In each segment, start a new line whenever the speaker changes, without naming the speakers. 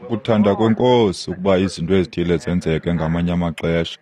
Kuthanda kweNkosi ukuba izinto ezithile zenzeke ngamanye amaxesha.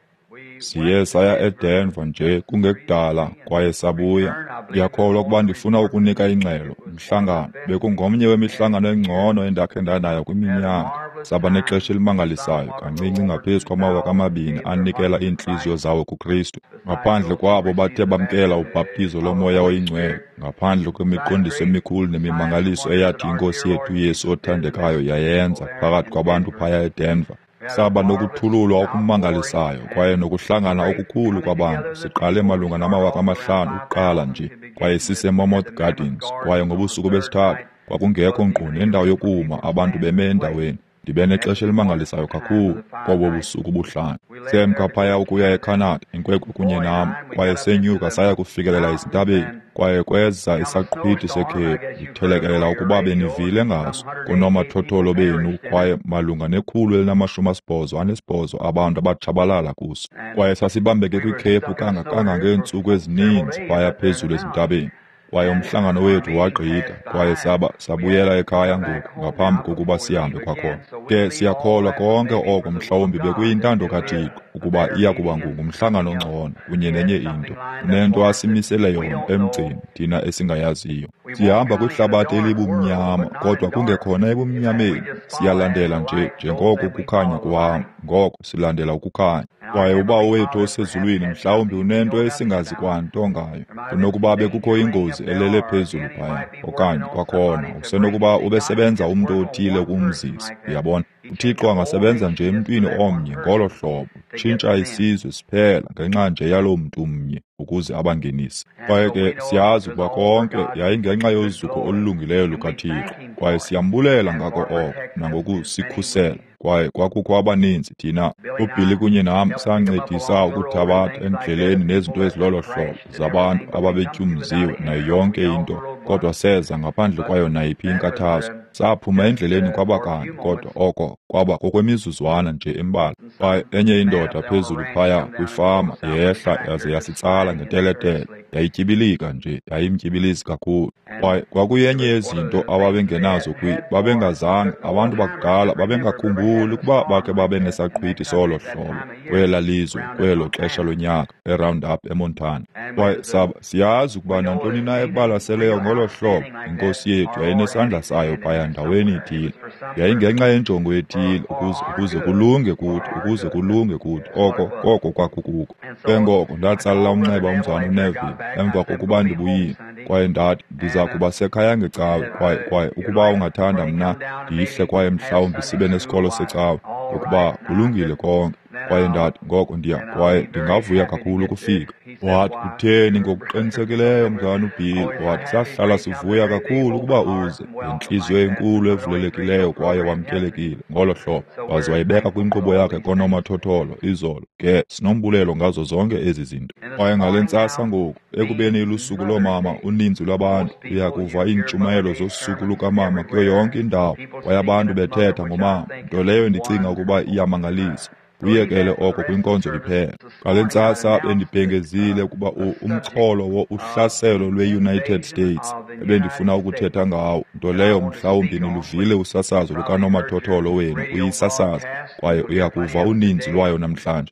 Siye saya eDenver nje kungekudala kwaye sabuya. Ndiyakholwa ukuba ndifuna ukunika ingxelo. Umhlangano bekungomnye wemihlangano engcono endakhe ndanayo kwiminyaka. Saba nexesha elimangalisayo, kancinci ngaphezu kwama-2000 anikela iintliziyo zawo kuKristu. Ngaphandle kwabo bathe bamkela ubhaptizo loMoya oyiNgcwele, ngaphandle kwemiqondiso emikhulu nemimangaliso eyathi iNkosi yethu uYesu othandekayo yayenza phakathi kwabantu phaya eDenver. Saba nokuthululwa okumangalisayo kwaye nokuhlangana okukhulu kwabantu. Siqale malunga nama-5000 ukuqala nje, kwaye siseMammoth Gardens, kwaye ngobusuku besithathu kwakungekho nkqu nendawo yokuma, abantu beme endaweni. Ndibe nexesha elimangalisayo kakhulu kobo busuku buhlanu. Semka phaya ukuya eCanada, inkwenkwe kunye nam, kwaye senyuka saya kufikelela ezintabeni, kwaye kweza isaqhwithi sekhephu. Ndithelekelela ukuba benivile ngaso kunomathotholo benu, kwaye malunga ne-188 abantu abatshabalala kuso. Kwaye sasibambeke kwikhephu kangangeentsuku ezininzi phaya phezulu ezintabeni. Kwaye umhlangano wethu wagqitha, kwaye sabuyela ekhaya ngoku ngaphambi kokuba sihambe kwakhona. Ke siyakholwa konke oko mhlawumbi bekuyintando kaThixo ukuba iya kuba ngumhlangano ongcono kunye nenye into. Unento asimisele yona emgceni thina esingayaziyo. Sihamba kwihlabathi elibumnyama, kodwa kungekhona ebumnyameni. Siyalandela nje njengoko ukukhanya kuhamba, ngoko silandela ukukhanya. Kwaye uBawo wethu osezulwini mhlawumbi unento esingazi kwanto ngayo. Kunokuba bekukho ingozi elele phezulu phaya, okanye kwakhona usenokuba ubesebenza umntu othile ukumzisa. Uyabona, uThixo angasebenza nje emntwini omnye ngolo hlobo, tshintsha isizwe siphela ngenxa nje yaloo mntu mnye ukuze abangenise. Kwaye ke siyazi ukuba konke yayingenxa yozuko olulungileyo lukaThixo, kwaye siyambulela ngako oko nangokusikhusela. Kwaye kwakukho abaninzi thina, uBilly kunye nam, sancedisa ukuthabatha endleleni nezinto ezilolo hlobo zabantu ababetyumziwe nayo yonke into, kodwa seza ngaphandle kwayo nayiphi inkathazo. Saphuma endleleni kwabakanye, kodwa oko kwaba kokwemizuzwana nje embalwa. Kwaye enye indoda phezulu phaya kwifama yehla yaze yasitsala ngeteletele, yayityibilika nje, yayimtyibilizi kakhulu. Kwaye kwakuyenye yezinto ababengenazo babengazange, abantu bakudala babengakhumbuli ukuba bakhe babe nesaqhwithi solo hlobo kwela lizwe kwelo xesha lonyaka eRoundup eMontana. Kwaye siyazi ukuba nantoni na ebalaseleyo ngolo hlobo, iNkosi yethu yayinesandla sayo phaya ndaweni ithile. Yayingenxa yenjongo ethile ukuze kulunge kuthi, ukuze kulunge kuthi, oko koko kwakukuko. Ke ngoko ndatsalela umnxeba umzwana uNeville emva kokuba ndibuyile, kwaye ndathi ndiza kuba sekhaya ngecawe, kwaye ukuba ungathanda mna ndihle kwaye mhlawumbi sibe nesikolo secawe, ngokuba kulungile konke. Kwaye ndathi ngoko ndiya, kwaye ndingavuya kakhulu ukufika. Wathi kutheni ngokuqinisekileyo mzana uBill, wathi sahlala sivuya kakhulu ukuba uze ngentliziyo enkulu evulelekileyo kwaye wamkelekile ngolo hlobo. Waze wayibeka kwinkqubo yakhe konomathotholo izolo. Ke sinombulelo ngazo zonke ezi zinto. Kwaye ngale ntsasa ngoku, ekubeni ilusuku loomama, uninzi lwabantu uya kuva iintshumayelo zosuku lukamama kuyo yonke indawo, kwaye abantu bethetha ngomama, nto leyo ndicinga ukuba iyamangalisa. Kuyekele oko kwinkonzo iphela. Ngale ntsasa bendibhengezile ukuba umxholo uhlaselo lwe-United States ebendifuna ukuthetha ngawo, nto leyo mhlawumbi niluvile usasazo lukanomathotholo wenu uyisasaza, kwaye uya kuva uninzi lwayo namhlanje.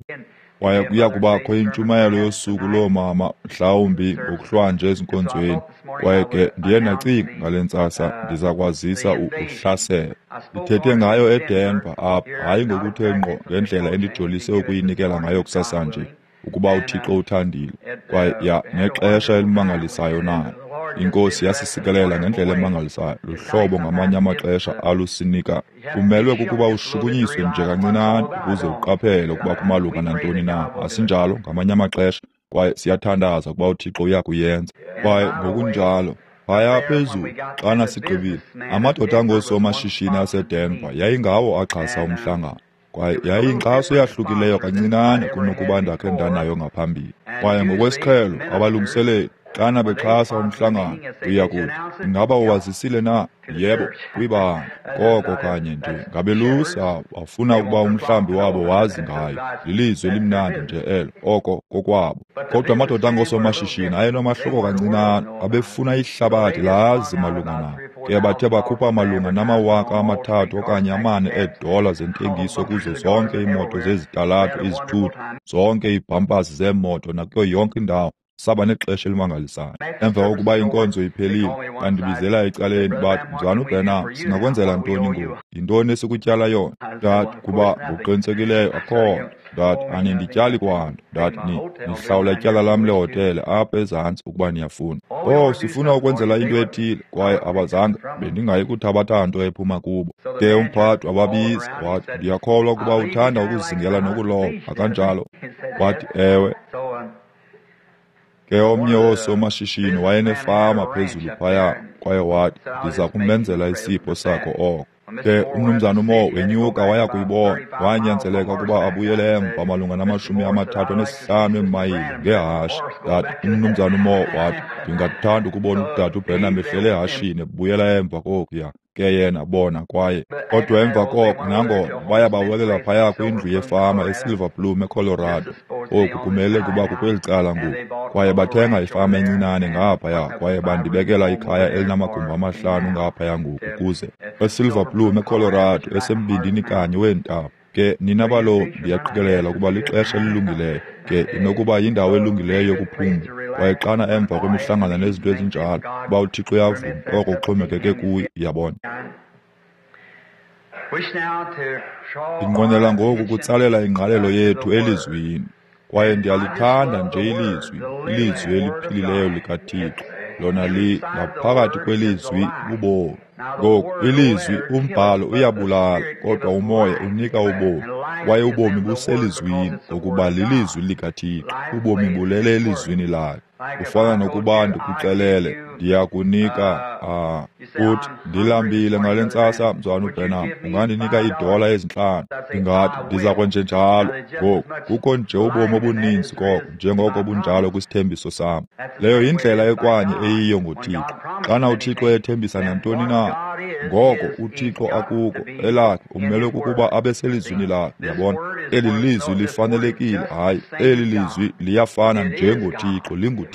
Kwaye kuya kubakho intshumayelo yosuku loomama mhlawumbi ngokuhlwanje ezinkonzweni. Kwaye ke ndiye ndacinga ngale ntsasa ndiza kwazisa uhlaselo. Ndithethe ngayo eDenver apha, hayi ngokuthe ngqo ngendlela endijolise ukuyinikela ngayo kusasa nje, ukuba uThixo uthandile. Kwaye ya nexesha elimangalisayo nalo. INkosi yasisikelela ngendlela emangalisayo, luhlobo ngamanye amaxesha alusinika. Kumelwe kukuba ushukunyiswe nje kancinane ukuze uqaphele ukuba kumalunga nantoni na. Asinjalo ngamanye amaxesha, kwaye siyathandaza ukuba uThixo uya kuyenza. Kwaye ngokunjalo phaya phezulu xana sigqibile, amadoda angoosomashishini aseDenver yayingawo axhasa umhlangano. Kwaye yayiyinkxaso eyahlukileyo kancinane kunokuba ndakhe ndanayo ngaphambili. Kwaye ngokwesiqhelo abalungiseleli xana bexhasa umhlangano uya kuthi, ingaba uwazisile na? Yebo, kwibandla. Koko kanye nje ngabelusi abo bafuna ukuba umhlambi wabo wazi ngayo. Lilizwi elimnandi nje elo, oko kokwabo. Kodwa amadoda angoosomashishini ayenomahluko kancinane, abefuna ihlabathi lazi malunga nawo. Ke bathe bakhupha malunga nama-3,000 okanye 4 eedola zentengiso kuzo zonke iimoto zezitalato, izithuthi, zonke iibhampasi zeemoto nakuyo yonke indawo. Saba nexesha elimangalisayo. Emva kokuba inkonzo iphelile, bandibizela ecaleni bathi, "Mzalwana uBranham, singakwenzela ntoni ngoku? Yintoni esikutyala yona?" Ndathi, "Kuba ngokuqinisekileyo akho nto." Ndathi, "Anindityali kwanto." Ndathi, "Nihlawula ityala lam lehotele apha ezantsi ukuba niyafuna." "Oh, sifuna ukwenzela into ethile." Kwaye abazange, bendingayi kuthabatha nto ephuma kubo. Ke umphathi wababiza, wathi, "Ndiyakholwa ukuba uthanda ukuzingela nokuloba, akanjalo?" Wathi, "Ewe." Ke omnye woosomashishini wayenefama phezulu phaya, kwaye wathi, "Ndiza kumenzela isipho sakho oko." Ke umnumzana uMoore wenyuka waya kuyibona, wanyanzeleka ukuba abuyele emva malunga nama-35 eemayile ngehashe. Ndathi, umnumzana uMoore wathi, "Ndingathanda ukubona udade uBranham ehlele ehashini ebuyela emva kokuya." Ke yena bona kwaye kodwa emva koko nangona baya bawelela phaya kwindlu yefama eSilver Plume eColorado. Oku kumele kuba kukweli cala ngoku. Kwaye bathenga ifama encinane ngaphaya kwaye bandibekela ikhaya elinamagumbi 5 ngaphaya ngoku ukuze eSilver Plume eColorado, esembindini kanye weentaba. Ke nina balobi, ndiyaqikelela ukuba lixesha elilungileyo. Ke inokuba yindawo elungileyo yokuphumla. Kwaye xana emva kwemihlangano nezinto ezinjalo, uba uThixo uyavuma, oko kuxhomekeke kuye, yabona. Ndinqwenela ngoku ukutsalela ingqalelo yethu elizwini. Kwaye ndiyalithanda nje ilizwi, ilizwi eliphilileyo likaThixo. Lona ngaphakathi kwelizwi bubomi. Ngoku, ilizwi, umbhalo uyabulala, kodwa umoya unika ubomi. Kwaye ubomi buselizwini, ngokuba lilizwi likaThixo. Ubomi bulele elizwini lakhe. Kufana nokuba ndikuxelele, ndiyakunika, uthi, "Ndilambile ngale ntsasa, Mzalwana uBranham, ungandinika $5?" Ndingathi, "Ndiza kwenjenjalo." Ngoku, kukho nje ubomi obuninzi koko, njengoko bunjalo kwisithembiso sam. Leyo yindlela ekwanye eyiyo ngoThixo. Xana uThixo ethembisa nantoni na, ngoko uThixo akuko elakhe, umele kukuba abe selizwini lakhe. Yabona, eli lizwi lifanelekile. Hayi, eli lizwi liyafana njengoThixo, linguThixo.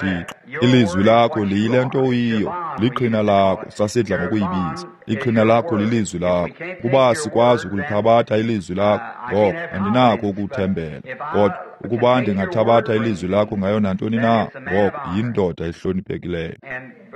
Ilizwi lakho liyile nto uyiyo, liqhina lakho, sasidla ngokuyibiza. Iqhina lakho lilizwi lakho. Kuba sikwazi ukulithabatha ilizwi lakho, ngoko andinakho ukuthembela. Kodwa ukuba ndingathabatha ilizwi lakho ngayo nantoni na, ngoko yindoda ehloniphekileyo.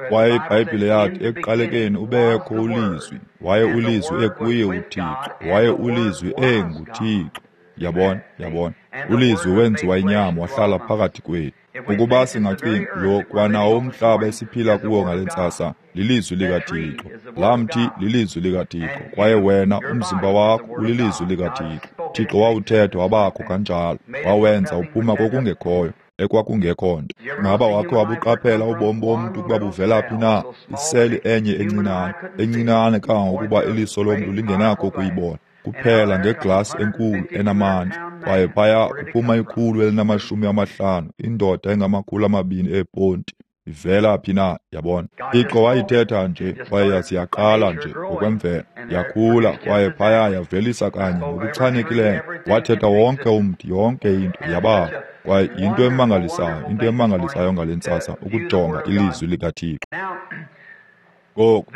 Kwaye iBhayibhile yathi, ekuqalekeni ubekho uLizwi, waye uLizwi ekuye uThixo, waye uLizwi enguThixo. Yabona, yabona. uLizwi wenziwa inyama wahlala phakathi kwethu. Ukuba singacinga, lo kwanawo umhlaba esiphila kuwo ngale ntsasa lilizwi likaThixo. Laa mthi lilizwi likaThixo, kwaye wena umzimba wakho ulilizwi likaThixo. Thixo wawuthetha wabakho kanjalo, wawenza uphuma kokungekhoyo, ekwakungekho nto. Ngaba wakhe wabuqaphela ubomi bomntu ukuba buvela phi na? Iseli enye encinane, encinane kangangokuba iliso lomntu lingenakho ukuyibona, kuphela ngeglasi enkulu enamandla. Kwaye phaya kuphuma 150, indoda engama-200 eeponti. Ivela phi na? Yabona, Thixo wayithetha nje, kwaye yasiyaqala nje ngokwemvelo, yakhula, kwaye phaya yavelisa kanye ngokuchanekileyo. Wathetha wonke umthi, yonke into yabakho. Kwaye yinto emangalisayo, into emangalisayo ngale ntsasa ukujonga ilizwi likaThixo. Ngoku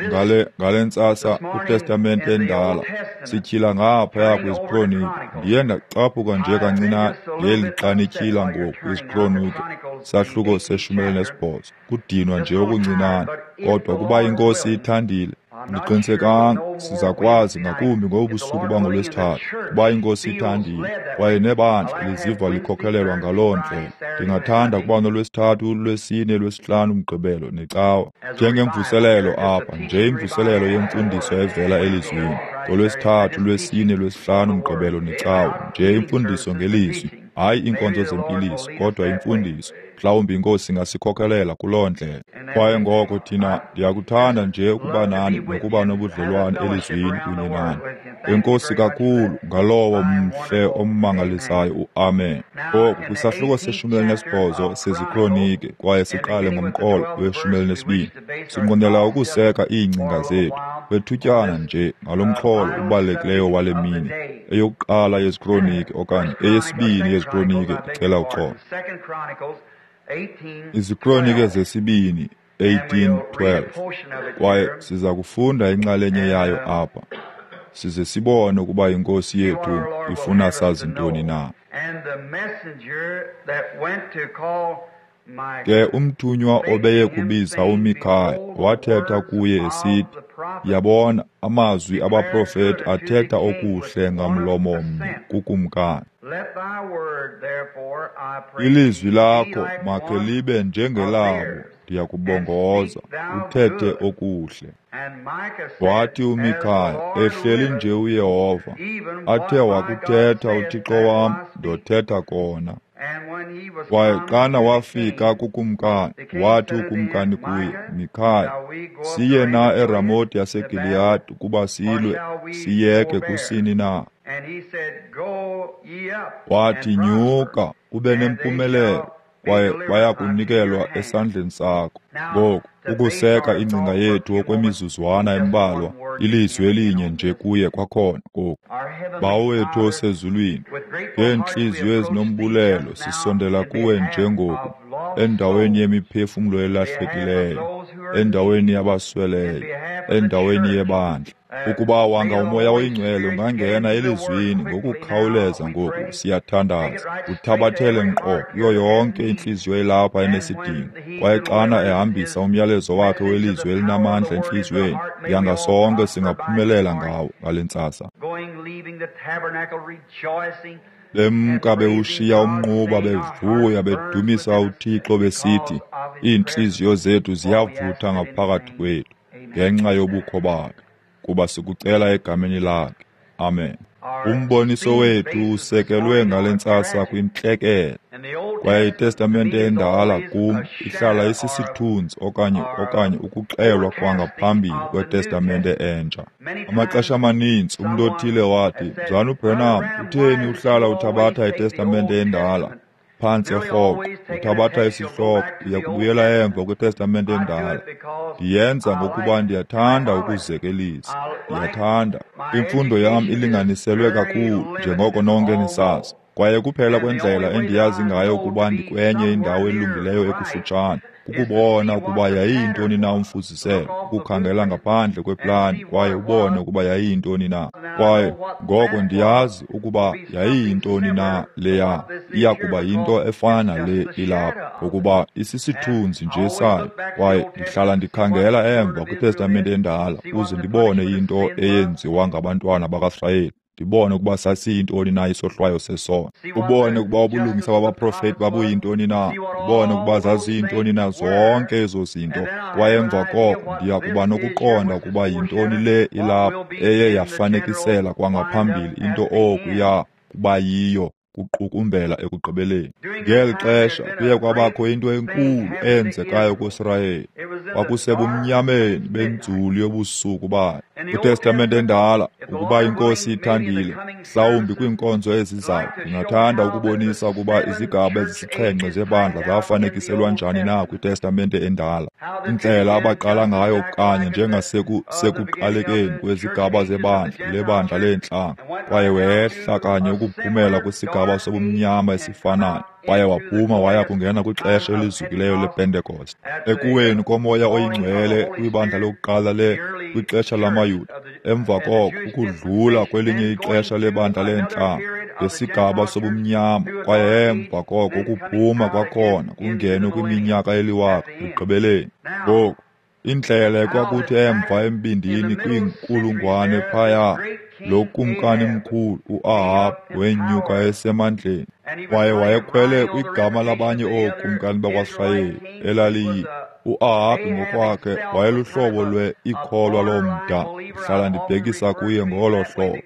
ngale ntsasa kwiTestamente endala sityhila ngaphaya kwiziKronike. Ndiye ndacaphuka nje kancinane ngeli xa nityhila ngoku kwiziKronike, sahluko se-18. Kudinwa nje okuncinane, kodwa ukuba iNkosi ithandile, ndiqinisekanga siza kwazi ngakumbi ngobusuku bangoLwesithathu, kuba iNkosi ithandile, kwaye nebandla liziva likhokhelelwa ngaloo ndlela. Ndingathanda ukuba noLwesithathu, Lwesine, Lwesihlanu, Mgqibelo neCawa njengemvuselelo apha, nje imvuselelo yemfundiso evela elizwini. NgoLwesithathu, Lwesine, Lwesihlanu, Mgqibelo neCawa, nje imfundiso ngelizwi, hayi iinkonzo zempiliso, kodwa imfundiso. Mhlawumbi iNkosi ingasikhokelela kuloo ndlela. Kwaye ngoko thina, ndiyakuthanda nje ukuba nani nokuba nobudlelwane elizwini kunye nani. Enkosi kakhulu ngalowo mhle ommangalisayo uAmen. Ngoku kwisahluko se-18 seziKronike, kwaye siqale ngomqolo we-12. Sinqwenela ukuseka iingcinga zethu kwethutyana nje ngalo mxholo ubalulekileyo wale mini, eyokuqala yeziKronike okanye eyesibini yeziKronike, ndicela uxolo. IziKronike zesibini 18:12. Kwaye siza kufunda inxalenye yayo apha, size sibone ukuba iNkosi yethu ifuna sazi ntoni na. Ke umthunywa obeye kubiza uMikhaya wathetha kuye esithi, yabona, amazwi abaprofeti athetha okuhle ngamlomo mnye kukumkani. Ilizwi lakho makhe libe njengelabo, ndiyakubongoza, uthethe okuhle. Wathi uMikhaya, ehleli nje uYehova, athe wakuthetha uThixo wam, ndothetha kona. Kwaye xana wafika kukumkani, wathi ukumkani kuye, Mikhaya, siye na eRamoti yaseGiliyadi ukuba silwe, siyeke kusini na? Wathi, nyuka, ube nempumelelo, kwaye baya kunikelwa esandleni sakho. Ngoku, ukuseka ingcinga yethu okwemizuzwana embalwa, ilizwi elinye nje kuye kwakhona ngoku. Bawo wethu osezulwini, ngeentliziyo ezinombulelo sisondela kuwe njengoku, endaweni yemiphefumlo elahlekileyo, endaweni yabasweleyo, endaweni yebandla. Ukuba wanga uMoya oyiNgcwele ungangena elizwini ngokukhawuleza ngoku, siyathandaza, uthabathele nkqo kuyo yonke intliziyo elapha enesidingo. Kwaye xana ehambisa umyalezo wakhe welizwi elinamandla entliziyweni, yanga sonke singaphumelela ngawo ngale ntsasa. Bemka bewushiya umnquba bevuya bedumisa uThixo besithi, iintliziyo zethu ziyavutha ngaphakathi kwethu ngenxa yobukho bakhe, kuba sikucela egameni lakhe. Amen. Umboniso wethu usekelwe ngale ntsasa kwintlekele, kwaye iTestamente endala kum ihlala isisithunzi okanye ukuxelwa kwangaphambili kweTestamente entsha. Amaxesha amaninzi umntu othile wathi, Mzalwana uBranham, utheni uhlala uthabatha iTestamente endala? Phantse rhoqo uthabatha isihloko, uya kubuyela emva kwiTestamente endala. Ndiyenza ngokuba ndiyathanda ukuzekelisa, ndiyathanda. Imfundo yam ilinganiselwe kakhulu, njengoko nonke nisazi. Kwaye kuphela kwendlela endiyazi ngayo ukuba ndikwenye indawo elungileyo ekufutshane, kukubona ukuba yayiyintoni na umfuziselo, ukukhangela ngaphandle kweplani kwaye ubone ukuba yayiyintoni na. Kwaye ngoko ndiyazi ukuba yayiyintoni na leya, iya kuba yinto efana nale ilapha, ngokuba isisithunzi nje sayo. Kwaye ndihlala ndikhangela emva kwiTestamente endala ukuze ndibone into eyenziwa ngabantwana bakaSirayeli, ndibone ukuba sasiyintoni na isohlwayo sesono, ubone ukuba ubulungisa babaprofeti babuyintoni na, ndibone ukuba zaziyintoni na zonke ezo zinto. Kwaye emva koko ndiya kuba nokuqonda ukuba yintoni le ilapha eye yafanekisela kwangaphambili into okuya kuba yiyo kuqukumbela ekugqibeleni. Ngeli xesha kuye kwabakho into enkulu eyenzekayo kuSirayeli. Kwakusebumnyameni benzulu yobusuku bayo. KwiTestamente endala, ukuba iNkosi ithandile, mhlawumbi kwiinkonzo ezizayo, ndingathanda ukubonisa ukuba izigaba ezisixhenxe zebandla zafanekiselwa njani na kwiTestamente endala, indlela abaqala ngayo kanye njengasekuqalekeni kwezigaba zebandla lebandla leentlanga, kwaye wehla kanye ukuphumela kwisigaba sobumnyama esifanayo, kwaye waphuma waya kungena kwixesha elizukileyo lePentekoste. Ekuweni koMoya oyiNgcwele kwibandla lokuqala kwixesha lamaYuda, emva koko ukudlula kwelinye ixesha lebandla leentlanga ngesigaba sobumnyama, kwaye emva koko ukuphuma kwakhona kungenwe kwiminyaka eliwaka ekugqibeleni. Ngoku, indlela ekwakuthi emva embindini kwiinkulungwane phaya, lo kumkani mkhulu uAhabhi wenyuka esemandleni, kwaye wayekhwele kwigama labanye ookumkani bakwaSirayeli elaliyi uAhabhi ngokwakhe wayeluhlobo lwe-ikholwa lomda. Ndihlala ndibhekisa kuye ngolo hlobo,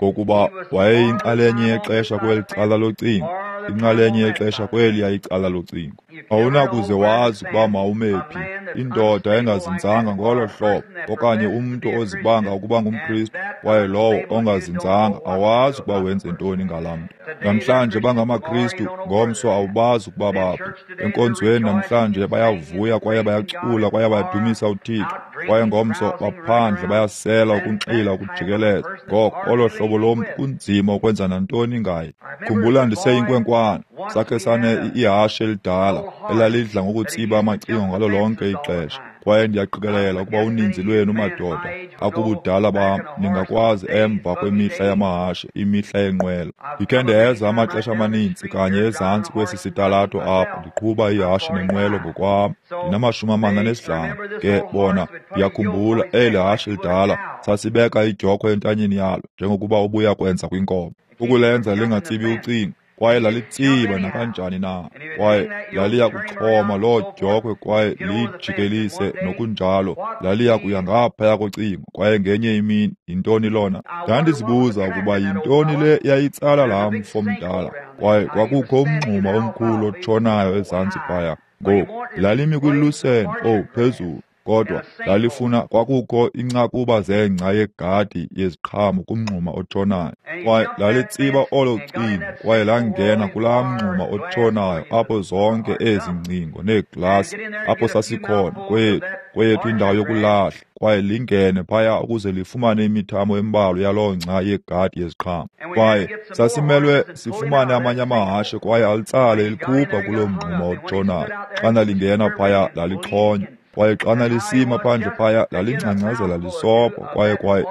ngokuba wayeyinxalenye yexesha kweli cala locingo, inxalenye yexesha kweliya icala locingo. Awunakuze wazi ukuba mawume phi, indoda engazinzanga ngolo hlobo, okanye umntu ozibanga ukuba ngumKristu, kwaye lowo ongazinzanga awazi ukuba wenze ntoni ngalaa mntu. Namhlanje bangamaKristu, ngomso awubazi ukuba baphi. Enkonzweni namhlanje bayavuya kwaye bayacula kwaye bayadumisa uThixo, kwaye ngomso baphandle bayasela, ukunxila, ukujikeleza. Ngoko olo hlobo lomntu kunzima ukwenza nantoni ngaye. Khumbula ndiseyinkwenkwana, sakhe sane ihashe elidala. elalidla ngokutsiba amacingo ngalo lonke ixesha. Kwaye ndiyaqikelela ukuba uninzi lwenu madoda akubudala bam ningakwazi emva kwemihla yamahashe, imihla yenqwelo. Ndikhe ndeza amaxesha amaninzi kanye ezantsi kwesi sitalato apha ndiqhuba ihashe nenqwelo ngokwam. Ndinama-45. Ke bona ndiyakhumbula eli hashe lidala sasibeka idyokhwe entanyeni yalo njengokuba ubuya kwenza kwinkomo, ukulenza lingatsibi ucingo. Kwaye lalitsiba nakanjani na, kwaye laliya kuxhoma loo dyokhwe kwaye liyijikelise nokunjalo, laliya kuya ngaphaya kocingo. Kwaye ngenye imini, yintoni lona? Ndandizibuza ukuba yintoni le yayitsala laa mfo mdala. Kwaye kwakukho umngxuma omkhulu otshonayo ezantsi phaya. Ngoku lalimi kwilusene, owu, phezulu, kodwa lalifuna kwakukho incakuba zengca yegadi yeziqhamo kumngxuma otshonayo. Kwaye lalitsiba olo cingo kwaye langena kulaa mngxuma otshonayo apho zonke ezi ngcingo neeglasi apho sasikhona kweyethu indawo yokulahla, kwaye lingene phaya ukuze lifumane imithamo embalwa yaloo ngca yegadi yeziqhamo. Kwaye sasimelwe sifumane amanye amahashe kwaye alitsale elikhupha kuloo mngxuma otshonayo. Xana lingena phaya lalixhonywa, kwaye xana lisima phandle phaya lalingcangcazela lisopha, kwaye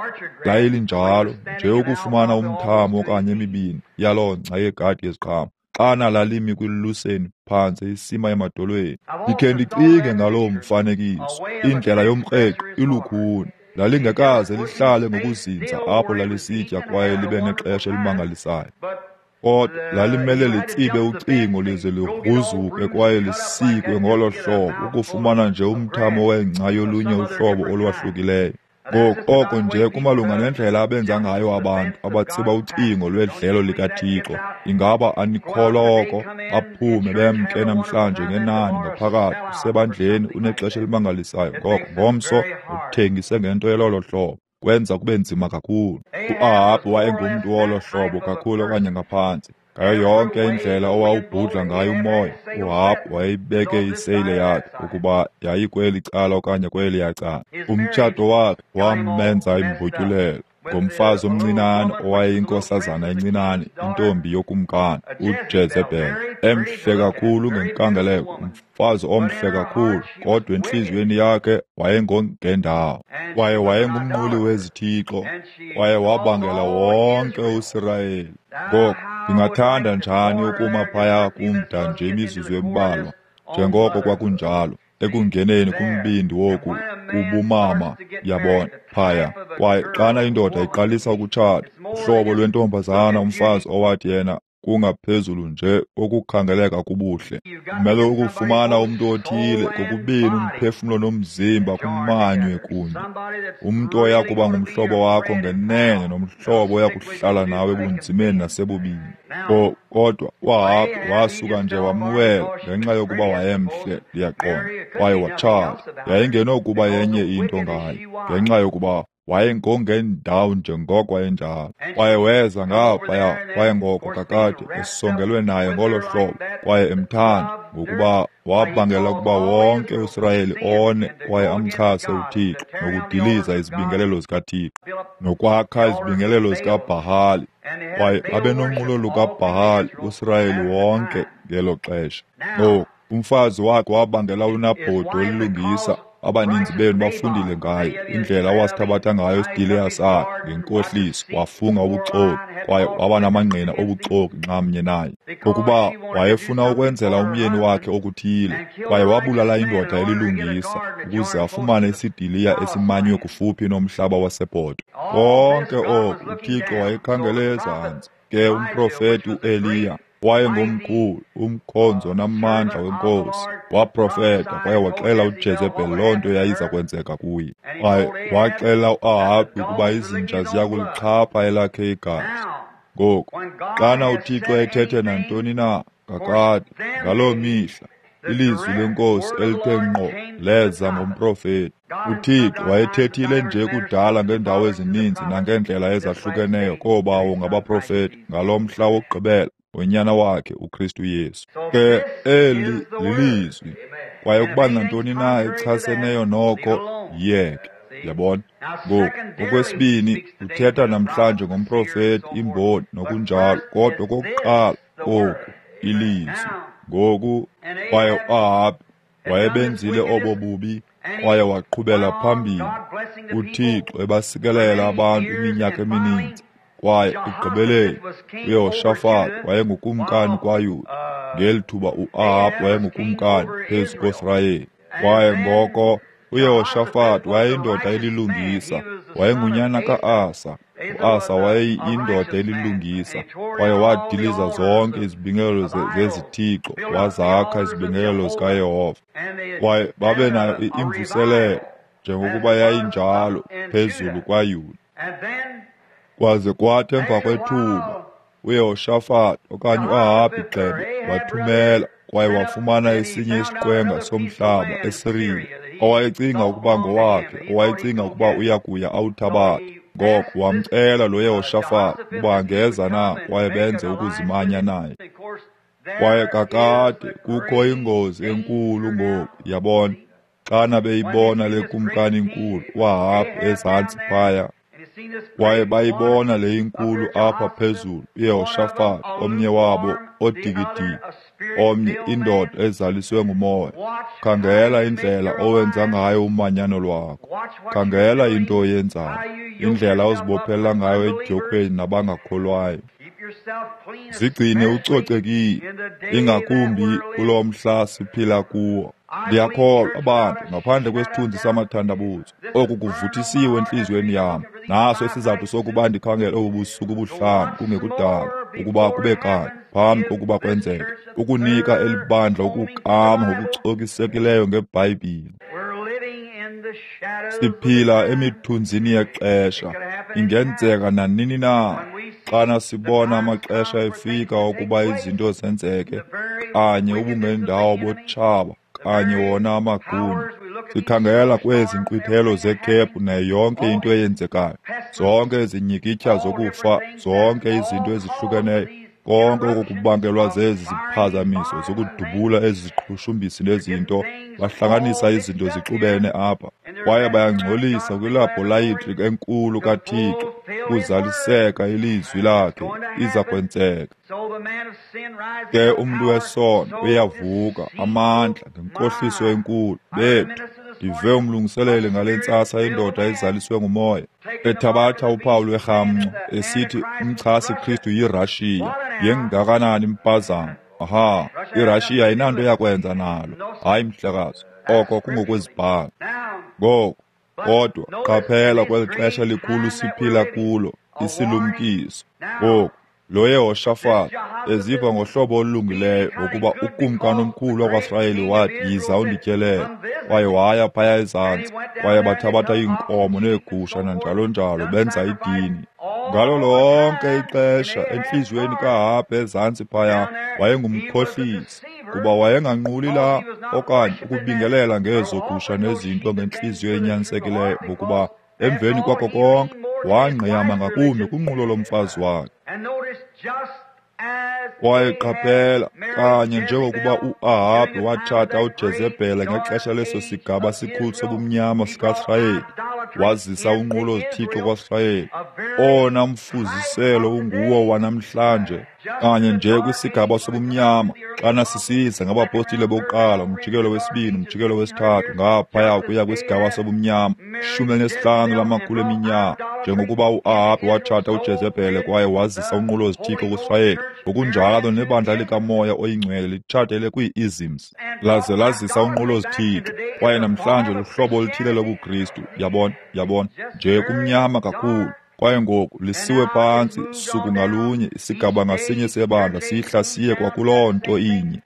layilinjalo nje ukufumana umthamo okanye emibini yaloo ngca yegadi yeziqhamo. Xana lalimi kwiluseni phantse isima emadolweni. Ndikhe ndicinge ngaloo mfanekiso, indlela yomkreqo ilukhuni. Lalingekaze lihlale ngokuzinza apho lalisitya kwaye libe nexesha elimangalisayo. Kodwa lalimele litsibe ucingo lize ligruzuke kwaye lisikwe ngolo hlobo ukufumana nje umthamo wengca yolunye uhlobo olwahlukileyo. Ngoku oko nje kumalunga nendlela abenza ngayo abantu abatsiba ucingo lwedlelo likaThixo. Ingaba anikholwa oko? Baphume bemke namhlanje ngenani ngaphakathi usebandleni unexesha elimangalisayo, ngoko ngomso uthengise ngento yelolo hlobo. Kwenza kube nzima kakhulu. UAhabhi wayengumntu wolo hlobo kakhulu okanye ngaphantsi. Ngayo yonke indlela owawubhudla ngayo umoya, uAhabhi wayeyibeke iseyile yakhe ukuba yayikweli cala okanye kweliya cala. Umtshato wakhe wamenza imbotyulelo ngomfazi omncinane owayeyinkosazana encinane, intombi yokumkani uJezebhele, emhle kakhulu ngenkangeleko, umfazi omhle kakhulu, kodwa entliziyweni yakhe wayengongendawo. Kwaye wayengumnquli wezithixo, kwaye wabangela wonke uSirayeli. Ngoku ndingathanda njani ukuma phaya kumda nje imizuzu embalwa, njengoko kwakunjalo ekungeneni kumbindi woku kubumama, yabona, phaya. Kwaye xana indoda iqalisa ukutshata, uhlobo lwentombazana umfazi owathi yena kungaphezulu nje kokukhangeleka kubuhle. Kumele ukufumana umntu othile kokubini umphefumlo nomzimba kumanywe kunye, umntu oya kuba ngumhlobo wakho ngenene nomhlobo oya kuhlala nawe ebunzimeni nasebubini. Kodwa uAhabhi wasuka nje wamwela ngenxa yokuba wayemhle, ndiyaqonda, kwaye watshata. Yayingenokuba yenye into ngaye ngenxa yokuba wayengongendawo njengoko wayenjalo. Kwaye weza ngaphaya, kwaye ngoko kakade esongelwe naye ngolo hlobo, kwaye emthanda, ngokuba wabangela ukuba wonke uSirayeli one kwaye amchase uThixo nokudiliza izibingelelo zikaThixo nokwakha izibingelelo zikaBhahali. Kwaye babenonqulo lukaBhahali uSirayeli wonke ngelo xesha. Ngoku umfazi wakhe wabangela uNabhoti olilungisa. Abaninzi benu bafundile ngaye, indlela awasithabatha ngayo isidiliya sakhe ngenkohliso, wafunga ubuxoki kwaye waba namangqina obuxoki nxamnye naye, ngokuba wayefuna ukwenzela umyeni wakhe okuthile. Kwaye wabulala indoda elilungisa ukuze afumane isidiliya esimanywe kufuphi nomhlaba waseBhoto. Konke oku uThixo wayekhangele ezantsi. Ke umprofeti uEliya wayengomkhulu, umkhonzi onamandla wenkosi, waprofeta kwaye waxela uJezebhele loo nto yayiza kwenzeka kuye. Kwaye waxela uAhabhi ukuba izinja ziya kulixhapha elakhe igazi. Ngoku xana uThixo ethethe nantoni na kakade ngaloo mihla, ilizwi lenkosi elithe ngqo leza ngomprofeti. UThixo wayethethile nje kudala ngeendawo ezininzi nangeendlela ezahlukeneyo koobawo ngabaprofeti ngalo mhla wokugqibela ngonyana wakhe uKristu Yesu. Ke eli lilizwi, kwaye ukuba nantoni na echaseneyo noko yiyeke. Yabona? Ngoku okwesibini uthetha namhlanje ngomprofeti, imboni nokunjalo, kodwa okokuqala koku ilizwi. Ngoku kwaye uAhabhi wayebenzile obo bubi kwaye waqhubela phambili, uThixo ebasikelela abantu iminyaka emininzi. Kwaye ekugqibeleni uYehoshafati wayengukumkani kwaYuda, ngeli thuba uAhabhi wayengukumkani phezu koSirayeli. Kwaye ngoko uYehoshafati wayeyindoda elilungisa, wayengunyana ka-Asa. U-Asa wayeyindoda elilungisa, kwaye wadiliza zonke izibingelelo zezithixo, wazakha izibingelelo zikaYehova. Kwaye babe nayo imvuselelo, njengokuba yayinjalo phezulu kwaYuda. Kwaze kwathi emva kwethuba uYehoshafati okanye uAhabhi gxebe wathumela kwaye wafumana esinye isiqwenga somhlaba eSiriya, owayecinga ukuba ngowakhe, owayecinga ukuba uya kuya awuthabathe. Ngoko wamcela lo Yehoshafati ukuba angeza na kwaye benze ukuzimanya naye. Kwaye kakade kukho ingozi enkulu ngoku, yabona, xana beyibona le kumkani inkulu uAhabhi ezantsi phaya, kwaye bayibona le inkulu apha phezulu uYehoshafati, omnye wabo odikidiki, omnye indoda ezaliswe ngumoya. Khangela indlela owenza ngayo umanyano lwakho, khangela into oyenzayo, indlela ozibophelela ngayo edyokhweni nabangakholwayo. Zigcine ucocekile, ingakumbi kulo mhla siphila kuwo. Ndiyakholwa abantu, ngaphandle kwesithunzi samathandabuzo, oku kuvuthisiwe entliziyweni yam. Naso isizathu sokuba ndikhangele obu busuku buhlanu kungekudala, ukuba kube kanye phambi kokuba kwenzeke, ukunika eli bandla ukukama ngokucokisekileyo ngeBhayibhile. Siphila emithunzini yexesha, ingenzeka nanini na. Xana sibona amaxesha efika ukuba izinto zenzeke, kanye ubungendawo botshaba, kanye wona amagunya. Sikhangela kwezi nkqwithelo zekhephu nayo yonke into eyenzekayo, zonke izinyikitya zokufa, zonke izinto ezihlukeneyo, konke oku kubangelwa zezi ziphazamiso zokudubula ezi ziqhushumbisi nezinto. Bahlanganisa izinto zixubene apha, kwaye bayangcolisa kwilabholayitri enkulu kaThixo. Kuzaliseka ilizwi lakhe, iza kwenzeka. Ke umntu wesono uyavuka amandla ngenkohliso enkulu. Bethu, ndive umlungiseleli ngale ntsasa indoda ezaliswe ngumoya, ethabatha uphawu lwerhamncwa, esithi umchasi Kristu yiRashiya. Yengakanani impazamo! Aha, iRashiya ayinanto yakwenza nalo. Hayi mhlekazi, oko kungokwezibhalo. Ngoku, kodwa qaphela kweli xesha likhulu siphila kulo, isilumkiso. Ngoku, lo Yehoshafati eziva ngohlobo olulungileyo ngokuba ukumkani omkhulu wakwaSirayeli wathi, yiza undityelele. Kwaye waya phaya ezantsi, kwaye bathabatha iinkomo neegusha nanjalo njalo, benza idini. Ngalo lonke ixesha entliziyweni kaAhabhi ezantsi phaya wayengumkhohlisi, kuba wayenganquli la okanye ukubingelela ngezo gusha nezinto ngentliziyo enyanisekileyo, ngokuba emveni kwako konke wangqiyama ngakumbi kunqulo lomfazi wakhe. Kwaye qaphela, kanye njengokuba uAhabhi watshata uJezebhele ngexesha leso sigaba sikhulu sobumnyama sikaSirayeli, wazisa unqulo zithixo kwaSirayeli, owona mfuziselo unguwo wanamhlanje, kanye nje kwisigaba sobumnyama, xana sisiza ngabapostile bokuqala, umjikelo wesibini, umjikelo wesithathu, ngaphaya ukuya kwisigaba sobumnyama, 15 lamakhulu eminyaka, njengokuba uAhabhi watshata uJezebhele kwaye wazisa unqulo zithixo kuSirayeli, ngokunjalo nebandla likaMoya oyiNgcwele litshatele kwii-isms, laze lazisa unqulo zithixo, kwaye namhlanje luhlobo oluthile lobuKristu. Yabona, yabona, nje kumnyama kakhulu. Kwaye ngoku lisiwe phantsi suku ngalunye, isigaba ngasinye sebandla sihla siye kwakuloo nto inye,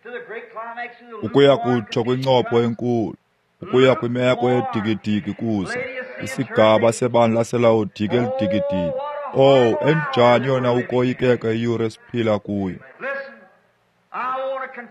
ukuya kutsho kwincopho enkulu, ukuya kwimeko edikidiki kuza isigaba sebandla laseLawodike elidikidiki. Oh, enjani yona ukoyikeka iyure esiphila kuyo!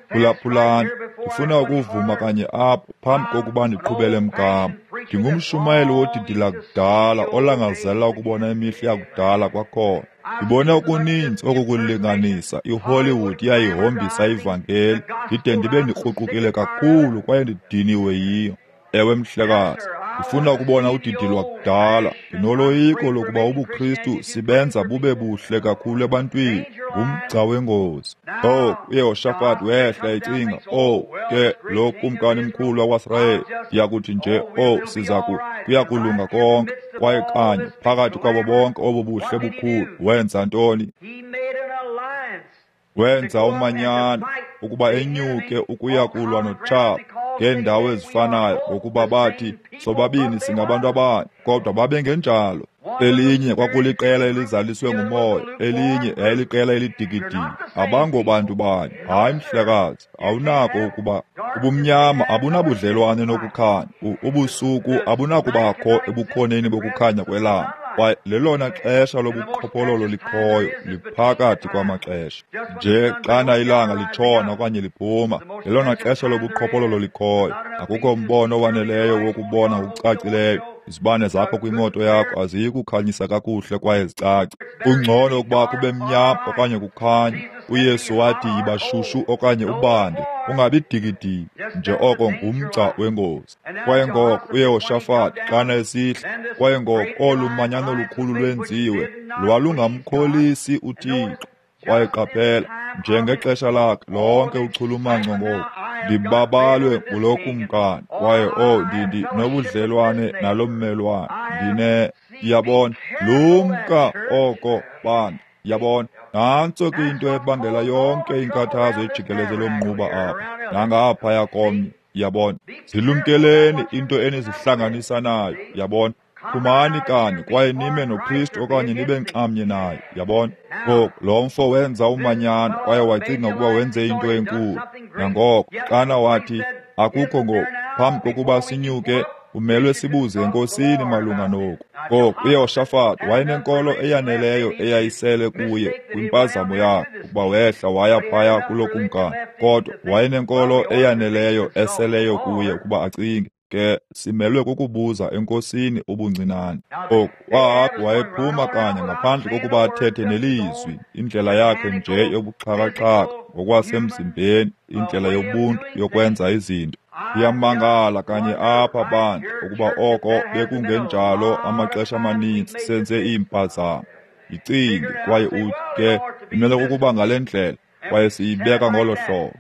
Phulaphulani, ndifuna ukuvuma kanye apha phambi kokuba ndiqhubele mgama. Ndingumshumayeli wodidi lakudala olangazelela ukubona imihla yakudala kwakhona. Ndibone okuninzi okukulinganisa. iHollywood iyayihombisa ivangeli, ndide ndibe ndikruqukile kakhulu kwaye ndidiniwe yiyo. Ewe mhlekazi, Ndifuna ukubona udidi lwakudala. Ndinoloyiko lokuba ubuKristu sibenza bube buhle kakhulu ebantwini. Ngumgca wengozi. Oh, uYehoshafati wehla ecinga, oh, ke lo kumkani mkhulu wakwaSirayeli, ndiyakuthi nje, oh, sizaku, kuyakulunga konke. Kwaye kanye phakathi kwabo bonke obo buhle bukhulu, wenza ntoni? Wenza umanyano ukuba enyuke ukuya kulwa notshaba ngeendawo ezifanayo, ngokuba bathi sobabini singabantu abanye, kodwa babengenjalo. Elinye kwakuliqela elizaliswe ngumoya, elinye yayiliqela elidikidiki. Abangobantu banye. Hayi mhlekazi, awunako ukuba ubumnyama abunabudlelwane nokukhanya, ubusuku abunakubakho ebukhoneni bokukhanya kwelanga. Kwaye lelona xesha lobuqhophololo likhoyo liphakathi kwamaxesha. Nje xana ilanga litshona okanye liphuma, lelona xesha lobuqhophololo likhoyo. Akukho mbono owaneleyo wokubona ngokucacileyo. Izibane zakho kwimoto yakho aziyi kukhanyisa kakuhle kwaye zicace. Kungcono ukuba kube mnyama okanye kukhanye. uYesu wathi yiba shushu okanye ubande, ungabi dikidiki. Nje oko ngumgca wengozi. Kwaye ngoko uYehoshafati xana esihla, kwaye ngoko olu manyano lukhulu lwenziwe, lwalungamkholisi uThixo. Kwaye qaphela, njengexesha lakhe lonke uchulumanco ngoku, ndibabalwe ngulo kumkani, kwaye oh, ndi nobudlelwane nalo mmelwane, ndine, yabona, lumka oko bantu, yabona. Nantso ke into ebangela yonke inkathazo ejikeleze lomnquba apha, nangaphaya komnye, yabona. Zilumkeleni into enizihlanganisa nayo, yabona. Phumani kanye kwaye nime noKristu okanye nibe nxamnye naye, yabona. Ngoku lo mfo wenza umanyano kwaye wacinga ukuba wenze into enkulu. Nangoko xana wathi akukho ngoku, phambi kokuba sinyuke umelwe sibuze enkosini malunga noku. Ngoku uYehoshafati wayenenkolo eyaneleyo eyayisele kuye kwimpazamo yakhe ukuba wehla waya phaya kulo kumkani, kodwa wayenenkolo eyaneleyo eseleyo kuye ukuba acinge, ke simelwe kukubuza enkosini ubuncinane. Oku uAhabhi wayephuma kanye ngaphandle kokuba athethe nelizwi, indlela yakhe nje yobuxhakaxhaka ngokwasemzimbeni, indlela yobuntu yokwenza izinto. Ndiyamangala kanye apha bandla ukuba oko bekungenjalo amaxesha amaninzi senze iimpazamo. Yicinge kwaye uthi ke imele kukuba ngale ndlela, kwaye siyibeka ngolo hlobo.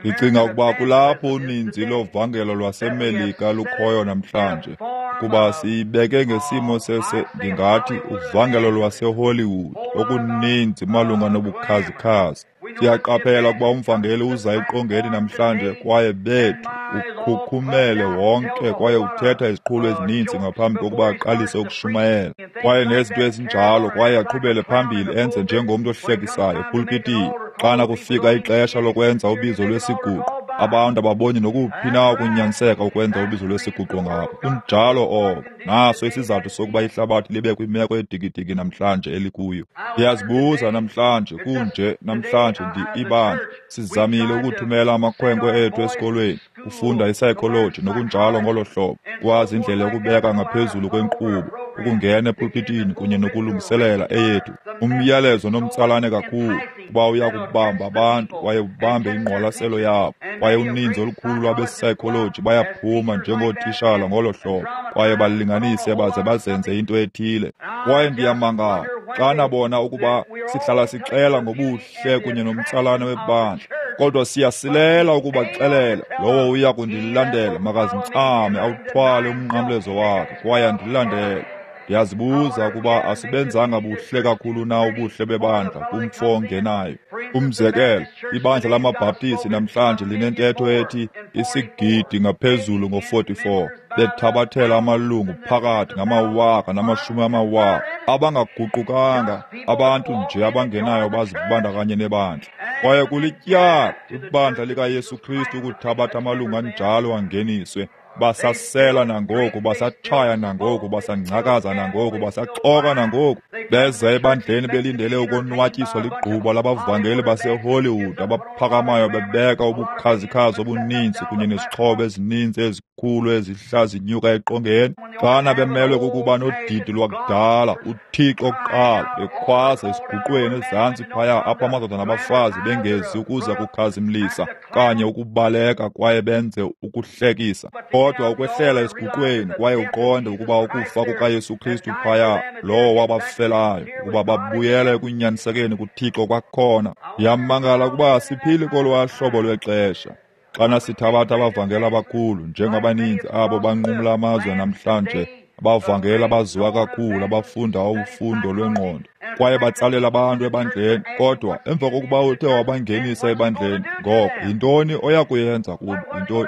Ndicinga ukuba kulapho uninzi lovangelo lwaseMelika lukhoyo namhlanje, ukuba siyibeke ngesimo sese, ndingathi uvangelo lwaseHollywood, okuninzi malunga nobukhazikhazi. Siyaqaphela ukuba umvangeli uza eqongeni namhlanje kwaye bethu ukhukhumele wonke kwaye uthetha iziqhulo ezininzi ngaphambi kokuba aqalise ukushumayela, kwaye nezinto ezinjalo, kwaye aqhubele phambili enze njengomntu ohlekisayo epulpitini. Xana kufika ixesha lokwenza ubizo lwesiguqo, abantu ababoni nokuphi na ukunyaniseka ukwenza ubizo lwesiguqo ngabo. Kunjalo oko. Naso isizathu sokuba ihlabathi libe kwimeko edikidiki namhlanje elikuyo. Ndiyazibuza namhlanje, kunje namhlanje ibandla sizamile ukuthumela amakhwenkwe ethu esikolweni, kufunda ipsychology nokunjalo ngolo hlobo, kwazi indlela yokubeka ngaphezulu kwenkqubo, ukungena epulpitini kunye nokulungiselela eyethu umyalezo nomtsalane kakhulu, kuba uya kubamba abantu kwaye ubambe ingqwalaselo yabo. Kwaye uninzi olukhulu lwabepsychology bayaphuma njengootishala ngolo hlobo, kwaye balinganise baze bazenze into ethile. Kwaye ndiyamangala xana bona ukuba sihlala sixela ngobuhle kunye nomtsalane webandla, kodwa siyasilela ukubaxelela lowo uya kundilandela makazincame awuthwale umnqamlezo wakhe kwaye andilandele. Ndiyazibuza ukuba asibenzanga buhle kakhulu na ubuhle bebandla kumfo ongenayo. Umzekelo, ibandla lamaBhaptisi namhlanje linentetho ethi isigidi ngaphezulu ngo-44, bethabathela amalungu phakathi ngamawaka namashumi amawaka abangaguqukanga, abantu nje abangenayo bazibandakanye nebandla. Kwaye kulityala ibandla likaYesu Kristu ukuthabatha amalungu anjalo angeniswe. Basasela nangoku, basatshaya nangoku, basangcakaza nangoku, basaxoka nangoku. Beza ebandleni belindele ukonwatyiswa ligquba labavangeli baseHollywood abaphakamayo bebeka ubukhazikhazi obuninzi kunye nezixhobo ezininzi ezikhulu ezihla zinyuka eqongeni. Xana bemelwe kukuba nodidi lwakudala, uThixo kuqala, bekhwaza esiguqweni ezantsi phaya apho amadoda nabafazi bengezi ukuza kukhazimlisa kanye ukubaleka kwaye benze ukuhlekisa. Kodwa ukwehlela esiguqweni kwaye uqonde ukuba ukufa kukaYesu Kristu phaya, lowo wabafelayo, ukuba babuyele ekunyanisekeni kuThixo kwakhona. Ndiyamangala ukuba asiphili kolwaa hlobo lwexesha. Xana sithabatha abavangeli abakhulu, njengabaninzi abo banqumla amazwe namhlanje, abavangeli abaziwa kakhulu, abafunda ufundo lwengqondo, kwaye batsalela abantu ebandleni. Kodwa emva kokuba uthe wabangenisa ebandleni, ngoko yintoni oya kuyenza kubo?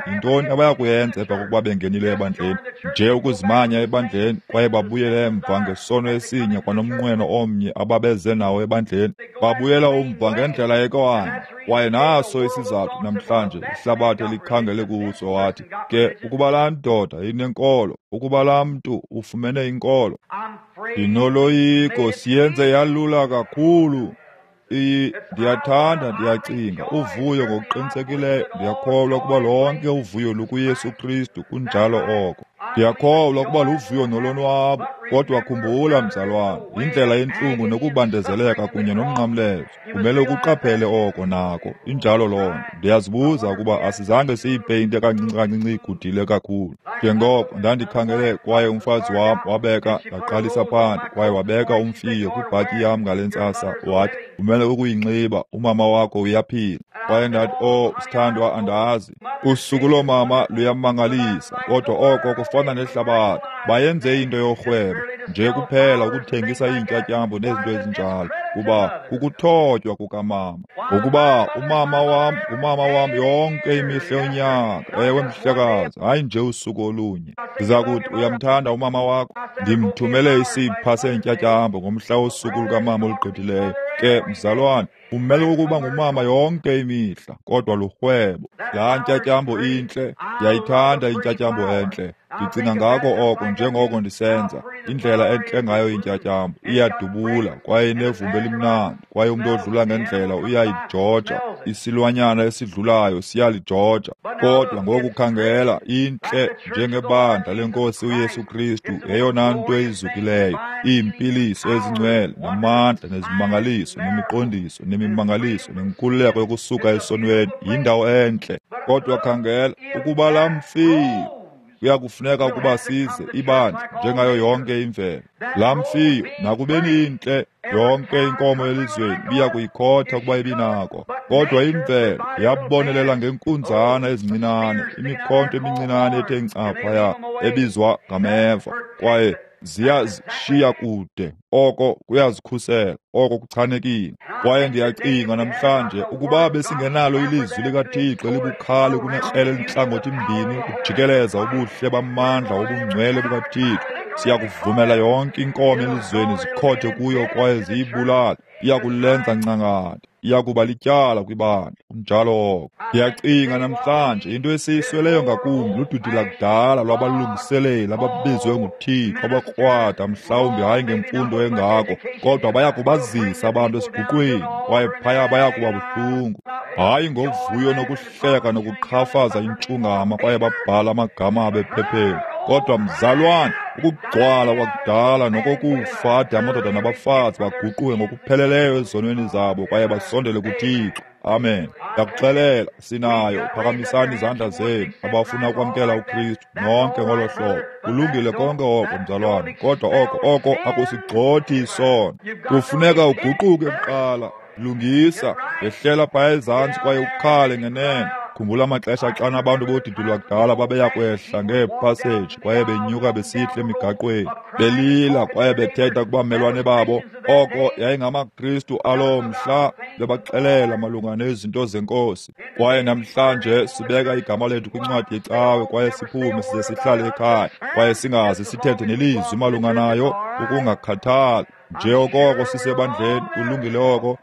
Yintoni abaya kuyenza emva kokuba bengenile ebandleni? Nje ukuzimanya ebandleni kwaye babuyele emva ngesono esinye kwanomnqweno omnye ababeze nawo ebandleni. Babuyela umva ngendlela ekwanye. Kwaye naso isizathu namhlanje ihlabathi elikhangele kuso wathi, ke ukuba laa ndoda inenkolo, ukuba laa mntu ufumene inkolo. Ndinoloyiko siyenze yalula kakhulu. Ndiyathanda, ndiyacinga, uvuyo ngokuqinisekileyo. Ndiyakholwa ukuba lonke uvuyo lukuYesu Kristu, kunjalo oko. Ndiyakholwa ukuba luvuyo nolonwabo. Kodwa khumbula, mzalwana, yindlela yentlungu nokubandezeleka kunye nomnqamlezo. Kumele ukuqaphele oko nako. Injalo loo nto. Ndiyazibuza ukuba asizange siyipeyinte kancinci kancinci igudile kakhulu. Njengoko ndandikhangele kwaye umfazi wam wabeka, ndaqalisa phandle, kwaye wabeka umfiyo kwibhatyi yam ngale ntsasa, wathi, umele ukuyinxiba, umama wakho uyaphila. Kwaye ndathi, oh, sithandwa, andazi. Usuku loomama luyamangalisa, kodwa oko kufana nehlabathi. Bayenze into yorhwebo, nje kuphela ukuthengisa iintyatyambo nezinto ezinjalo, kuba kukuthotywa kukamama. Ngokuba umama wam ngumama wam yonke imihla yonyaka. Ewe, mhlekazi, hayi nje usuku olunye. Ndiza kuthi, uyamthanda umama wakho? Ndimthumele isipha seentyatyambo ngomhla wosuku lukamama olugqithileyo. Ke, mzalwane, umele ukuba ngumama yonke imihla, kodwa lurhwebo. Laa ntyatyambo intle, ndiyayithanda intyatyambo entle. Ndicinga ngako oko njengoko ndisenza, indlela entle ngayo intyatyambo, iyadubula kwaye inevumba elimnandi, kwaye umntu odlula ngendlela uyayijoja, isilwanyana esidlulayo siyalijoja. Kodwa ngoku khangela, intle njengebandla leNkosi uYesu Kristu, yeyona nto izukileyo, iimpiliso ezingcwele, namandla, nezimangaliso, nemiqondiso, nemimangaliso, nenkululeko yokusuka esonweni, yindawo entle. Kodwa khangela, ukuba laa mfiyo kuyakufuneka ukuba size ibandla njengayo yonke imvelo. Laa mfiyo, nakubeni intle, yonke inkomo elizweni ibiya kuyikhotha ukuba ibinako. Kodwa imvelo yabonelela ngenkunzana ezincinane, imikhonto emincinane ethe nca phaya, ebizwa ngameva, kwaye ziyazishiya kude. Oko kuyazikhusela, oko kuchanekile. Kwaye ndiyacinga namhlanje ukuba besingenalo ilizwi likaThixo elibukhali kunekrele elintlangothi mbini ukujikeleza ubuhle bamandla obungcwele bukaThixo, siyakuvumela yonke inkomo elizweni zikhothe kuyo kwaye ziyibulale. Iyakulenza ncangata, iyakuba lityala kwibandla. Kunjalo oko. Ndiyacinga namhlanje into esiyisweleyo ngakumbi ludidi lakudala lwabalungiseleli ababizwe nguThixo, abakrwada, mhlawumbi hayi ngemfundo engako, kodwa baya kubazisa abantu esiguqweni, kwaye phaya baya kuba buhlungu. Hayi ngovuyo nokuhleka nokuqhafaza intshungama kwaye babhala amagama abo ephepheni. Kodwa mzalwane, ukugcwala kwakudala nokokufa ade amadoda nabafazi baguquke ngokupheleleyo ezonweni zabo kwaye basondele kuThixo. Amen. Ndiyakuxelela, sinayo. Phakamisani izandla zenu abafuna ukwamkela uKristu nonke ngolo hlobo. Kulungile konke oko, mzalwane, kodwa oko akusigxothi isono. Kufuneka uguquke kuqala. Lungisa, yehlela phaya ezantsi kwaye ukhale ngenene. Khumbula amaxesha xana abantu bodidi lwakudala babeya kwehla ngeepaseji kwaye benyuka besihla emigaqweni, belila kwaye bethetha kubamelwane babo. Oko yayingamaKristu aloo mhla, bebaxelela malunga nezinto zeNkosi. Kwaye namhlanje sibeka igama lethu kwincwadi yecawe kwaye siphume size sihlale ekhaya kwaye singaze sithethe nelizwi malunga nayo, ukungakhathali. Nje okoko sisebandleni, kulungile oko.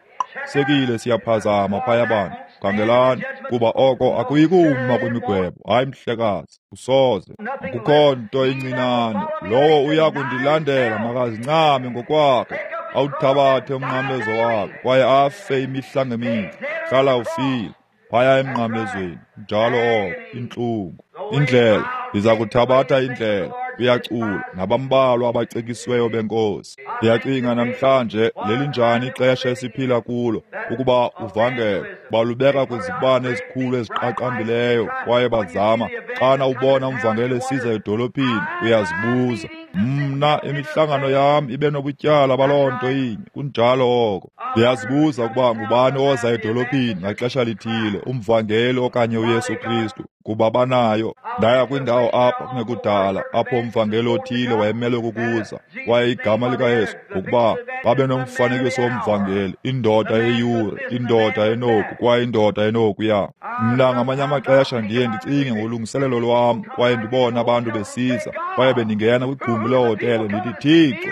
Sekile siyaphazama phaya bantu. Khangelani, kuba oko akuyikuma kwimigwebo. Hayi mhlekazi, usoze. Akukho nto incinane. Lowo uya kundilandela makazincame ngokwakhe, awuthabathe umnqamlezo wakhe kwaye afe imihla ngemihla. Hlala ufile phaya emnqamlezweni. Njalo oko, intlungu. Indlela, ndiza kuthabatha indlela. uyacula, nabambalwa abacekisiweyo benkosi. Ndiyacinga namhlanje lelinjani ixesha esiphila kulo, ukuba uvangelo balubeka kwizibane ezikhulu eziqaqambileyo, kwaye bazama. Xana ubona umvangeli esiza edolophini, uyazibuza, mna imihlangano yam ibe nobutyala baloo nto inye. Kunjalo oko. Ndiyazibuza ukuba ngubani oza edolophini ngaxesha lithile, umvangeli okanye uYesu Kristu, kuba banayo. Ndaya kwindawo apha kungekudala apho umvangeli othile wayemelwe kukuza, kwaye igama likaYesu, ngokuba babenomfanekiso womvangeli, indoda yeyure, indoda enoku, kwaye indoda enokuya. Mna ngamanye amaxesha ndiye ndicinge ngolungiselelo lwam, kwaye ndibone abantu besiza, kwaye bendingena kwigumbi lehotele ndithi, Thixo,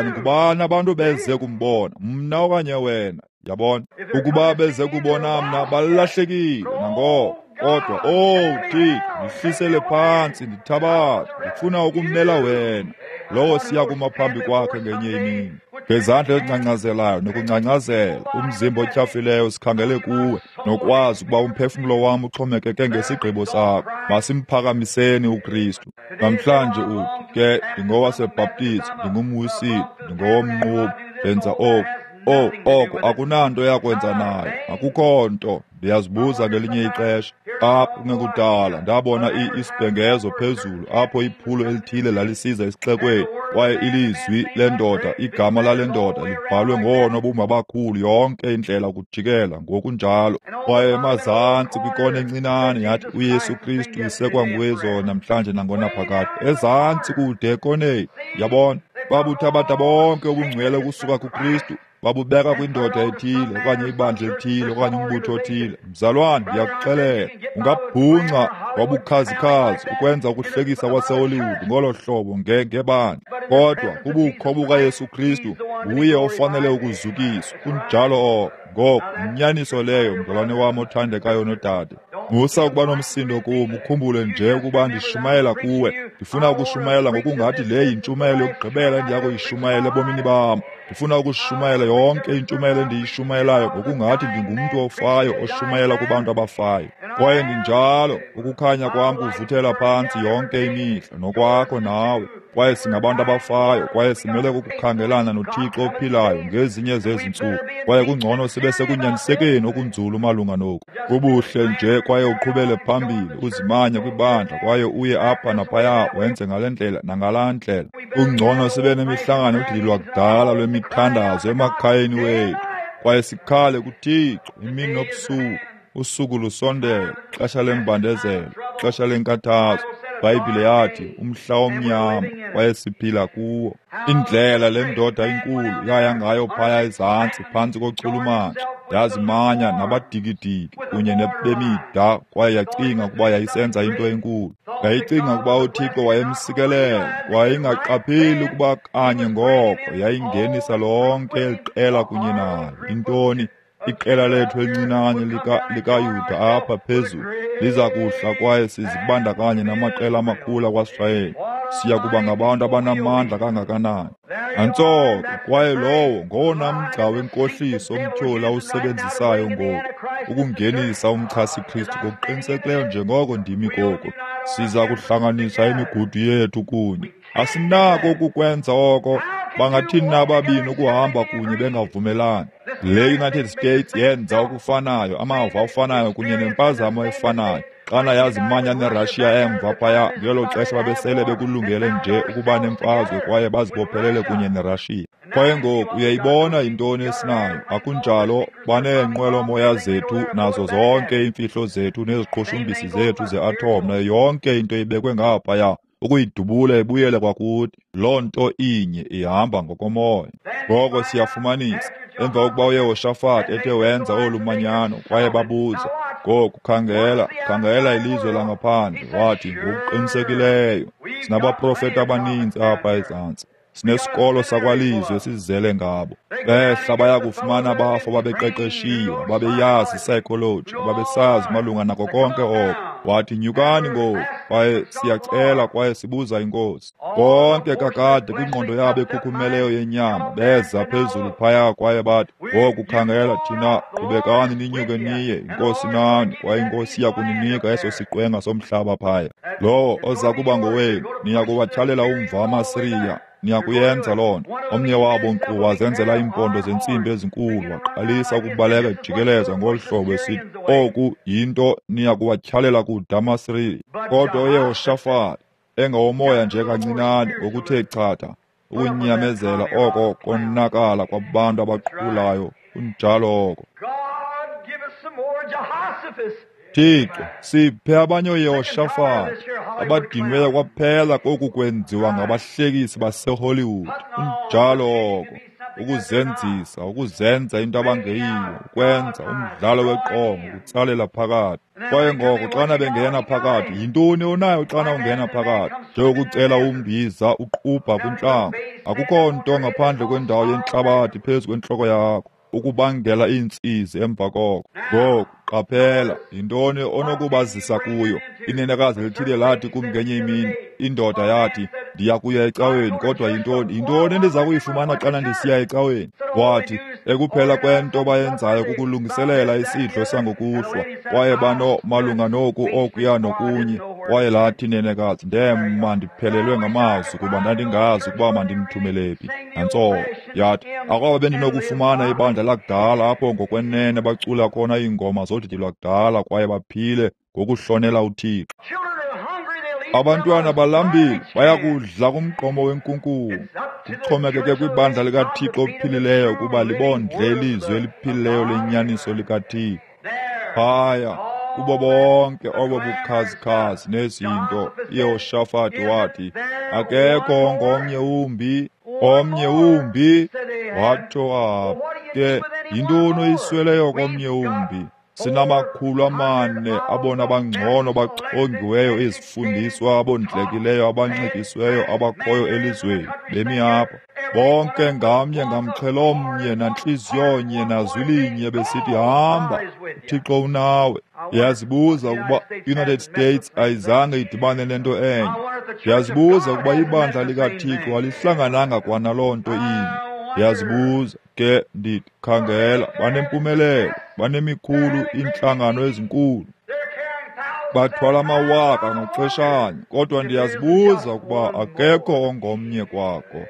ngubani abantu beze kumbona, mna okanye wena? Yabona, ukuba beze kubona mna balahlekile nangoko. Kodwa, oh Thixo, ndihlisele phantsi, ndithabathe, ndifuna ukumela wena. Lowo siya kuma phambi kwakhe ngenye imini, ngezandla ezingcangcazelayo nokungcangcazela, umzimba otyhafileyo sikhangele kuwe, nokwazi ukuba umphefumlo wam uxhomekeke ngesigqibo sakho. Masimphakamiseni uKristu. Namhlanje uthi, ke ndingowasebhaptizi, ndingumwisile, ndingowomnquba, ndenza oku. Oh, oko akunanto yakwenza nayo, akukho nto. Ndiyazibuza ngelinye ixesha, apho kungekudala ndabona isibhengezo phezulu apho iphulo elithile lalisiza esixekweni, kwaye ilizwi lendoda, igama lale ndoda libhalwe ngoonobumba abakhulu yonke indlela ukujikela ngokunjalo. Kwaye emazantsi kwikona encinane yathi, uYesu Kristu isekwa nguye namhlanje nangonaphakade. Ezantsi kude ekoneni, yabona, babuthabatha bonke ubungcwele ukusuka kuKristu, babubeka kwindoda ethile okanye ibandla elithile okanye umbutho othile. Mzalwane, ndiyakuxelela, ungabhunca wabukhazikhazi ukwenza ukuhlekisa kwaseHollywood ngolo hlobo ngebandla, kodwa kubukho bukaYesu Kristu nguye ofanele ukuzukiswa. Kunjalo oko. Ngoko yinyaniso leyo, mzalwane wam othandekayo nodade. Musa ukuba nomsindo kum, ukhumbule nje ukuba ndishumayela kuwe. Ndifuna ukushumayela ngokungathi le yintshumayelo yokugqibela endiya kuyishumayela ebomini bam. Ndifuna ukushumayela yonke intshumayelo endiyishumayelayo ngokungathi ndingumntu ofayo oshumayela kubantu abafayo. Kwaye ndinjalo, ukukhanya kwam kuvuthela phantsi yonke imihla, nokwakho nawe. Kwaye singabantu abafayo, kwaye simele ukukhangelana noThixo ophilayo ngezinye zezi ntsuku. Kwaye kungcono sibe sekunyanisekeni okunzulu malunga noku. Kubuhle nje, kwaye uqhubele phambili, uzimanye kwibandla, kwaye uye apha naphaya, wenze ngale ndlela nangalaa ndlela. Kungcono sibe nemihlangano yodidi lwakudala lwemithandazo emakhayeni wethu, kwaye sikhale kuThixo imini nobusuku. Usuku lusondele, xesha lembandezelo, xesha lenkathazo. Ibhayibhile yathi umhla omnyama, kwaye siphila kuwo. Indlela le ndoda inkulu yaya ngayo phaya ezantsi phantsi kochulumanco, yazimanya nabadikidiki kunye bemida, kwaye yacinga ukuba yayisenza into enkulu. Yayicinga ukuba uThixo wayemsikelela, wayengaqapheli ukuba kanye ngoko yayingenisa lonke eli qela kunye nayo. Intoni? Iqela lethu elincinane likaYuda apha phezulu liza kuhla, kwaye sizibandakanye namaqela amakhulu akwaSirayeli. Siya kuba ngabantu abanamandla kangakanani. Nantso ke, kwaye lowo ngowona mgca wenkohliso omtyholi awusebenzisayo ngoku, ukungenisa umchasi-Kristu ngokuqinisekileyo njengoko ndimi koku. Siza kuhlanganisa imigudu yethu kunye. Asinako ukukwenza oko. Bangathini na ababini ukuhamba kunye bengavumelani? Le United States yenza okufanayo, amava afanayo kunye nempazamo efanayo. Xana yazimanya neRussia emva phaya, ngelo xesha babesele bekulungele nje ukuba nemfazwe kwaye bazibophelele kunye neRussia. Kwaye ngoku uyayibona yintoni esinayo, akunjalo? Baneenqwelomoya zethu nazo zonke iimfihlo zethu neziqhushumbisi zethu ze-atom nayo yonke into ibekwe ngaphaya, ukuyidubula ibuyele kwakuthi. Loo nto inye ihamba ngokomoya. Ngoko siyafumanisa, emva kokuba uYehoshafati ethe wenza olu manyano, kwaye babuza, ngoku khangela, khangela ilizwe langaphandle. Wathi, ngokuqinisekileyo sinabaprofeti abaninzi apha ezantsi, sinesikolo sakwalizwe esizele ngabo. Behla baya kufumana abafo ababeqeqeshiwe, ababeyazi psychology, ababesazi malunga nako konke oko. Wathi, nyukani ngoku, kwaye siyacela kwaye sibuza iNkosi. Bonke kakade kwingqondo yabo ekhukhumeleyo yenyama beza phezulu phaya kwaye bathi, ngoku khangela, thina qhubekani ninyuke niye, iNkosi nani, kwaye iNkosi iya kuninika eso siqwenga somhlaba phaya. Lowo oza kuba ngowenu, niya kuwatyhalela umva amaSiriya. Niyakuyenza loo nto. Omnye wabo nkqu wazenzela iimpondo zentsimbi ezinkulu, waqalisa ukubaleka ejikeleza ngolu hlobo esithi, oku yinto niya kuwatyhalela kude amaSiriya. Kodwa uYehoshafati, engowomoya nje kancinane ngokuthe chatha, ukunyamezela oko konakala kwabantu abaqhulayo, kunjalo oko. Thixo, siphe abanye ooYehoshafati abadinweyo kwaphela koku kwenziwa ngabahlekisi baseHollywood. Kunjalo oko, ukuzenzisa, ukuzenza into abangeyiyo, ukwenza umdlalo weqonga, ukutsalela phakathi. Kwaye ngoko xana bengena phakathi, yintoni onayo xana ungena phakathi? Njengokucela umbiza uqubha kwintlango, akukho nto ngaphandle kwendawo yentlabathi phezu kwentloko yakho, ukubangela iintsizi emva koko. Ngoku qaphela, yintoni onokubazisa kuyo? Inenekazi elithile lathi kum ngenye imini, indoda yathi, ndiya kuya ecaweni, kodwa yintoni endiza kuyifumana xana ndisiya ecaweni? Wathi, ekuphela kwento bayenzayo kukulungiselela isidlo sangokuhlwa, kwaye bano malunga noku okuya nokunye. Kwaye lathi inenekazi, ndema ndiphelelwe ngamazwi kuba ndandingazi ukuba mandimthumele phi. Nantso yathi, akwaba bendinokufumana ibandla lakudala apho ngokwenene bacula khona iingoma zodidi lwakudala kwaye baphile ngokuhlonela uThixo. Abantwana balambile, bayakudla kumgqomo wenkunkuma. Kuxhomekeke kwibandla likaThixo ophilileyo ukuba libondle ilizwi eliphilileyo lenyaniso likaThixo. Phaya kubo bonke obo bukhazikhazi nezinto, uYehoshafati wathi, akekho ngomnye wumbi, omnye wumbi. Watsho apha ke, yintoni oyisweleyo komnye wumbi? Sinama 400 abona bangcono bachongiweyo, izifundiswa, abondlekileyo, abanxityisiweyo abakhoyo elizweni, bemi apha. Bonke ngamnye ngamxhelomnye nantliziyonye nazwilinye besithi, hamba, uThixo unawe. Ndiyazibuza ukuba United States ayizange idibane nento enye. Ndiyazibuza ukuba ibandla likaThixo alihlangananga kwanaloo nto inye. Ndiyazibuza ke, ndithi, khangela, banempumelelo, banemikhulu iintlangano ezinkulu, bathwala amawaka ngaxeshanye, kodwa ndiyazibuza ukuba akekho ongomnye kwako.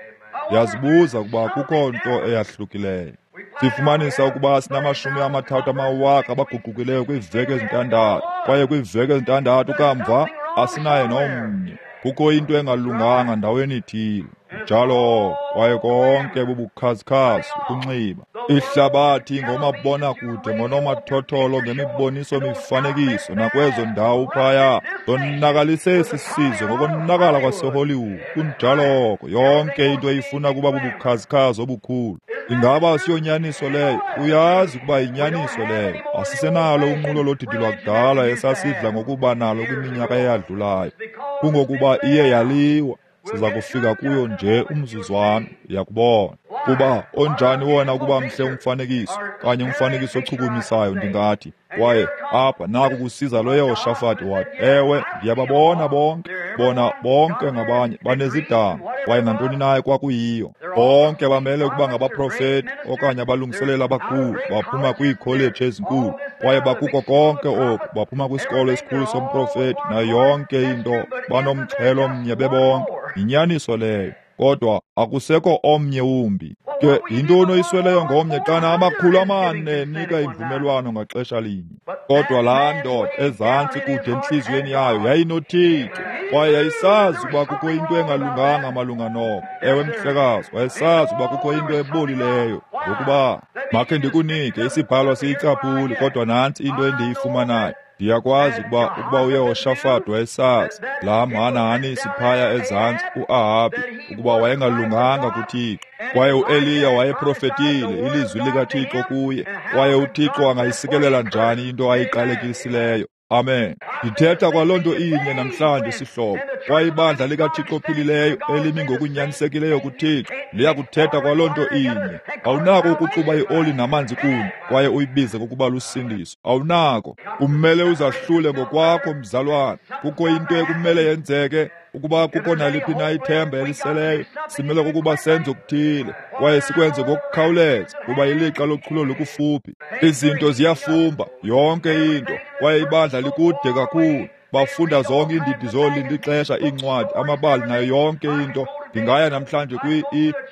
Ndiyazibuza ukuba kukho nto eyahlukileyo. Sifumanisa ukuba sinama 30,000 abaguqukileyo kwiiveki ezintandathu, kwaye kwiiveki ezintandathu kamva asinaye nomnye. Kukho into engalunganga ndaweni ithile. Njalo kwaye konke bubukhazikhazi, ukunxiba ihlabathi ngomabonakude, ngonomathotholo, ngemiboniso mifanekiso nakwezo ndawo phaya, zonakalise esi sizwe ngokonakala kwaseHollywood. Kunjalo oko, yonke into eyifuna kuba bubukhazikhazi obukhulu. Ingaba siyonyaniso leyo? Uyazi ukuba yinyaniso leyo. Asisenalo unqulo lodidi lwakudala esasidla ngokuba nalo kwiminyaka eyadlulayo. Kungokuba iye yaliwa. Siza kufika kuyo nje umzuzwana, uyakubona. Kuba onjani wona ukuba mhle umfanekiso, kanye umfanekiso ochukumisayo, ndingathi. Kwaye apha naku kusiza lo Yehoshafati wathi, ewe, ndiyababona bonke, bona bonke ngabanye banezidanga, kwaye nantoni na kwakuyiyo. Bonke bamele ukuba ngabaprofeti okanye abalungiseleli abakhulu, baphuma kwiikholeji ezinkulu, kwaye bakuko konke oku, baphuma kwisikolo esikhulu somprofeti nayo yonke into, banomxhelo omnye bebonke. Yinyaniso leyo. Kodwa akusekho omnye wumbi. Ke yintoni oyisweleyo ngomnye xana 400 enika imvumelwano ngaxesha linye? Kodwa laa ndoda ezantsi kude entliziyweni yayo yayinoThixo, kwaye yayisazi ukuba kukho into engalunganga malunga noko. Ewe mhlekazi, wayesazi ukuba kukho into ebolileyo. Ngokuba makhe ndikunike isibhalo siyicaphuli, kodwa nantsi into endiyifumanayo. Ndiyakwazi ukuba uYehoshafati wayesazi laa mhanahanisi phaya ezantsi uAhabhi ukuba wayengalunganga kuThixo, kwaye uEliya wayeprofetile ilizwi likaThixo kuye, kwaye uThixo angayisikelela njani into ayiqalekisileyo? Amen. Ndithetha kwaloo nto inye namhlanje, sihlobo. Kwaye ibandla likaThixo ophilileyo elimi ngokunyanisekileyo kuThixo liyakuthetha kwaloo nto inye. Awunako ukuxuba ioli namanzi kunye kwaye uyibize ngokuba lusindiso. Awunako. Kumele uzahlule ngokwakho, mzalwana. Kukho into ekumele yenzeke. Ukuba kukho naliphi na ithemba eliseleyo, simele kukuba senze okuthile kwaye sikwenze ngokukhawuleza, kuba ilixa lochulo likufuphi. Izinto ziyafumba, yonke into, kwaye ibandla likude kakhulu. Bafunda zonke iindidi zolinda ixesha, iincwadi, amabali nayo yonke into. Ndingaya namhlanje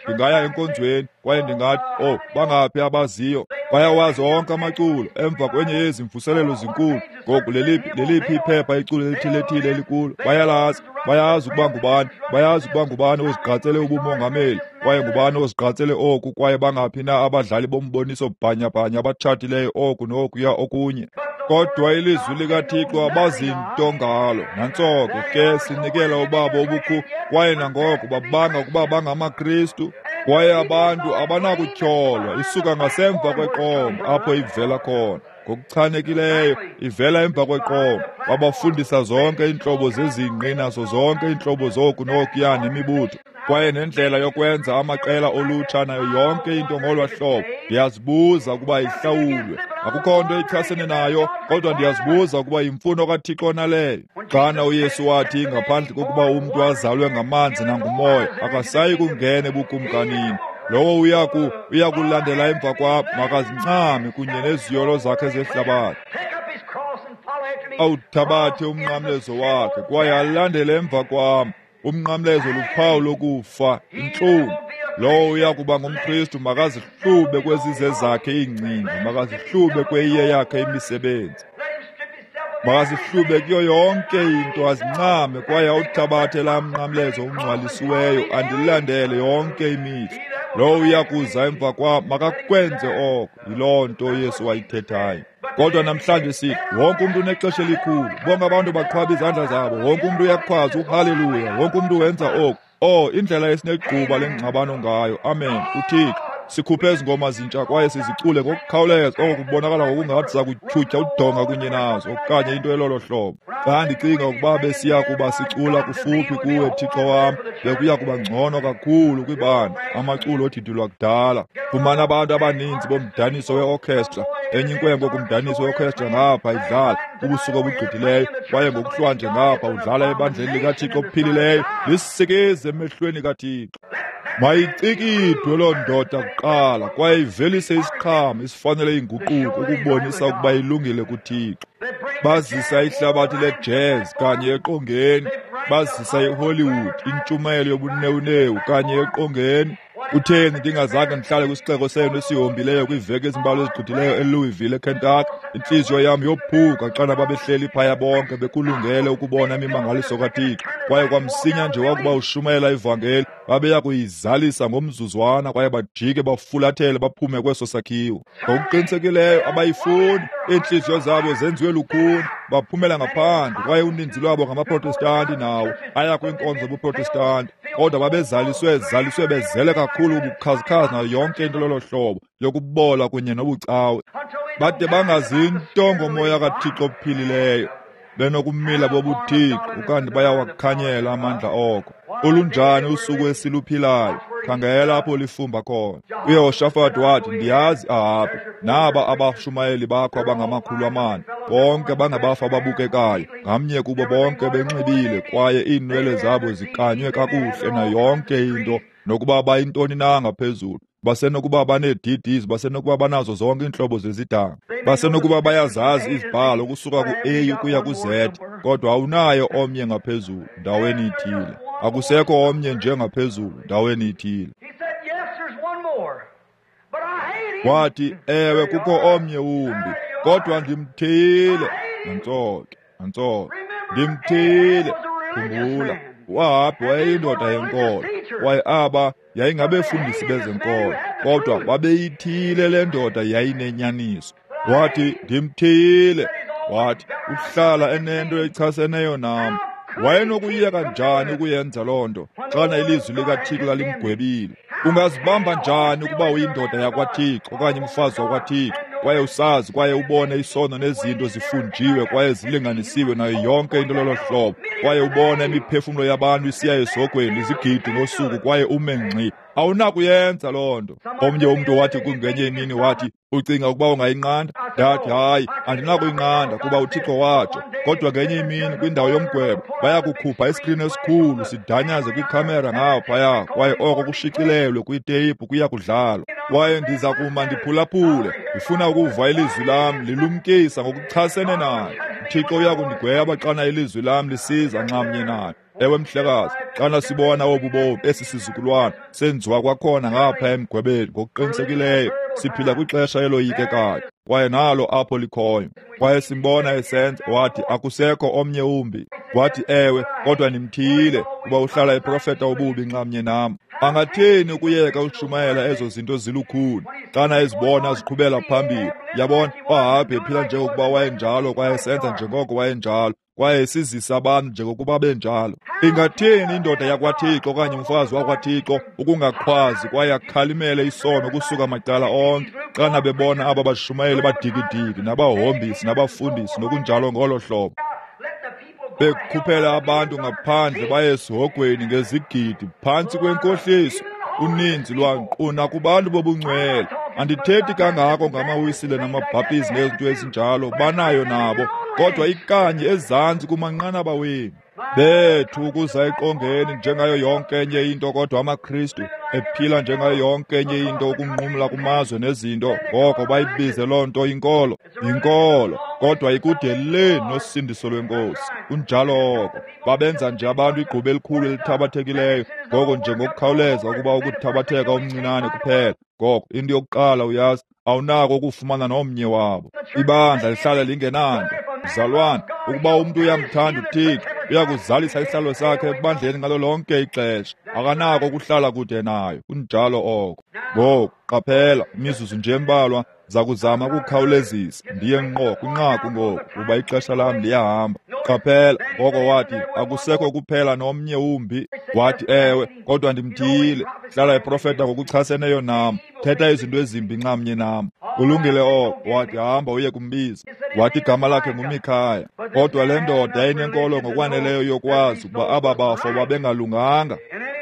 ndingaya enkonzweni kwaye ndingathi, oh, bangaphi abaziyo? Bayawazi onke amaculo emva kwenye yezi mvuselelo zinkulu. Ngoku leliphi iphepha iculo elithile-thile elikulo? Bayalazi. Bayazi ukuba ngubani, bayazi ukuba ngubani ozigqatsele ubumongameli, kwaye ngubani ozigqatsele oku, kwaye bangaphi na abadlali bomboniso bhanyabhanya abatshatileyo oku nokuya okunye. Kodwa ilizwi likaThixo abazinto ngalo. Nantso ke sinikela ubabo obukhu, kwaye nangoko babanga ukuba bangamaKristu. Kwaye abantu abanakutyholwa, isuka ngasemva kweqonga apho ivela khona. Ngokuchanekileyo ivela emva kweqonga. Babafundisa zonke iintlobo zezingqi nazo zonke iintlobo zoku nokuya nemibutho, kwaye nendlela yokwenza amaqela olutsha nayo yonke into ngolwa hlobo. Ndiyazibuza ukuba ihlawulwe. Akukho nto ichasene nayo, kodwa ndiyazibuza ukuba yimfuno kaThixo naleyo. Xana uYesu wathi, ngaphandle kokuba umntu azalwe ngamanzi nangumoya, akasayi kungena ebukumkanini. Lowo uyakulandela emva kwam makazincame kunye neziyolo zakhe zehlabathi, awuthabathe umnqamlezo wakhe kwaye alandele emva kwam. Umnqamlezo luphawu lokufa, intlungu. Lowo uyakuba ngumKristu makazihlube kwezize zakhe iingcinga, makazihlube kweyiye yakhe imisebenzi, makazihlube kuyo yonke into, azincame kwaye awuthabathe laa mnqamlezo ungcwalisiweyo, andilandele yonke imihla. Lowo uyakuza emva kwam makakwenze oko. Yiloo nto uYesu wayithethayo. Kodwa namhlanje sithi wonke umntu unexesha elikhulu, bonke abantu baqhwaba izandla zabo, wonke umntu uyakhwaza uhaleluya, wonke umntu wenza oku. Oh, indlela esinegquba lengxabano ngayo. Amen. UThixo sikhuphe ezi ngoma zintsha kwaye sizicule ngokukhawuleza, oko kubonakala ngokungathi sakutyhutyha udonga kunye nazo okanye into elolo hlobo. Xa ndicinga ukuba besiya kuba sicula kufuphi kuwe, Thixo wam, bekuya kuba ngcono kakhulu kwibandla. Amaculo odidi lwakudala. Fumana abantu abaninzi bomdaniso weorchestra, enye inkwenkwe kumdaniso weorchestra ngapha idlala ubusuku obugqithileyo, kwaye ngokuhlwa nje ngapha udlala ebandleni likaThixo ophilileyo. Lisikize emehlweni kaThixo. Mayicikidwe loo ndoda kuqala kwaye ivelise isiqhamo esifanele inguquko ukubonisa ukuba ilungile kuThixo. Bazisa ihlabathi lejazz kanye eqongeni, bazisa iHollywood, intshumayelo yobunewunewu kanye eqongeni. Kutheni ndingazange ndihlale kwisixeko senu esihombileyo kwiiveki ezimbalwa ezigqithileyo eLouisville, eKentucky? Intliziyo yam yophuka xana babehleli phaya bonke bekulungele ukubona imimangaliso kaThixo, kwaye kwamsinya nje wakuba ushumayela ivangeli babeya kuyizalisa ngomzuzwana kwaye bajike bafulathele baphume kweso sakhiwo. Ngokuqinisekileyo abayifuni, iintliziyo zabo zenziwe lukhuni, baphumela ngaphandle, kwaye uninzi lwabo ngamaProtestanti nawo aya kwiinkonzo zobuProtestanti, kodwa babezaliswe zaliswe bezele kakhulu ubukhazikhazi nayo yonke into lolo hlobo yokubola kunye nobucawe, bade bangazinto ngomoya kaThixo ophilileyo, benokumila bobuThixo, ukanti bayawakhanyela amandla oko. Olunjani usuku esiluphilayo! Khangela apho lifumba khona. UYehoshafati wathi, ndiyazi Ahabi, naba abashumayeli bakho abangama-400, bonke bangabafa ababukekayo, ngamnye kubo bonke benxibile, kwaye iinwele zabo zikanywe kakuhle nayo yonke into, nokuba bayintoni na ngaphezulu. Basenokuba banee-DDs, basenokuba banazo zonke iintlobo zezidanga, basenokuba bayazazi izibhalo ukusuka ku-A ukuya ku-Z, kodwa awunayo omnye ngaphezulu ndaweni ithile. Akusekho omnye nje ngaphezulu ndaweni ithile. Wathi, ewe, kukho omnye wumbi, kodwa ndimthiyile. Nantso ke, nantso, ndimthiyile. Khumbula, uAhabhi wayeyindoda yenkolo, kwaye aba yayingabefundisi bezenkolo, kodwa babeyithiyile le ndoda yayinenyaniso. Wathi, ndimthiyile. Wathi, uhlala enento echaseneyo nam. Wayenokuyeka njani ukuyenza loo nto xana ilizwi likaThixo lalimgwebile? Ungazibamba njani ukuba uyindoda yakwaThixo okanye umfazi wakwaThixo kwaye usazi kwaye ubone isono nezinto zifunjiwe kwaye zilinganisiwe nayo yonke into lolo hlobo, kwaye ubone imiphefumlo yabantu isiya esogweni izigidi ngosuku kwaye ume ngxi. Awunakuyenza loo nto. Omnye umntu wathi kungenye imini wathi, ucinga ukuba ungayinqanda? Ndathi, hayi, andinakuyinqanda kuba uThixo watsho. Kodwa ngenye imini kwindawo yomgwebo bayakukhupha iskrini esikhulu sidanyaze kwikhamera ngaphaya, kwaye oko kushicilelwe kwiteyiphu kuya kudlalwa. Kwaye ndiza kuma ndiphulaphule, ndifuna ukuva ilizwi lam lilumkisa ngokuchasene nayo. UThixo uyakundigweba xana ilizwi lam lisiza nxamnye nayo. Ewe mhlekazi, xana sibona obu bomi esi sizukulwana senziwa kwakhona ngapha emgwebeni, ngokuqinisekileyo siphila kwixesha eloyikekayo, kwaye nalo apho likhoyo. Kwaye simbona esenza, wathi akusekho omnye umbi. Wathi ewe, kodwa ndimthiyile kuba uhlala eprofeta ububi nxamnye nam. Angathini ukuyeka ushumayela ezo zinto zilukhuni xana ezibona ziqhubela phambili? Yabona, uAhabhi ephila njengokuba wayenjalo kwaye esenza njengoko wayenjalo, kwaye sizisa abantu njengokuba benjalo. Ingathini indoda yakwaThixo okanye umfazi wakwaThixo ukungakhwazi kwaye akhalimele isono kusuka macala onke xana bebona aba bashumayeli badikidiki nabahombisi nabafundisi nokunjalo ngolo hlobo, bekhuphela abantu ngaphandle baye esihogweni ngezigidi phantsi kwenkohliso? Uninzi lwanquna kubantu bobungcwele. Andithethi kangako ngamaWisile namaBhaptizi nezinto ezinjalo, banayo nabo, kodwa ikanye ezantsi kumanqanaba wenu bethu ukuza eqongeni njengayo yonke enye into, kodwa amaKristu ephila njengayo yonke enye into, ukunqumla kumazwe nezinto, ngoko bayibize loo nto inkolo. Yinkolo, kodwa ikude le nosindiso lweNkosi. Kunjalo oko. Babenza nje abantu igquba elikhulu elithabathekileyo, ngoko nje ngokukhawuleza ukuba ukuthabatheka omncinane kuphela. Ngoko into yokuqala uyazi, awunako ukufumana nomnye wabo. Ibandla lihlala lingenanto. Mzalwane, ukuba umntu uyamthanda uThixo, uyakuzalisa isihlalo sakhe ebandleni ngalo lonke ixesha. Akanako ukuhlala kude nayo. Kunjalo oko. Ngoku qaphela, imizuzu nje embalwa, zakuzama ukukhawulezisa ndiye ngqo kwinqaku ngoku kuba ixesha lam liyahamba. Qaphela, ngoko wathi akusekho kuphela nomnye umbi. Wathi ewe, kodwa ndimthiyile, hlala eprofeta ngokuchaseneyo nam, thetha izinto ezimbi nxamnye nam. Kulungile oko. Wathi hamba uye kumbiza. Wathi igama lakhe nguMikhaya. Kodwa le ndoda yayinenkolo ngokwaneleyo yokwazi ukuba aba bafo babengalunganga.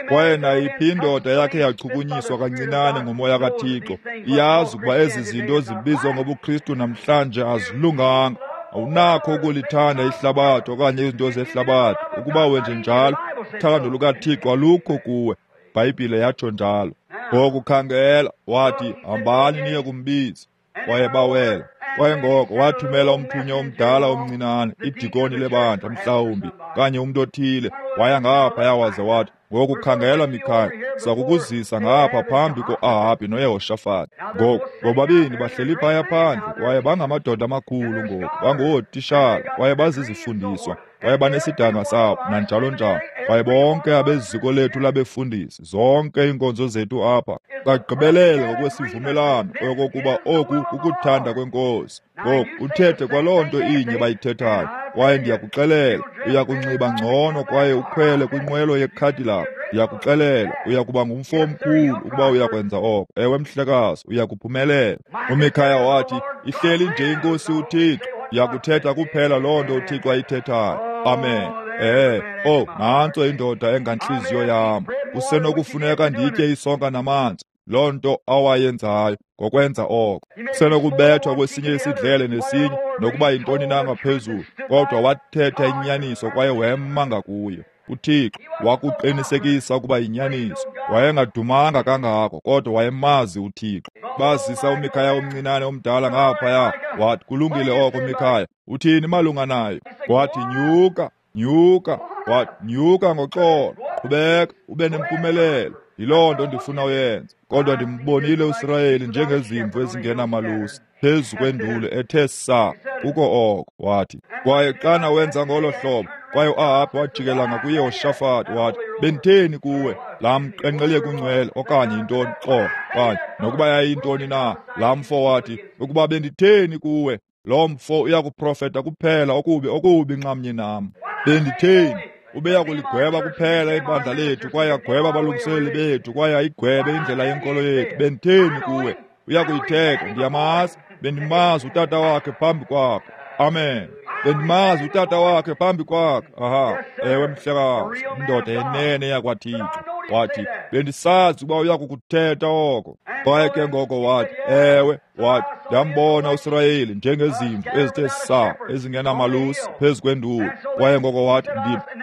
Kwaye nayiphi indoda yakhe yachukunyiswa kancinane ngumoya kaThixo iyazi ukuba ezi zinto zibizwa ngobuKristu namhlanje azilunganga. Awunakho ukulithanda ihlabathi okanye izinto zehlabathi. Ukuba wenje njalo, uthando lukaThixo alukho kuwe. IBhayibhile yatsho njalo. Ngoku khangela, wathi hambani niye kumbiza. Kwaye bawela. Kwaye ngoko wathumela umthunywa omdala omncinane, idikoni lebandla mhlawumbi, kanye umntu othile, waya ngaphaya waze wathi, ngoku khangela Mikhaya, sakukuzisa ngapha phambi ko-Ahabhi noYehoshafati. Ngoku bobabini bahleli phaya phandle, kwaye bangamadoda amakhulu ngoku, bangootishala, kwaye bazizifundiswa, kwaye banesidanga sabo, nanjalo njalo. Kwaye bonke abeziko lethu labefundisi, zonke iinkonzo zethu apha, bagqibelele ngokwesivumelwano okokuba oku kukuthanda kweNkosi. Ngoku uthethe kwaloo nto inye bayithethayo, kwaye ndiyakuxelela, uyakunxiba ngcono kwaye ukhwele kwinqwelo yeCadillac. Ndiyakuxelela, uyakuba ngumfo omkhulu ukuba uyakwenza oko. Ewe mhlekazi, uyakuphumelela. UMikhaya wathi, ihleli nje iNkosi uThixo, ndiyakuthetha kuphela loo nto uThixo ayithethayo. Amen. Oh, nantso indoda engantliziyo yam. Kusenokufuneka nditye isonka namanzi. Loo nto awayenzayo ngokwenza oko. Kusenokubethwa kwesinye isidlele nesinye, nokuba yintoni na ngaphezulu, kodwa wathetha inyaniso kwaye wema ngakuyo. uThixo wakuqinisekisa ukuba yinyaniso. Wayengadumanga kangako, kodwa wayemazi uThixo. Bazisa uMikhaya omncinane omdala ngaphaya. Wathi, kulungile oko Mikhaya, uthini malunga nayo? Wathi, nyuka, nyuka. Wathi, nyuka ngoxolo, qhubeka ube nempumelelo. Yiloo nto ndifuna uyenze. Kodwa ndimbonile uSirayeli njengezimvu ezingenamalusi phezu kwenduli ethe saa kuko oko. Wathi, kwaye xana wenza ngolo hlobo, kwaye uAhabhi wajikela ngakuYehoshafati wathi, benditheni kuwe? Laa mqenqeleki ungcwele okanye yintoni, xolo, okanye nokuba yayintoni na, laa mfo wathi, ukuba benditheni kuwe, lo mfo uyakuprofeta kuphela okubi okubi nxamnye nam. Benditheni? Ubeya kuligweba kuphela ibandla lethu, kwaye agweba abalungiseleli bethu, kwaye ayigwebe indlela yenkolo yethu. Benditheni kuwe? Uyakuyithetha, ndiyamazi. bendimazi utata wakhe phambi kwakhe. Amen. Bendimazi utata wakhe phambi kwakhe. Aha, ewe mhlekazi, indoda yenene yakwaThixo. Wathi, bendisazi ukuba uya kukuthetha oko. Kwaye ke ngoko wathi, ewe, wathi, ndambona uSirayeli njengezimvu ezithe saa ezingenamalusi phezu kwenduli. Kwaye ngoko wathi,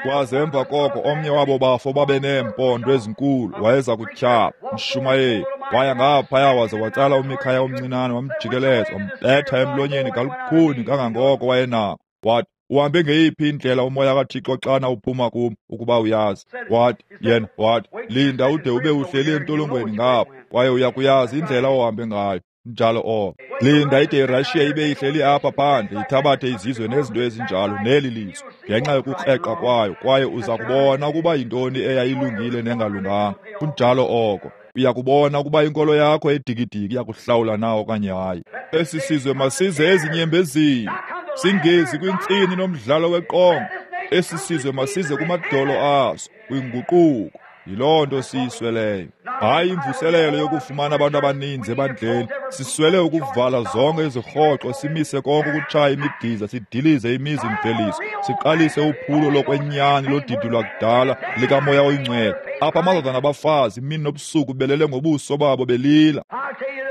kwaze emva koko omnye wabo bafo babe neempondo ezinkulu wayeza kutyhala mshumayeli. Waya ngaphaya waze watsala uMikhaya omncinane, wamjikeleza, wambetha emlonyeni kalukhuni kangangoko wayenako. Wathi, uhambe ngeyiphi indlela umoya kaThixo xana uphuma kum ukuba uyazi? Wathi yena, wathi, linda ude ube uhleli entolongweni ngapha, kwaye uya kuyazi indlela ohambe ngayo. Njalo oko. Linda ide iRussia ibe ihleli apha phandle, ithabathe izizwe nezinto ezinjalo neli lizwe ngenxa yokukreqa kwayo, kwaye uza kubona ukuba yintoni eyayilungile nengalunganga. Kunjalo oko. Uya kubona ukuba inkolo yakho edikidiki iyakuhlawula na okanye hayi. Esi sizwe masize ezinyembezini, singezi kwintsini nomdlalo weqonga. Esi sizwe masize kumadolo aso, kwinguquko. Yiloo nto siyisweleyo. Hayi imvuselelo yokufumana abantu abaninzi ebandleni. Siswele ukuvala zonke izirhoxo, simise konke ukutshaya imidiza, sidilize imizi-mveliso, siqalise uphulo lokwenyani lodidi lwakudala likaMoya oyiNgcwele. Apha amadoda nabafazi imini nobusuku belele ngobuso babo belila.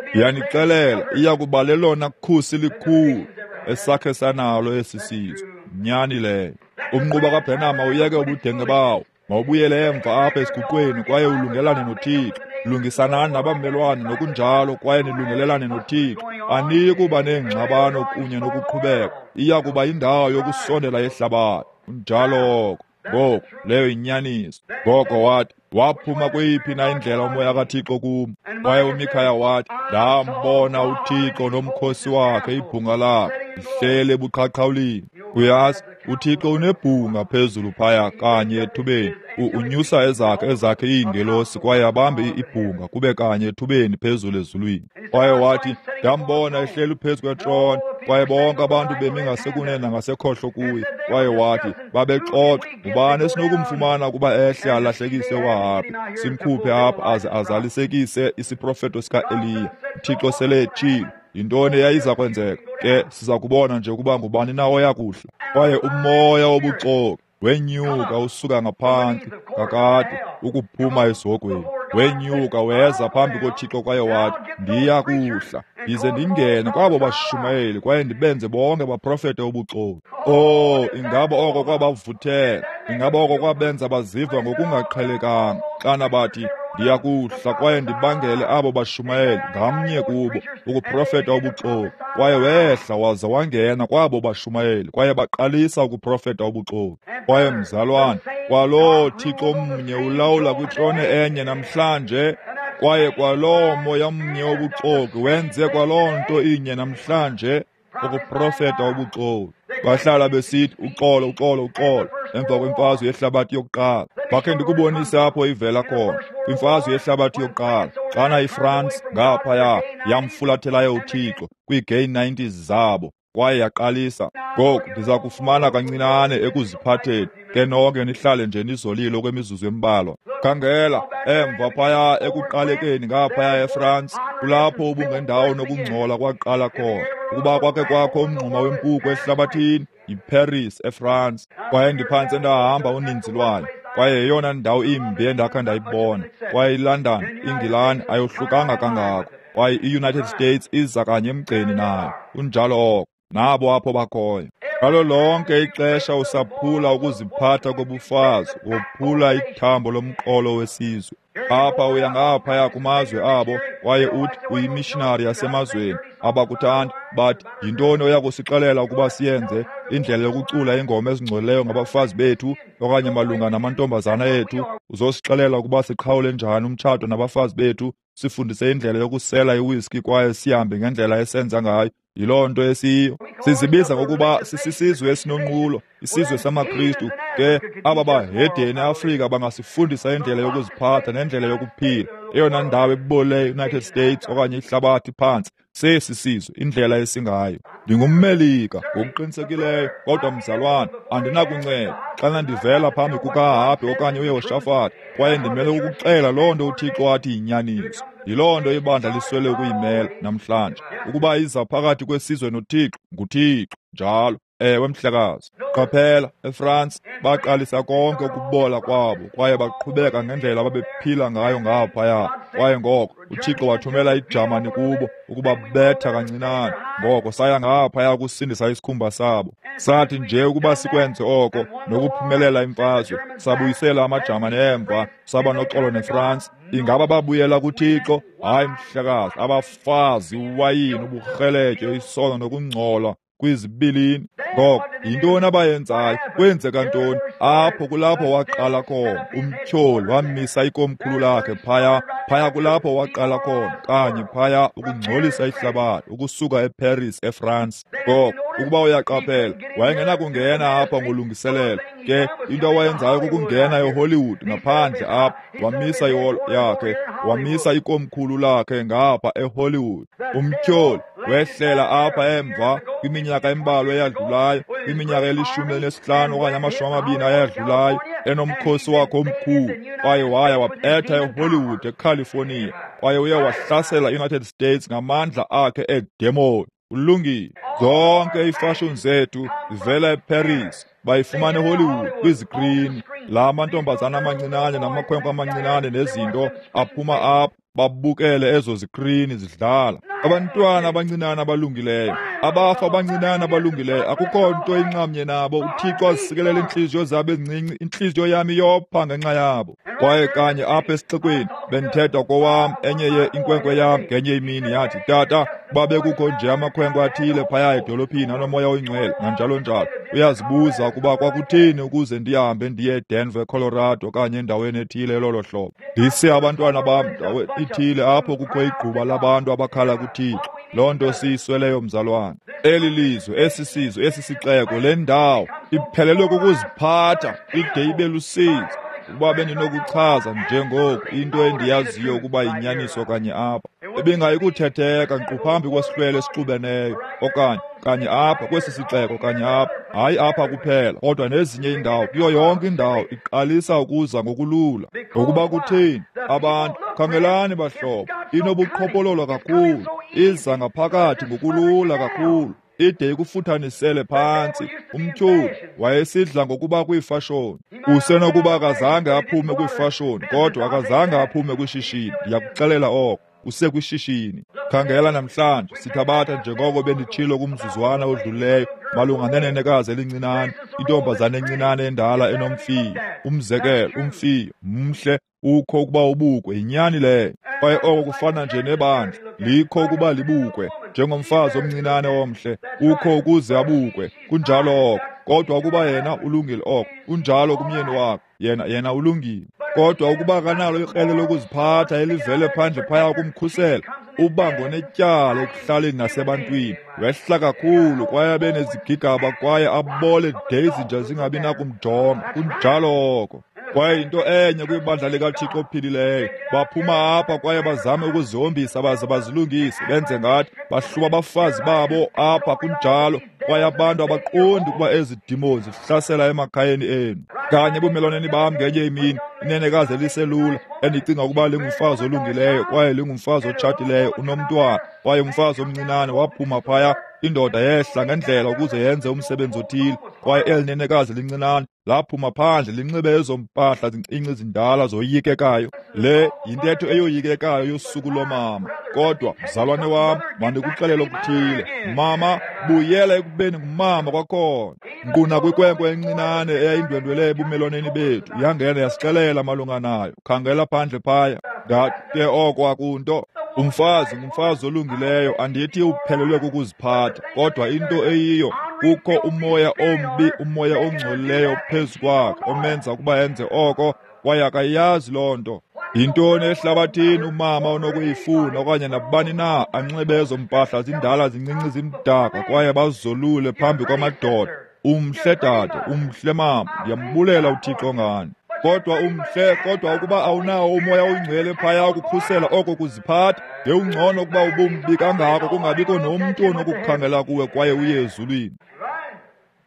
Ndiyanixelela, iya kuba lelona khusi likhulu esakhe sanalo esi sizwe. Nyani leyo. Umnquba kaBrenham uyeke ubudenge bawo. Mawubuyele emva apha esiguqweni kwaye ulungelane noThixo. Lungisanani nabamelwane nokunjalo kwaye nilungelelane noThixo. Aniyi kuba neengxabano kunye nokuqhubeka. Iya kuba yindawo yokusondela yehlabathi. Kunjalo oko. Ngoku leyo yinyaniso. Ngoko wathi, waphuma kweyiphi na indlela umoya kaThixo kum? Kwaye uMikhaya wathi, ndambona uThixo nomkhosi wakhe, ibhunga lakhe lihleli ebuqhaqhawulini. Uyazi, uThixo unebhunga phezulu phaya kanye ethubeni. Unyusa ezakhe iingelosi kwaye abambe ibhunga kube kanye ethubeni phezulu ezulwini. Kwaye wathi, ndambona ehleli phezu kwetrone, kwaye bonke abantu bemi ngasekunene nangasekhohlo kuye. Kwaye wathi, babexoxa, ngubani esinokumfumana ukuba ehle alahlekise uAhabi, simkhuphe apha aze azalisekise isiprofeto sika-Eliya. uThixo sele etshilo. Yintoni eyayiza kwenzeka? Ke siza kubona nje ukuba ngubani na oya kuhla. Kwaye umoya wobuxoki wenyuka usuka ngaphantsi kakade ukuphuma esihogweni. Wenyuka weza phambi koThixo kwaye wathi, ndiya kuhla ndize ndingene kwabo bashumayeli kwaye ndibenze bonke baprofete ubuxoki. Oh, ingaba oko kwabavuthela, ingaba oko kwabenza baziva ngokungaqhelekanga xana bathi, ndiya kuhla kwaye ndibangele abo bashumayeli ngamnye kubo ukuprofeta ubuxoki. Kwaye wehla waza wangena kwabo bashumayeli kwaye baqalisa ukuprofeta ubuxoki. Kwaye mzalwane, kwaloo Thixo mnye ulawula kwitrone enye namhlanje, kwaye kwaloo moya mnye wobuxoki wenze kwaloo nto inye namhlanje, ukuprofeta ubuxoki. Bahlala besithi uxolo, uxolo, uxolo emva kwemfazwe yehlabathi yokuqala. Bakhe ndikubonise apho ivela khona, kwimfazwe yehlabathi yokuqala, xana iFrance ngaphaya yamfulathelayo uThixo kwii-gay 90s zabo kwaye yaqalisa. Ngoku ndiza kufumana kancinane ekuziphatheni, ke nonke nihlale nje nizolile okwemizuzu embalwa. Khangela emva phaya ekuqalekeni ngaphaya eFrance, kulapho ubungendawo nokungcola kwaqala khona. Ukuba kwakhe kwakho umngxuma wempuku ehlabathini, yiParis eFrance. Kwaye ndiphantse ndahamba uninzi lwayo, kwaye yeyona ndawo imbi endakha ndayibona. Kwaye iLondon, iNgilani ayohlukanga kangako, kwaye iUnited States iza kanye emgceni nayo. Kunjalo oko. Nabo apho bakhoyo. Ngalo lonke ixesha usaphula ukuziphatha kobufazi, wophula ithambo lomqolo wesizwe. Apha uya ngaphaya kumazwe abo, kwaye uthi uyimishinari yasemazweni. Abakuthandi, bathi, yintoni oya kusixelela ukuba siyenze? Indlela yokucula iingoma ezingcolileyo ngabafazi bethu okanye malunga namantombazana ethu? Uzosixelela ukuba siqhawule njani umtshato nabafazi bethu, sifundise indlela yokusela iwiski kwaye sihambe ngendlela esenza ngayo? Yiloo nto esiyiyo. Sizibiza ngokuba sisisizwe esinonqulo, Isizwe samaKristu ke aba bahedeni eAfrika bangasifundisa indlela yokuziphatha nendlela yokuphila. Eyona ndawo ebole United States okanye ihlabathi phantsi sesi sizwe, indlela esingayo. NdingumMelika ngokuqinisekileyo, kodwa mzalwane, andinakunceda xana ndivela phambi kukaAhabhi okanye uYehoshafati, kwaye ndimele ukuxela loo nto uThixo athi yinyaniso. Yiloo nto ibandla liswele ukuyimela namhlanje, ukuba iza phakathi kwesizwe noThixo, nguThixo njalo. Ewe, mhlekazi. Qaphela, eFrance baqalisa konke ukubola kwabo kwaye baqhubeka ngendlela ababephila ngayo ngaphaya. Kwaye ngoko uThixo wathumela iJamani kubo ukuba betha kancinane. Ngoko saya ngaphaya ukusindisa isikhumba sabo. Sathi nje ukuba sikwenze oko nokuphumelela imfazwe, sabuyisela amaJamani emva, saba noxolo neFrance. Ingaba babuyela kuThixo? Hayi, mhlekazi. Abafazi, uwayini, uburheletyo, isono nokungcola kwizibilini. Ngoko yintoni abayenzayo? Kwenzeka ntoni? Apho kulapho waqala khona umtyholi, wamisa ikomkhulu lakhe phaya. Phaya kulapho waqala khona kanye phaya ukungcolisa ihlabathi ukusuka eParis, eFrance. Ngoko ukuba uyaqaphela, wayengenakungena apha ngolungiselelo. Ke into awayenzayo kukungena eHollywood ngaphandle apha, wamisa iholo yakhe, wamisa ikomkhulu lakhe ngapha eHollywood. Umtyholi wehlela apha emva kwiminyaka embalwa eyadlulayo, kwiminyaka eli-15 okanye 20 ayadlulayo, enomkhosi wakhe omkhulu, kwaye waya wabetha eHollywood eCalifornia, kwaye uye wahlasela iUnited States ngamandla akhe eedemoni. Ulungile. Zonke iifashoni zethu zivela eParis, bayifumana eHollywood kwizikrini. La mantombazana amancinane namakhwenkwe amancinane nezinto aphuma apha babukele ezo zikrini zidlala. Abantwana abancinane abalungileyo, abafa abancinane abalungileyo, akukho nto inxamnye nabo. UThixo azisikelela iintliziyo zabo ezincinci, intliziyo yam iyopha ngenxa yabo. Kwaye kanye apha esixekweni bendithetha kowam, enye ye inkwenkwe yam ngenye imini yathi, tata, kuba bekukho nje amakhwenkwe athile phaya edolophini anomoya oyingcwele nanjalo njalo. Uyazibuza ukuba kwakutheni ukuze ndihambe ndiye eDenver, Colorado okanye endaweni ethile elolo hlobo. Ndise abantwana bam ndawo ithile apho kukho igquba labantu abakhala kuThixo. Loo nto siyisweleyo, mzalwane. Eli lizwe, esi sizwe, esi sixeko, le ndawo iphelelwe kukuziphatha ide ibe lusizi. Ukuba bendinokuchaza njengoku into endiyaziyo ukuba yinyaniso kanye apha, ibingayikuthetheka nkqu phambi kwesihlwele esixubeneyo, okanye kanye apha kwesi sixeko, kanye apha, hayi apha kuphela, kodwa nezinye iindawo, kuyo yonke indawo iqalisa ukuza ngokulula. Ngokuba kutheni? Abantu, khangelani bahlobo, inobuqhophololo kakhulu, iza ngaphakathi ngokulula kakhulu, ide ikufuthanisele phantsi. Umtyholi wayesidla ngokuba kwiifashoni. Usenokuba akazange aphume kwiifashoni, kodwa akazange aphume kwishishini. Ndiyakuxelela oko, usekwishishini. Khangela namhlanje, sithabatha njengoko benditshilo kumzuzwana odlulileyo malunga nenenekazi elincinane, intombazana encinane endala enomfiyo. Umzekelo, umfiyo mhle, ukho ukuba ubukwe, yinyani leyo. Kwaye oko kufana nje nebandla, likho ukuba libukwe, njengomfazi omncinane omhle, ukho ukuze abukwe, kunjalo oko. Kodwa ukuba yena ulungile oko, unjalo kumyeni wakhe, yena ulungile. Kodwa ukuba akanalo ikrele lokuziphatha elivele phandle phaya kumkhusela, uba ngonetyala ekuhlaleni nasebantwini. Wehla kakhulu kwaye abe nezigigaba kwaye abole de izinja zingabi nakumjonga, kunjalo oko. Kwaye into enye kwibandla likaThixo ophilileyo, baphuma apha kwaye bazame ukuzihombisa baze bazilungise, benze ngathi bahluba abafazi babo apha, kunjalo. Kwaye abantu abaqondi ukuba ezi demons zihlasela emakhayeni enu. Kanye ebumelwaneni bam ngenye imini, inenekazi eliselula endicinga ukuba lingumfazi olungileyo kwaye lingumfazi otshatileyo, unomntwana, kwaye umfazi omncinane waphuma phaya. Indoda yehla ngendlela ukuze yenze umsebenzi othile, kwaye eli nenekazi lincinane laphuma phandle linxibe ezo mpahla zincinci zindala zoyikekayo. Le yintetho eyoyikekayo yosuku lomama. Kodwa mzalwane wam, mandikuxelele okuthile. Mama, buyela ekubeni ngumama kwakhona. Nkqu nakwinkwenkwe encinane eyayindwendwele ebumelwaneni bethu, yangena yasixelela malunga nayo. Khangela phandle phaya. Ndathi ke oko akunto. Umfazi ngumfazi olungileyo, andithi uphelelwe kukuziphatha, kodwa into eyiyo, kukho umoya ombi, umoya ongcolileyo phezu kwakhe omenza ukuba enze oko, kwaye akayazi loo nto. Yintoni ehlabathini umama onokuyifuna okanye nabani na anxibe ezo mpahla zindala zincinci zimdaka kwaye bazolule phambi kwamadoda? Umhle dade, umhle mama, ndiyambulela uThixo ngani. Kodwa umhle, kodwa ukuba awunawo uMoya oyiNgcwele phaya ukukhusela oko kuziphatha, ngewungcono ukuba ubumbi kangako kungabikho nomntu onokukhangela kuwe kwaye uye ezulwini.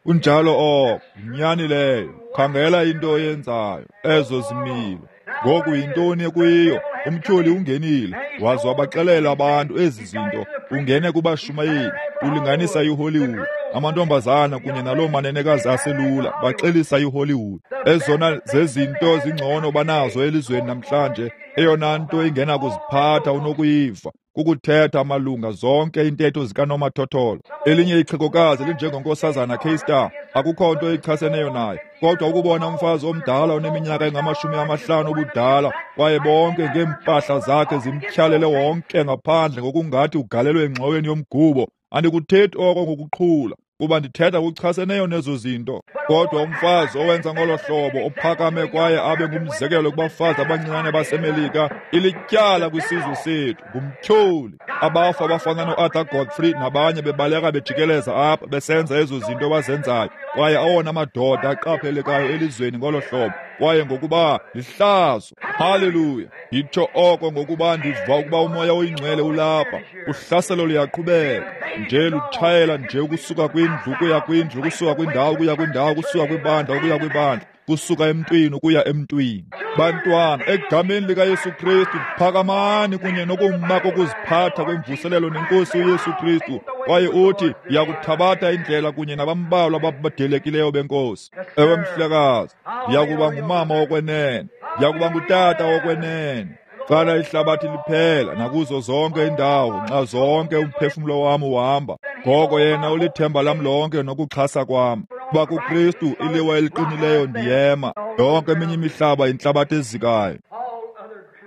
Kunjalo oko, yinyani leyo. Khangela into oyenzayo, ezo zimilo. Ngoku yintoni ekuyiyo? Umtyholi ungenile, waze wabaxelela abantu ezi zinto. Ungene kubashumayeli, ulinganisa iHollywood. Amantombazana kunye naloo manenekazi aselula baxelisa iHollywood. Ezona zezinto zingcono banazo elizweni namhlanje, eyona nto ingenakuziphatha unokuyiva kukuthetha malunga zonke iintetho zikanomathotholo. Elinye ixhegokazi linjengonkosazana K-Star, akukho nto ichaseneyo naye, kodwa ukubona umfazi omdala oneminyaka engama-50 ubudala kwaye bonke ngeempahla zakhe zimtyhalele wonke ngaphandle ngokungathi ugalelwe engxoweni yomgubo. Andikuthethi oko ngokuqhula, kuba ndithetha kuchaseneyo nezo zinto. Kodwa umfazi owenza ngolo hlobo, ophakame kwaye abe ngumzekelo kubafazi abancinane baseMelika, ilityala kwisizwe sethu, ngumtyholi. Abafa abafana noArthur Godfrey nabanye bebaleka bejikeleza apha besenza ezo zinto bazenzayo, kwaye awona madoda aqaphelekayo elizweni ngolo hlobo, kwaye ngokuba lihlazo. Haleluya! Nditsho oko ngokuba ndiva ukuba uMoya oyiNgcwele ulapha. Uhlaselo luyaqhubeka nje, lutshayela nje ukusuka kwindlu ukuya kwindlu, ukusuka kwindawo ukuya kwindawo, ukusuka kwibandla ukuya kwibandla, kusuka emntwini ukuya emntwini. Bantwana, egameni likaYesu Kristu, phakamani kunye nokuma kokuziphatha kwemvuselelo nenkosi uYesu Kristu. Kwaye uthi, ndiyakuthabatha indlela kunye nabambalwa ababadelekileyo benkosi. Ewe mhlekazi, ndiyakuba ngumama wokwenene, ndiyakuba ngutata wokwenene. Xana ihlabathi liphela nakuzo zonke iindawo, nxa zonke umphefumlo wam uhamba, ngoko yena ulithemba lam lonke nokuxhasa kwam. Kuba kuKristu iliwa eliqinileyo ndiyema. Yonke eminye imihlaba yintlabathi ezikayo.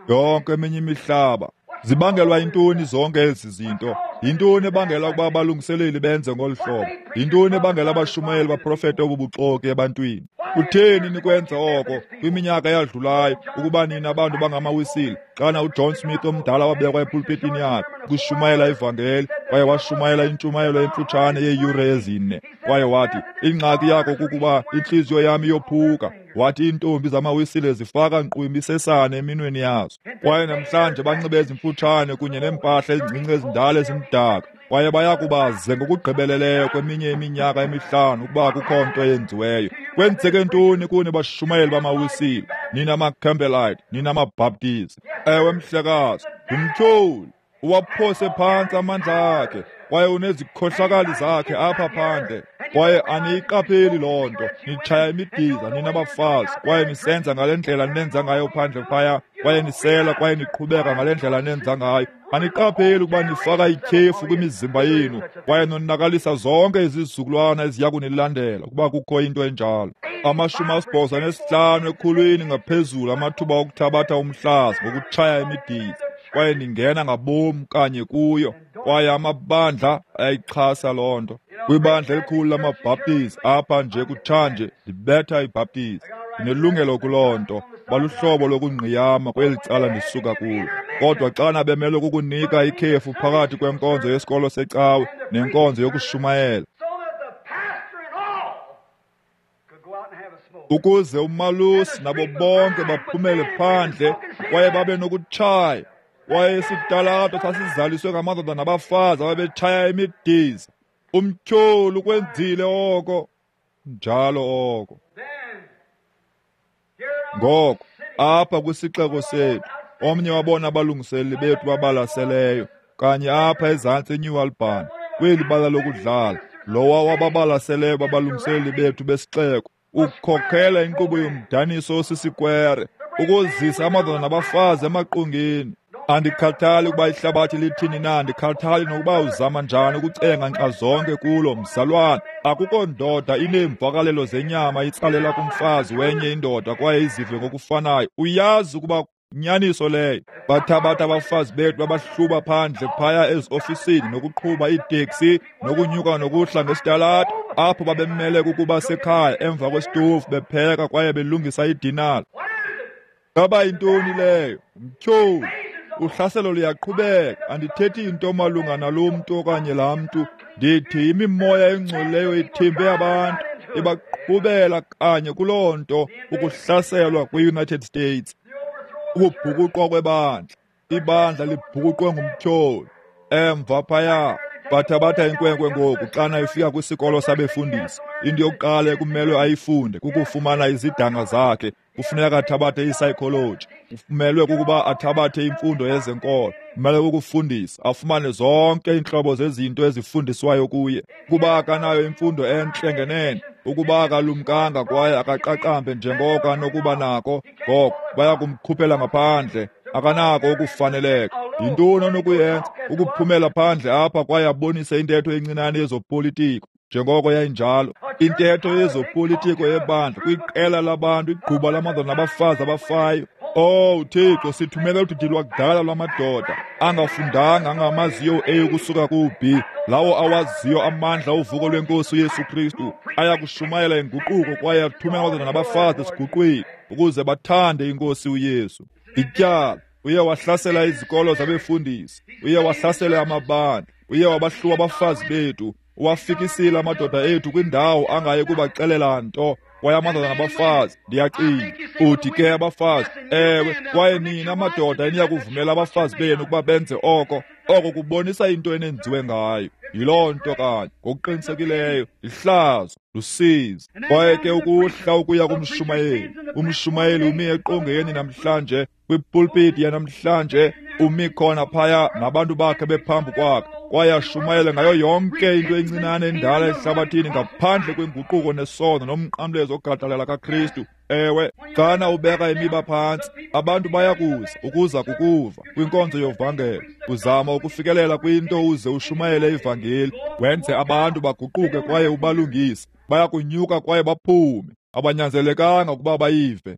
Yonke eminye imihlaba. Zibangelwa yintoni zonke ezi zinto? Yintoni ebangela ukuba abalungiseleli benze ngolu hlobo? Yintoni ebangela abashumayeli baprofete obubuxoki ebantwini? Kutheni nikwenza oko kwiminyaka eyadlulayo ukuba nina abantu bangamaWisile, xana uJohn Smith omdala wabekwa epulpitini yakhe ukushumayela ivangeli, kwaye washumayela intshumayelo emfutshane yeeyure 4, kwaye wathi, ingxaki yakho kukuba intliziyo yam iyophuka. Wathi iintombi zamaWisile zifaka nkqu imisesane eminweni yazo, kwaye namhlanje banxibe ezimfutshane kunye neempahla ezincinci ezindala ezimdaka, kwaye bayakubaze ngokugqibeleleyo kweminye iminyaka emihlanu ukuba akukho nto yenziweyo. Kwenzeke ntoni kuni bashumayeli bamaWisile, nina maCampbellite, nina maBaptist? Ewe mhlekazi, ngumtyholi. Uwaphose phantsi amandla akhe, kwaye unezikhohlakali zakhe apha phandle. Kwaye aniyiqapheli loo nto. Nitshaya imidiza nina bafazi, kwaye nisenza ngale ndlela nenza ngayo phandle phaya, kwaye nisela kwaye niqhubeka ngale ndlela nenza ngayo. Aniqapheli ukuba nifaka ityhefu kwimizimba yenu, kwaye nonakalisa zonke izizukulwana eziya kunilandela ukuba kukho into enjalo. 85 ekhulwini ngaphezulu amathuba okuthabatha umhlaza ngokutshaya imidiza, kwaye ningena ngabom kanye kuyo, kwaye amabandla ayayixhasa loo nto. Kwibandla elikhulu lamaBhaptizi apha nje kutshanje, ndibetha iBhaptizi, ndinelungelo kuloo nto, baluhlobo lokungqiyama kweli cala ndisuka kulo. Kodwa xana bemelwe kukunika ikhefu phakathi kwenkonzo yesikolo secawe nenkonzo yokushumayela, ukuze umalusi nabo bonke baphumele phandle kwaye babe nokutshaya, kwaye isitalato sasizaliswe ngamadoda nabafazi ababetshaya imidiza. Umtyholi ukwenzile oko, njalo oko. Ngoko apha kwisixeko sethu, omnye wabona abalungiseleli bethu babalaseleyo, kanye apha ezantsi eNew Albany, kweli bala lokudlala, lowa wababalaseleyo babalungiseleli bethu besixeko, ukhokhela inkqubo yomdaniso osisikwere, ukuzisa amadoda nabafazi emaqongeni. Andikhathali ukuba ihlabathi lithini na, andikhathali nokuba uzama njani ukucenga nxa zonke kulo mzalwana. Akukho ndoda ineemvakalelo zenyama itsalela kumfazi wenye indoda kwaye izive ngokufanayo. Uyazi ukuba nyaniso leyo. Bathabatha abafazi bethu babahluba phandle phaya eziofisini nokuqhuba iiteksi nokunyuka nokuhla ngesitalato, apho babemele kukuba sekhaya emva kwesitofu bepheka kwaye belungisa idinala. Ngaba yintoni leyo? Mtyholi. Uhlaselo luyaqhubeka. Andithethi into malunga nalo mntu okanye laa mntu. Ndithi imimoya engcolileyo ithimbe abantu. Ibaqhubela kanye kuloo nto, ukuhlaselwa kwe-United States, ukubhukuqwa kwebandla. Ibandla libhukuqwe ngumtyholi. Emva phaya bathabatha inkwenkwe ngoku xana ifika kwisikolo sabefundisi. Into yokuqala ekumelwe ayifunde kukufumana izidanga zakhe. Kufuneka athabathe i-psychology, kumelwe kukuba athabathe imfundo yezenkolo, kumele kukufundisa, afumane zonke iintlobo zezinto ezifundiswayo kuye. Ukuba akanayo imfundo entle ngenene, ukuba akalumkanga kwaye akaqaqambe njengoko anokuba nako, ngoko baya kumkhuphela ngaphandle. Akanako ukufaneleka. Yintoni onokuyenza? Ukuphumela phandle apha kwaye abonise intetho encinane yezopolitiko, njengoko yayinjalo intetho yezopolitiko yebandla kwiqela labantu, igquba lamadoda nabafazi abafayo. Oh Thixo, sithumele udidi lwakudala lwamadoda angafundanga, angamaziyo A ukusuka ku-B, lawo awaziyo amandla ovuko lwenkosi uYesu Kristu, ayakushumayela inguquko kwaye athumele amadoda nabafazi esiguqwini ukuze bathande inkosi uYesu. Ityala, uye wahlasela izikolo zabefundisi, uye wahlasela amabandla, uye wabahluwa abafazi bethu, uwafikisile amadoda ethu kwindawo angaye kubaxelela nto. Kwaye amadoda nabafazi, ndiyacinga, uthi ke abafazi, ewe, kwaye nina madoda eniyakuvumela abafazi benu ukuba benze oko, oko kubonisa into enenziwe ngayo. Yiloo nto kanye, ngokuqinisekileyo, lihlazo, lusizi. Kwaye ke ukuhla ukuya kumshumayeli, umshumayeli umi eqongeni namhlanje, kwipulpiti yanamhlanje, umi khona phaya nabantu bakhe bephambi kwakhe, kwaye ashumayele ngayo yonke into encinane endala ehlabathini ngaphandle kwenguquko nesono nomnqamlezo ogadalala kaKristu. Ewe, xana ubeka imiba phantsi, abantu bayakuza ukuza kukuva kwinkonzo yovangelo. Uzama ukufikelela kwinto uze ushumayele ivangeli, wenze abantu baguquke kwaye ubalungise. Bayakunyuka kwaye baphume. Abanyanzelekanga ukuba bayive.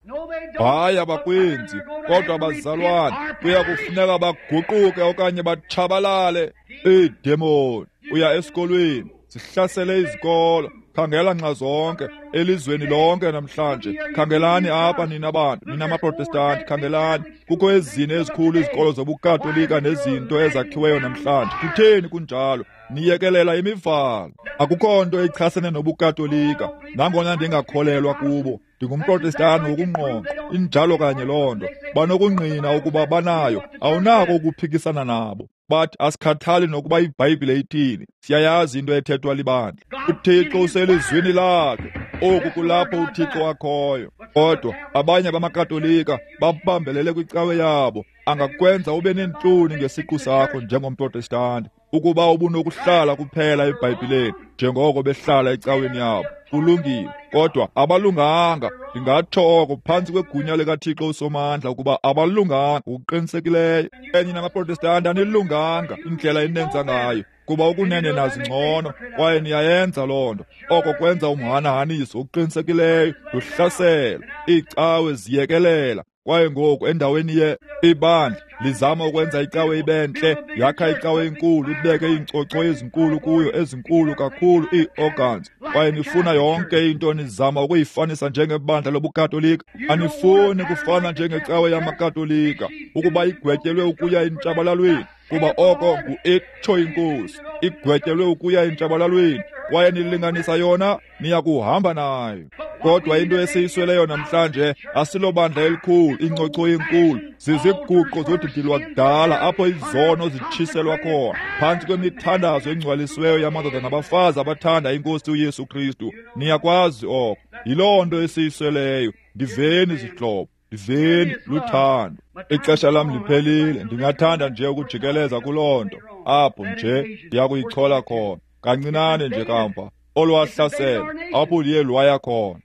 Hayi, abakwenzi, kodwa bazalwane kuya kufuneka baguquke okanye batshabalale. Iidemoni, uya esikolweni, zihlasele izikolo. Khangela nxa zonke elizweni lonke namhlanje. Khangelani apha nina bantu, nina maProtestanti, khangelani. Kukho ezine ezikhulu izikolo zobuKatolika nezinto ezakhiweyo namhlanje. Kutheni kunjalo? Niyekelela imivalo. Akukho nto ichasene nobuKatolika, nangona ndingakholelwa kubo. NdingumProtestanti ngokungqongqo, injalo kanye loo nto. Banokungqina ukuba banayo, awunako ukuphikisana nabo. Bathi asikhathali nokuba iBhayibhile ithini, siyayazi into ethethwa libandla. UThixo uselizwini lakhe. Oku kulapho uThixo akhoyo. Kodwa abanye bamaKatolika babambelele kwicawe yabo. Angakwenza ube neentloni ngesiqu sakho njengomProtestanti ukuba ubunokuhlala kuphela eBhayibhileni njengoko behlala ecaweni yabo. Kulungile, kodwa abalunganga. Ndingatsho oko phantsi kwegunya likaThixo uSomandla ukuba abalunganga ngokuqinisekileyo. Enye namaProtestanti anilunganga indlela enenza ngayo, kuba ukunene nazi ngcono kwaye niyayenza loo nto. Oko kwenza umhanahaniso okuqinisekileyo, luhlaselo. Iicawe ziyekelela. Kwaye ngoku endaweni ye ibandla lizama ukwenza icawe ibe ntle, yakha icawe enkulu, ibeke iinkcocho ezinkulu kuyo, ezinkulu kakhulu ii-organs. Kwaye nifuna yonke into, nizama ukuyifanisa njengebandla lobuKatolika. Anifuni kufana njengecawe yamaKatolika ukuba igwetyelwe ukuya entshabalalweni, kuba oko ngu-itsho inkosi, igwetyelwe ukuya entshabalalweni. Kwaye nilinganisa yona, niyakuhamba nayo. Kodwa into esiyisweleyo namhlanje asilobandla elikhulu, incocho enkulu, ziziguqo zodidi lwakudala apho izono zitshiselwa khona phantsi kwemithandazo engcwalisiweyo yamadoda nabafazi abathanda inkosi uYesu Kristu. Niyakwazi oko. Yiloo nto esiyisweleyo. Ndiveni zihlobo, ndiveni luthando. Ixesha lam liphelile. Ndingathanda nje ukujikeleza kuloo nto apho nje ndiyakuyichola khona kancinane nje kamva. Olwahlaselo apho liye lwaya khona,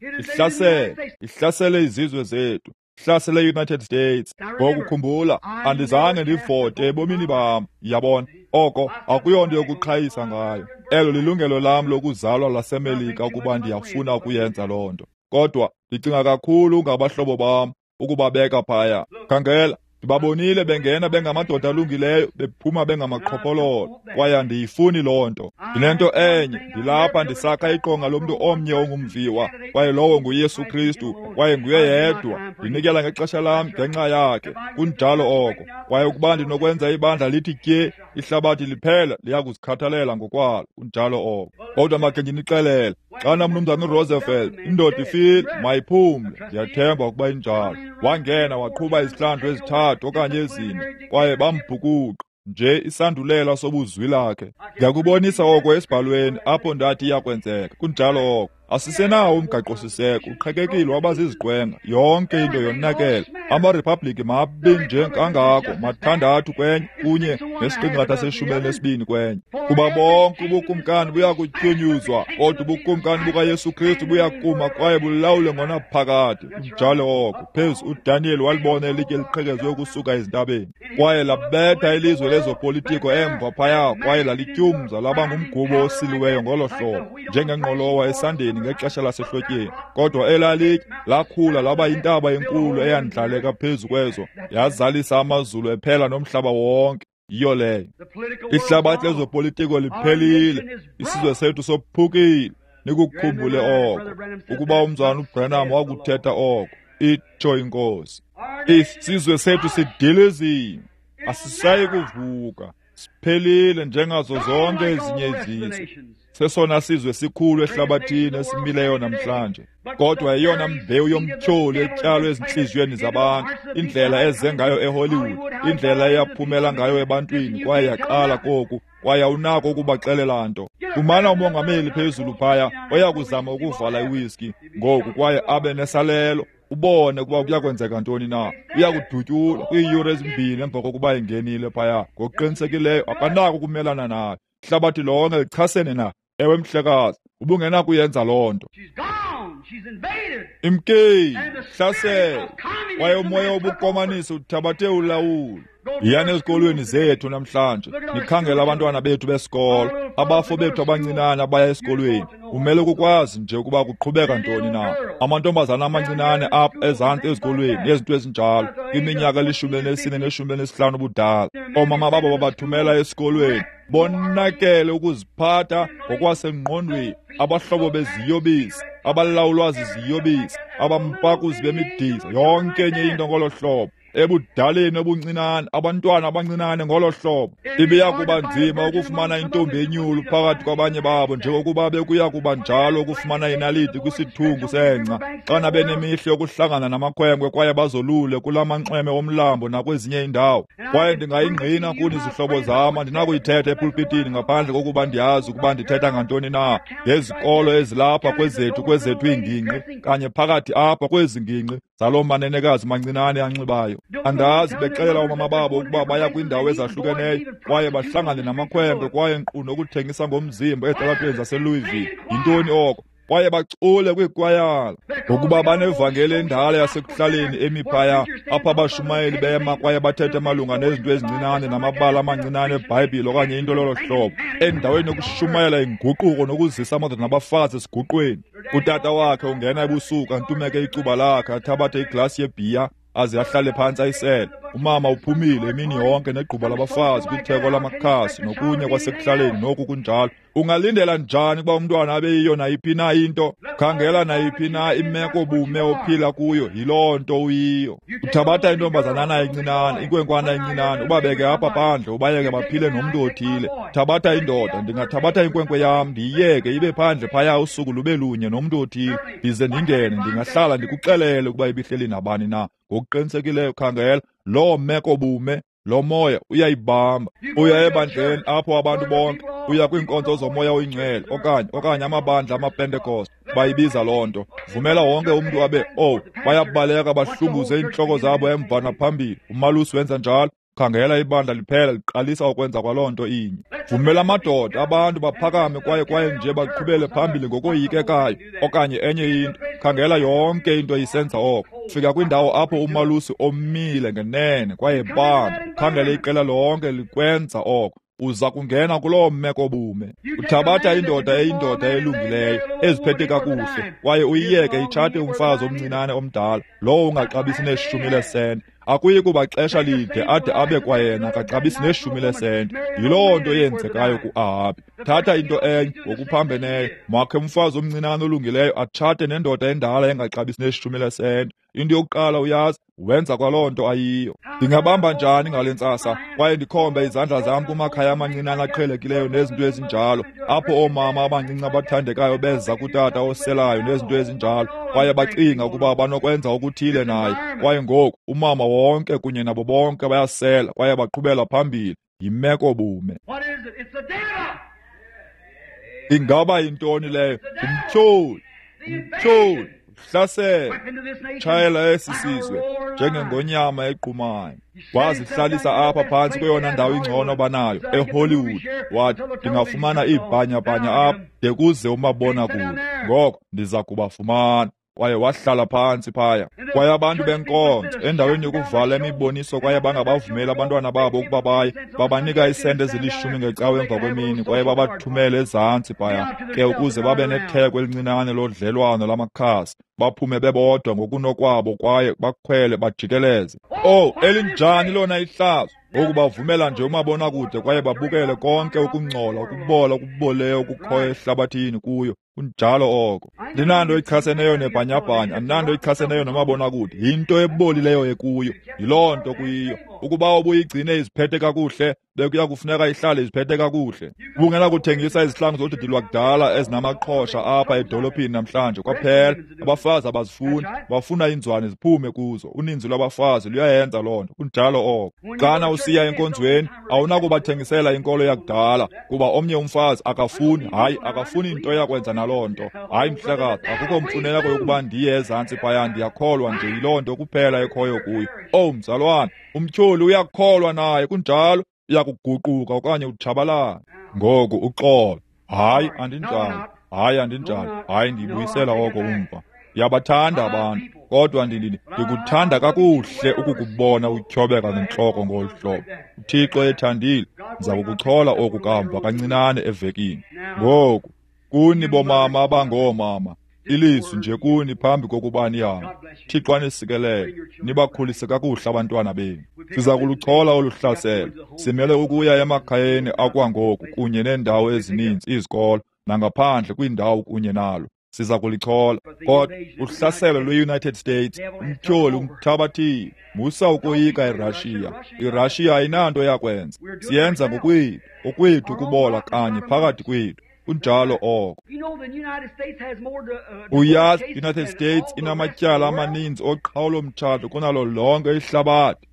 ihlasele izizwe zethu, ihlasele i-United States. Ngokukhumbula, andizange ndivote ebomini bam. Yabona, oko akuyonto yokuqhayisa ngayo. Elo lilungelo lam lokuzalwa laseMelika ukuba ndiyafuna ukuyenza loo nto. Kodwa ndicinga kakhulu ngabahlobo bam ukubabeka phaya. Khangela, Ndibabonile bengena bengamadoda alungileyo, bephuma bengamaqhophololo, kwaye andiyifuni loo nto. Ndinento enye, ndilapha ndisakha iqonga lomntu omnye ongumviwa, kwaye lowo nguYesu Kristu, kwaye nguye yedwa. Ndinikela ngexesha lam ngenxa yakhe. Kunjalo oko. Kwaye ukuba ndinokwenza ibandla lithi tye, ihlabathi liphela liya kuzikhathalela ngokwalo. Kunjalo oko. Kodwa makhe ndinixelele, xana Mnumzana uRoosevelt, indoda ifile, mayiphumle. Ndiyathemba ukuba injalo. Wangena waqhuba izihlandlo ezithathu okanye ezine, kwaye bambhukuqa nje isandulela sobuzwi lakhe. Ndiyakubonisa oko esibhalweni apho ndathi iyakwenzeka. Kunjalo oko. Asisenawo umgaqo-siseko, uqhekekile waba ziziqwenga, yonke into yonakele. Amariphabliki mabi nje kangako, mathandathu kwenye, kunye nesiqingatha se-12 kwenye. Kuba bonke ubukumkani buyakutyunyuzwa, kodwa ubukumkani bukaYesu Kristu buyakuma kwaye bulawule ngonaphakade. Kunjalo oko. Phezu uDaniel walibona elitye liqhekezwe ukusuka ezintabeni, kwaye labetha ilizwe lezopolitiko emva phaya, kwaye lalityumza laba ngumgubo osiliweyo ngolo hlobo, njengengqolowa esandeni ngexesha lasehlotyeni. Kodwa elalitye lakhula laba yintaba enkulu eyandlaleka phezu kwezo, yazalisa amazulu ephela nomhlaba wonke. Yiyo leyo. Ihlabathi lezopolitiko liphelile, isizwe sethu sophukile. Nikukhumbule oko, ukuba umzalwana uBranham wakuthetha oko, itsho iNkosi. Isizwe sethu sidilizile, asisayi kuvuka, siphelile njengazo zonke ezinye izizwe. Sesona sizwe sikhulu ehlabathini esimileyo namhlanje, kodwa eyona mbewu yomtyholi etyalwe ezintliziyweni zabantu, indlela eze ngayo eHollywood, indlela eyaphumela ngayo ebantwini, kwaye yaqala koku, kwaye awunako ukubaxelela nto. Fumana umongameli phezulu phaya oya kuzama ukuvala iwiski ngoku kwaye abe nesalelo, ubone ukuba kuyakwenzeka ntoni na. Uyakudutyulwa kwiiyure ezimbini emva kokuba engenile phaya. Ngokuqinisekileyo akanako ukumelana nayo. Ihlabathi lonke lichasene na. Ewe mhlekazi, ubungenakuyenza loo nto. Imkile, hlasela, kwaye umoya wobukomanisi uthabathe ulawulo. Yiyani ezikolweni zethu namhlanje, nikhangele abantwana bethu besikolo, abafo bethu abancinane abaya esikolweni. Umele ukukwazi nje ukuba kuqhubeka ntoni na. Amantombazana amancinane apha ezantsi ezikolweni nezinto ezinjalo, kwiminyaka eli-14 ne-15 ubudala, oomama babo babathumela esikolweni. Bonakele ukuziphatha ngokwasengqondweni, abahlobo beziyobisi, abalawulwa ziziyobisi, abampakuzi bemidiza, yonke enye into ngolo hlobo. Ebudaleni obuncinane, abantwana abancinane ngolo hlobo. Ibiya kuba nzima ukufumana intombi enyulu phakathi kwabanye babo, njengokuba bekuya kuba njalo ukufumana inaliti kwisithungu sengca, xana benemihla yokuhlangana namakhwenkwe kwaye bazolule kula manxweme omlambo nakwezinye iindawo. Kwaye ndingayingqina kuni zihlobo zam, andinakuyithetha epulpitini ngaphandle kokuba ndiyazi ukuba ndithetha ngantoni na, ngezikolo ezilapha kwezethu iingingqi, kanye phakathi apha kwezi ngingqi zaloo manenekazi mancinane anxibayo. Andazi bexelela oomama babo ukuba baya kwiindawo ezahlukeneyo kwaye bahlangane namakhwenkwe kwaye nkqu nokuthengisa ngomzimba ezitalatweni zaseLouisville. Yintoni oko? Kwaye bacule kwiikwayala, ngokuba banevangeli endala yasekuhlaleni emi phaya, apho abashumayeli bema kwaye bathethe malunga nezinto ezincinane namabala amancinane eBhayibhile okanye into lolo hlobo, endaweni yokushumayela inguquko nokuzisa amadoda nabafazi esiguqweni. Utata wakhe ungena ebusuku antumeke icuba lakhe, athabathe iglasi yebhiya aze ahlale phantsi ayisele. Umama uphumile imini yonke negquba labafazi kwitheko lamakhasi nokunye kwasekuhlaleni noku kunjalo. Ungalindela njani ukuba umntwana abe yiyo nayiphi na into? Khangela nayiphi na imeko bume ophila kuyo, yiloo nto uyiyo. Uthabatha intombazanana encinane, inkwenkwana encinane, ubabeke apha phandle, ubayeke baphile nomntu othile. Thabatha indoda, ndingathabatha inkwenkwe yam ndiyiyeke ibe phandle phaya usuku lube lunye nomntu othile, ndize ndingene, ndingahlala ndikuxelele ukuba ibihleli nabani na. Ngokuqinisekileyo, khangela loo meko bume, lo moya uyayibamba. Uya ebandleni apho abantu bonke, uya kwiinkonzo zomoya oyingcwele okanye amabandla amaPentekoste, bayibiza loo nto. Vumela wonke umntu abe, oh, bayabaleka bahlunguze iintloko zabo emva naphambili. Umalusi wenza njalo. Khangela ibandla liphela liqalisa ukwenza kwaloo nto inye. Vumela amadoda, abantu baphakame kwaye nje baqhubele phambili ngokoyikekayo okanye enye into. Khangela yonke into isenza oko. Fika kwindawo apho umalusi omile ngenene kwaye bamba. Khangela iqela lonke likwenza oko. Uza kungena kuloo meko bume. Uthabatha indoda eyindoda elungileyo, eziphethe kakuhle, kwaye uyiyeke itshate umfazi omncinane omdala, lowo ungaxabisi neshumi leesenti. Akuyi kuba xesha lide ade abe kwayena akaxabisi neshumi lesenti. Yiloo nto yenzekayo ku-Ahabi. Thatha into enye ngokuphambeneyo, makhe umfazi omncinane olungileyo atshate nendoda endala engaxabisi neshumi lesenti. Into yokuqala uyazi, wenza kwaloo nto ayiyo. Ndingabamba njani ngale ntsasa kwaye ndikhombe izandla zam kumakhaya amancinane aqhelekileyo nezinto ezinjalo, apho oomama abancinci abathandekayo beza kutata oselayo nezinto ezinjalo, kwaye bacinga ukuba banokwenza okuthile naye. Kwaye ngoku umama wonke kunye nabo bonke bayasela kwaye baqhubela phambili. Yimeko bume. Ingaba yintoni leyo? Ngumtyholi, umtyholi. Hlasela, tshayela esi sizwe njengengonyama equmayo. Wazihlalisa apha phantsi kweyona ndawo ingcono banayo eHollywood. Wathi, ndingafumana iibhanyabhanya apha de kuze umabonakude, ngoko ndiza kubafumana. Kwaye wahlala phantsi phaya. Kwaye abantu benkonzo, endaweni yokuvala imiboniso kwaye bangabavumeli abantwana babo ukuba baye, babanika iisenti ezilishumi ngecawe emva kwemini kwaye babathumele ezantsi phaya ke ukuze babe netheko elincinane lodlelwano lamakhasi, baphume bebodwa ngokunokwabo kwaye bakhwele bajikeleze. Oh, elinjani lona ihlazo! Ngoku bavumela nje umabonakude kwaye babukele konke ukungcola, ukubola, okuboleyo okukhoyo ehlabathini kuyo. Kunjalo oko. Ndinanto ichaseneyo nebhanyabhanya, andinanto ichaseneyo nomabonakude. Yinto ebolileyo ekuyo, yiloo nto kuyiyo. Ukuba ubuyigcine iziphethe kakuhle, bekuya kufuneka ihlale iziphethe kakuhle. Ubungenakuthengisa izihlangu zodidi lwakudala ezinamaqhosha apha edolophini namhlanje kwaphela. Abafazi abazifuni, bafuna iinzwane ziphume kuzo. Uninzi lwabafazi luyayenza loo nto. Kunjalo oko. Xana usiya enkonzweni, awunakubathengisela inkolo yakudala, kuba omnye umfazi akafuni, hayi, akafuni into yakwenza naloo nto. Hayi mhlekazi, akukho mfuneko yokuba ndiye ezantsi phaya, ndiyakholwa nje yiloo nto kuphela ekhoyo kuyo. Owu mzalwane, umtyholi uyakholwa naye, kunjalo, uyakuguquka okanye utshabalala. Ngoku uxolo. Hayi, andinjalo. Hayi, andinjalo. Hayi, ndibuyisela oko umva. Ndiyabathanda abantu, kodwa ndikuthanda kakuhle ukukubona utyhobeka ngentloko ngolu hlobo. UThixo ethandile, ndiza kukuchola oku kamva kancinane evekini. Ngoku, kuni bomama abangoomama, ilizwi nje kuni phambi kokuba nihambe. Thixo anisikelele, nibakhulise kakuhle abantwana benu. Siza kuluchola olu hlaselo. Simele ukuya emakhayeni akwangoku kunye neendawo ezininzi, izikolo, nangaphandle kwiindawo kunye nalo. Siza kulichola. Kodwa uhlaselo lwe-United States, umtyholi umthabathile. Musa ukoyika iRussia. IRussia ayinanto yakwenza. Siyenza ngokwethu, okwethu ukubola kanye phakathi kwethu. Kunjalo oko. Uyazi, United States inamatyala amaninzi oqhawulo-mtshato kunalo lonke ihlabathi.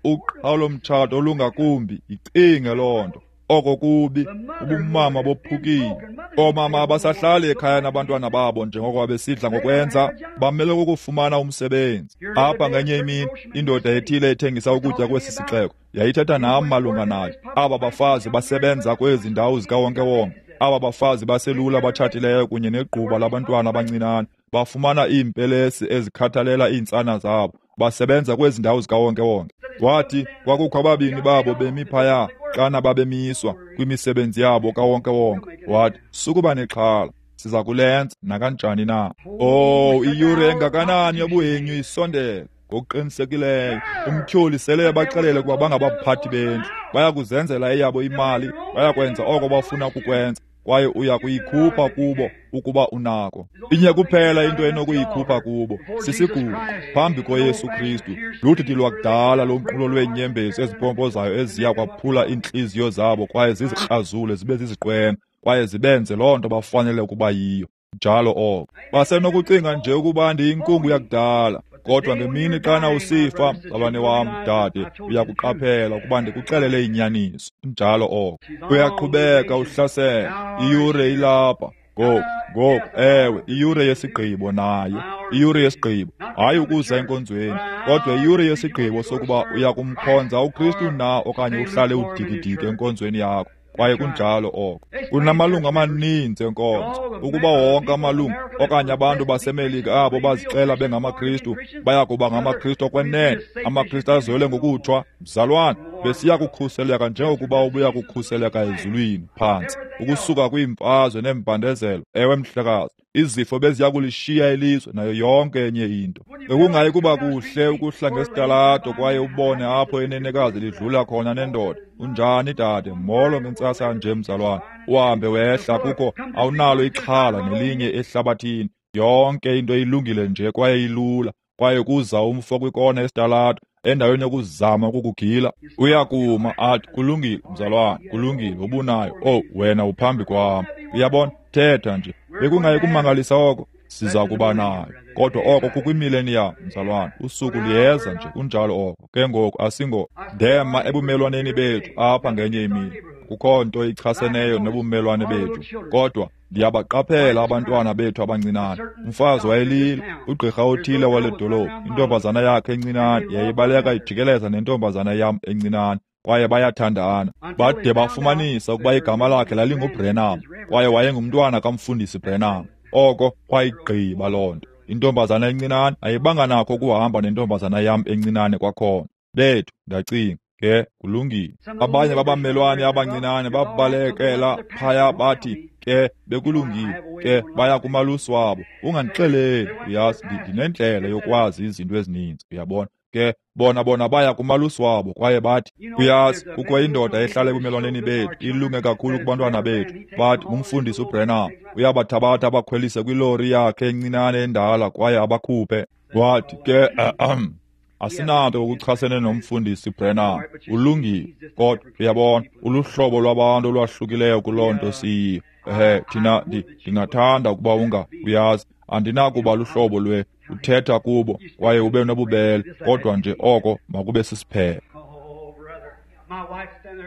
Uqhawulo-mtshato olungakumbi, yicinge loo nto. Oko kubi, ubumama bophukile. Oomama abasahlali ekhaya nabantwana babo njengoko besidla ngokwenza, bamele ukufumana umsebenzi. Apha ngenye imini, indoda ethile ethengisa ukutya kwesi sixeko yayithetha nam malunga nayo. Aba bafazi basebenza kwezi ndawo zikawonkewonke. Aba bafazi baselula batshatileyo kunye negquba labantwana abancinane bafumana iimpelesi ezikhathalela iintsana zabo. Basebenza kwezi ndawo zikawonkewonke. Wathi kwakukho ababini babo bemi phaya xana babemiswa kwimisebenzi yabo kawonkewonke. Wathi, sukuba nexhala, siza kulenza nakanjani na. Oh, iyure engakanani yobuhenyu isondele. Ngokuqinisekileyo umtyholi sele ebaxelele ukuba bangabaphathi bendlu, baya kuzenzela eyabo imali, bayakwenza oko bafuna ukukwenza, kwaye uya kuyikhupha kubo ukuba unako. Inye kuphela into enokuyikhupha kubo, sisiguqo phambi koYesu Kristu. Ludidi lwakudala lonqulo lweenyembezi ezipompozayo eziya kwaphula iintliziyo zabo kwaye zizikrazule zibe ziziqwenga kwaye zibenze loo nto bafanele ukuba yiyo. Njalo oko. Basenokucinga nje ukuba ndiyinkungu yakudala, kodwa ngemini xana usifa, mzalwane wam, dade, uyakuqaphela ukuba ndikuxelele inyaniso. Njalo oko. Uyaqhubeka uhlasela. Iyure ilapha. Ngoku, ewe, iyure yesigqibo naye. Iyure yesigqibo, hayi ukuza enkonzweni, kodwa iyure yesigqibo sokuba uyakumkhonza uKristu na okanye uhlale udikidiki enkonzweni yakho. Kwaye kunjalo oko. Kunamalungu amaninzi enkonzo. Ukuba wonke amalungu okanye abantu baseMelika abo bazixela bengamaKristu baya kuba ngamaKristu okwenene, amaKristu azele ngokutshwa, mzalwane, Besiya kukhuseleka njengokuba ubuya kukhuseleka ezulwini phantsi, ukusuka kwiimfazwe neembandezelo. Ewe, mhlekazi, izifo beziya kulishiya ilizwe nayo yonke enye into. Bekungayi kuba kuhle ukuhla ngesitalato kwaye ubone apho inenekazi lidlula khona nendoda. Unjani dade? Molo ngentsasa nje mzalwane. Uhambe wehla kukho awunalo ixhala nelinye ehlabathini. Yonke into ilungile nje kwaye ilula. Kwaye kuza umfo kwikona esitalato endaweni yokuzama ukukugila, uyakuma athi, kulungile mzalwane, kulungile, ubunayo. Oh, wena uphambi kwam. Uyabona, thetha nje. Bekungayi kumangalisa oko? Siza kuba nayo. Kodwa oko kukwimillennium, mzalwane. Usuku luyeza nje, kunjalo oko. Ke ngoku asingo ndema ebumelwaneni bethu apha ngenye imini. Kukho nto ichaseneyo nobumelwane bethu, kodwa ndiyabaqaphela abantwana bethu abancinane. Umfazi wayelila, ugqirha othile wale dolophu, intombazana yakhe encinane yayibaleka ijikeleza nentombazana yam encinane, kwaye bayathandana. Bade bafumanisa ukuba igama lakhe lalinguBrenham, kwaye wayengumntwana kamfundisi Brenham. Oko kwayigqiba loo nto. Intombazana encinane ayibanga nakho ukuhamba nentombazana yam encinane kwakhona. Bethu, ndacinga, ke kulungile. Abanye babamelwane abancinane babalekela phaya bathi, ke bekulungile, ke baya kumalusi wabo. Ungandixeleli, uyazi, ndinendlela yokwazi izinto ezininzi, uyabona. Ke bona baya kumalusi wabo kwaye bathi, uyazi, kukho indoda ehlala ebumelwaneni bethu, ilunge kakhulu kubantwana bethu. Bathi ngumfundisi uBrenham, uyabathabatha abakhwelise kwilori yakhe encinane endala kwaye abakhuphe. Wathi ke asinanto ukuchasene nomfundisi Brenham, ulungile, kodwa uyabona, uluhlobo lwabantu olwahlukileyo kuloo nto siyiyo. Ehe, thina ndingathanda ukuba uyazi, andinakuba luhlobo lwe uthetha kubo kwaye ube nobubele, kodwa nje oko makube sisiphelo.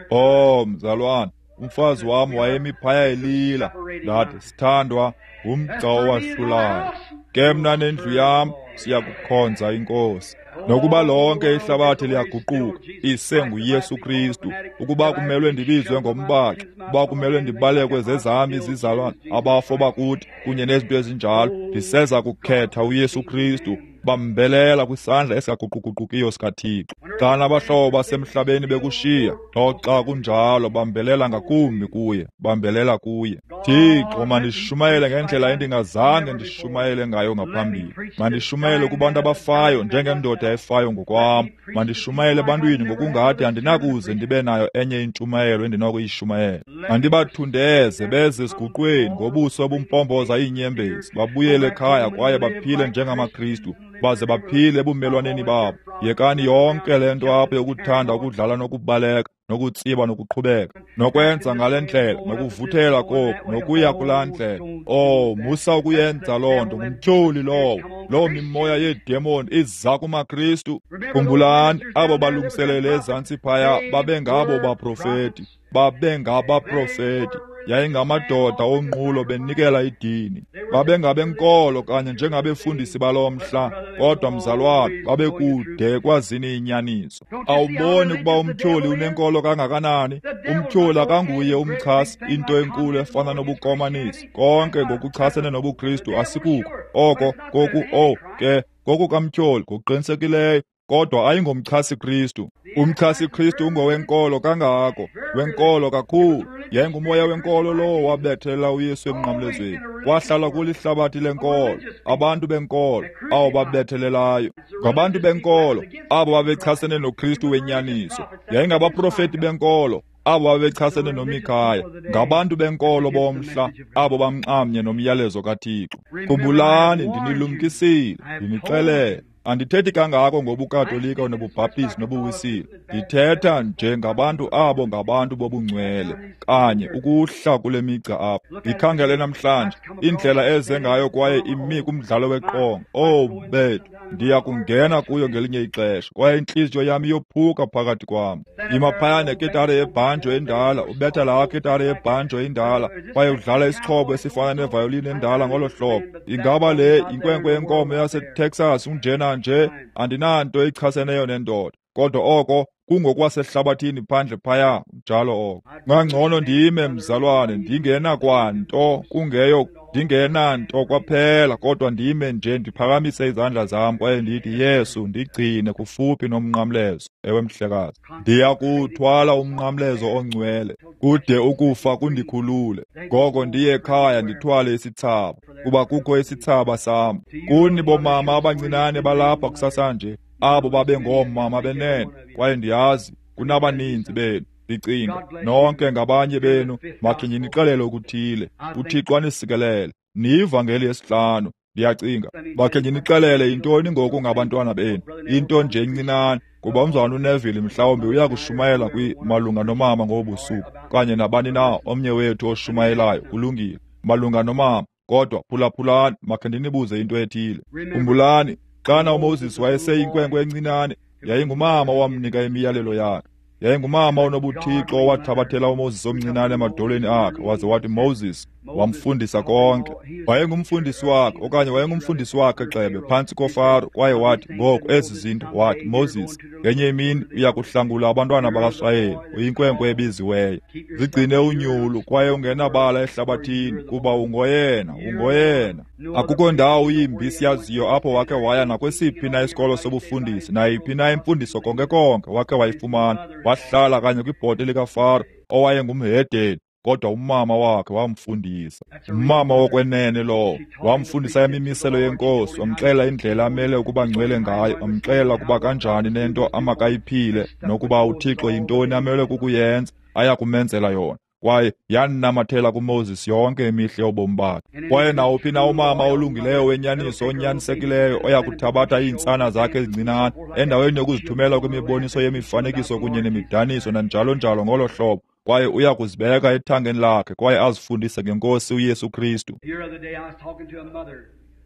Oh, mzalwane, umfazi wam wayemi phaya elila. Ndathi, sithandwa, ngumgca owahlulayo. Ke mna nendlu yam siyakukhonza iNkosi. Nokuba lonke ihlabathi liyaguquka, isenguYesu Kristu. Ukuba kumelwe ndibizwe ngombaxi, ukuba kumelwe ndibalekwe zezam izizalwane, abafo bakuthi kunye nezinto ezinjalo, ndiseza kukhetha uYesu Kristu. Bambelela kwisandla esingaguquguqukiyo sikaThixo. Xa abahlobo basemhlabeni bekushiya, noxa kunjalo bambelela ngakumbi kuye, bambelela kuye. Thixo, mandishumayele ngendlela endingazange ndishumayele ngayo ngaphambili. Mandishumayele kubantu abafayo njengendoda efayo ngokwam. Mandishumayele ebantwini ngokungathi andinakuze ndibe nayo enye intshumayelo endinokuyishumayela. Mandibathundeze beze esiguqweni ngobuso obumpompoza iinyembezi, babuyele ekhaya kwaye baphile njengamaKristu, baze baphile ebumelwaneni babo. Yekani yonke le nto apho yokuthanda ukudlala nokubaleka nokutsiba nokuqhubeka nokwenza ngale ndlela nokuvuthela koku nokuya kulaa ndlela. Oh, musa ukuyenza loo nto, ngumtyholi lowo. Loo mimoya yeedemoni iza kumaKristu. Khumbulani, abo balungiselele ezantsi phaya babengabo baprofeti, babengabaprofeti. Yayingamadoda onqulo benikela idini. Babengabenkolo kanye njengabefundisi baloo mhla, kodwa mzalwane babekude kwazini inyaniso. Awuboni ukuba umtyholi unenkolo kangakanani? Umtyholi akanguye umchasi, into enkulu efana nobukomanisi. Konke ngokuchasene nobuKristu asikuko. Oko koku ke kokukamtyholi ngokuqinisekileyo, kodwa ayingomchasi Kristu. Umchasi Kristu ungowenkolo kangako, wenkolo kakhulu. Yayingumoya wenkolo lowo wabethela uYesu emnqamlezweni. Wahlala kulihlabathi lenkolo, abantu benkolo abo babethelelayo. Ngabantu benkolo abo babechasene noKristu wenyaniso. Yayingabaprofeti benkolo abo babechasene noMikhaya. Ngabantu benkolo bomhla abo bamnxamnye nomyalezo kaThixo. Khumbulani, ndinilumkisile, ndinixelele. Andithethi kangako ngobuKatolika nobuBhaptizi nobuWisile. Ndithetha nje ngabantu abo ngabantu bobungcwele, kanye ukuhla kule migca apha. Ndikhangele namhlanje indlela eze ngayo kwaye imi kumdlalo weqonga. Oh bethu, ndiya kungena kuyo ngelinye ixesha, kwaye intliziyo yam iyophuka phakathi kwam. Ima phaya nekitare yebhanjo endala, ubetha laa kitare yebhanjo indala, kwaye udlala isixhobo esifana nevayolini endala ngolo hlobo. Ingaba le yinkwenkwe yenkomo yaseTexas unjena nje? Andinanto ichaseneyo nendoda. Kodwa oko kungokwasehlabathini phandle phaya, njalo oko. Ngangcono ndime, mzalwane, ndingena kwanto, kungeyo ndingenanto kwaphela, kodwa ndime nje ndiphakamise izandla zam kwaye ndithi, Yesu, ndigcine kufuphi nomnqamlezo. Ewe, mhlekazi, ndiyakuthwala umnqamlezo ongcwele kude ukufa kundikhulule. Ngoko ndiye ekhaya ndithwale isithsaba, kuba kukho isithsaba sam. Kuni bomama abancinane balapha kusasanje, abo babe ngoomama benene, kwaye ndiyazi kunabaninzi benu. Ndicinga nonke ngabanye benu, makhe ndinixelele okuthile. UThixo anisikelele. Niyivangeli yesihlanu. Ndiyacinga makhe ndinixelele yintoni ngoku ngabantwana benu, into nje encinane, kuba umzalwana uNeville mhlawumbi uya kushumayela malunga nomama ngobusuku, kanye nabani na omnye wethu oshumayelayo. Kulungile, malunga nomama. Kodwa phulaphulani, makhe ndinibuze into ethile. Khumbulani, xana uMoses wayeseyinkwenkwe encinane, yayingumama owamnika imiyalelo yakhe. Yayingumama onobuthixo owathabathela uMoses omncinane emadolweni akhe waze wathi, Moses, wamfundisa konke. Wayengumfundisi wakhe, okanye wayengumfundisi wakhe gxebe phantsi koFaro, kwaye wathi, ngoku ezi zinto, wathi, Moses, ngenye imini uya kuhlangula abantwana bakaSirayeli, uyinkwenkwe ebiziweyo. Zigcine unyulu kwaye ungenabala ehlabathini, kuba ungoyena, ungoyena. Akukho ndawo yimbi siyaziyo apho wakhe waya nakwesiphi na isikolo sobufundisi, nayiphi na imfundiso konke konke wakhe wayifumana. Wahlala kanye kwibhote likaFaro owayengumhedeni, kodwa umama wakhe wamfundisa. Umama wokwenene lowo wamfundisa imimiselo yenkosi, wamxelela indlela amele ukuba ngcwele ngayo, wamxelela ukuba kanjani nento amakayiphile, nokuba uThixo yintoni amele kukuyenza, aya kumenzela yona. Kwaye yanamathela kuMoses yonke imihla yobomi bakhe. Kwaye nawuphi na umama olungileyo wenyaniso onyanisekileyo oya kuthabatha iintsana zakhe ezincinane endaweni yokuzithumela kwimiboniso yemifanekiso kunye nemidaniso nanjalo njalo ngolo hlobo, kwaye uya kuzibeka ethangeni lakhe kwaye azifundise ngenkosi uYesu Kristu.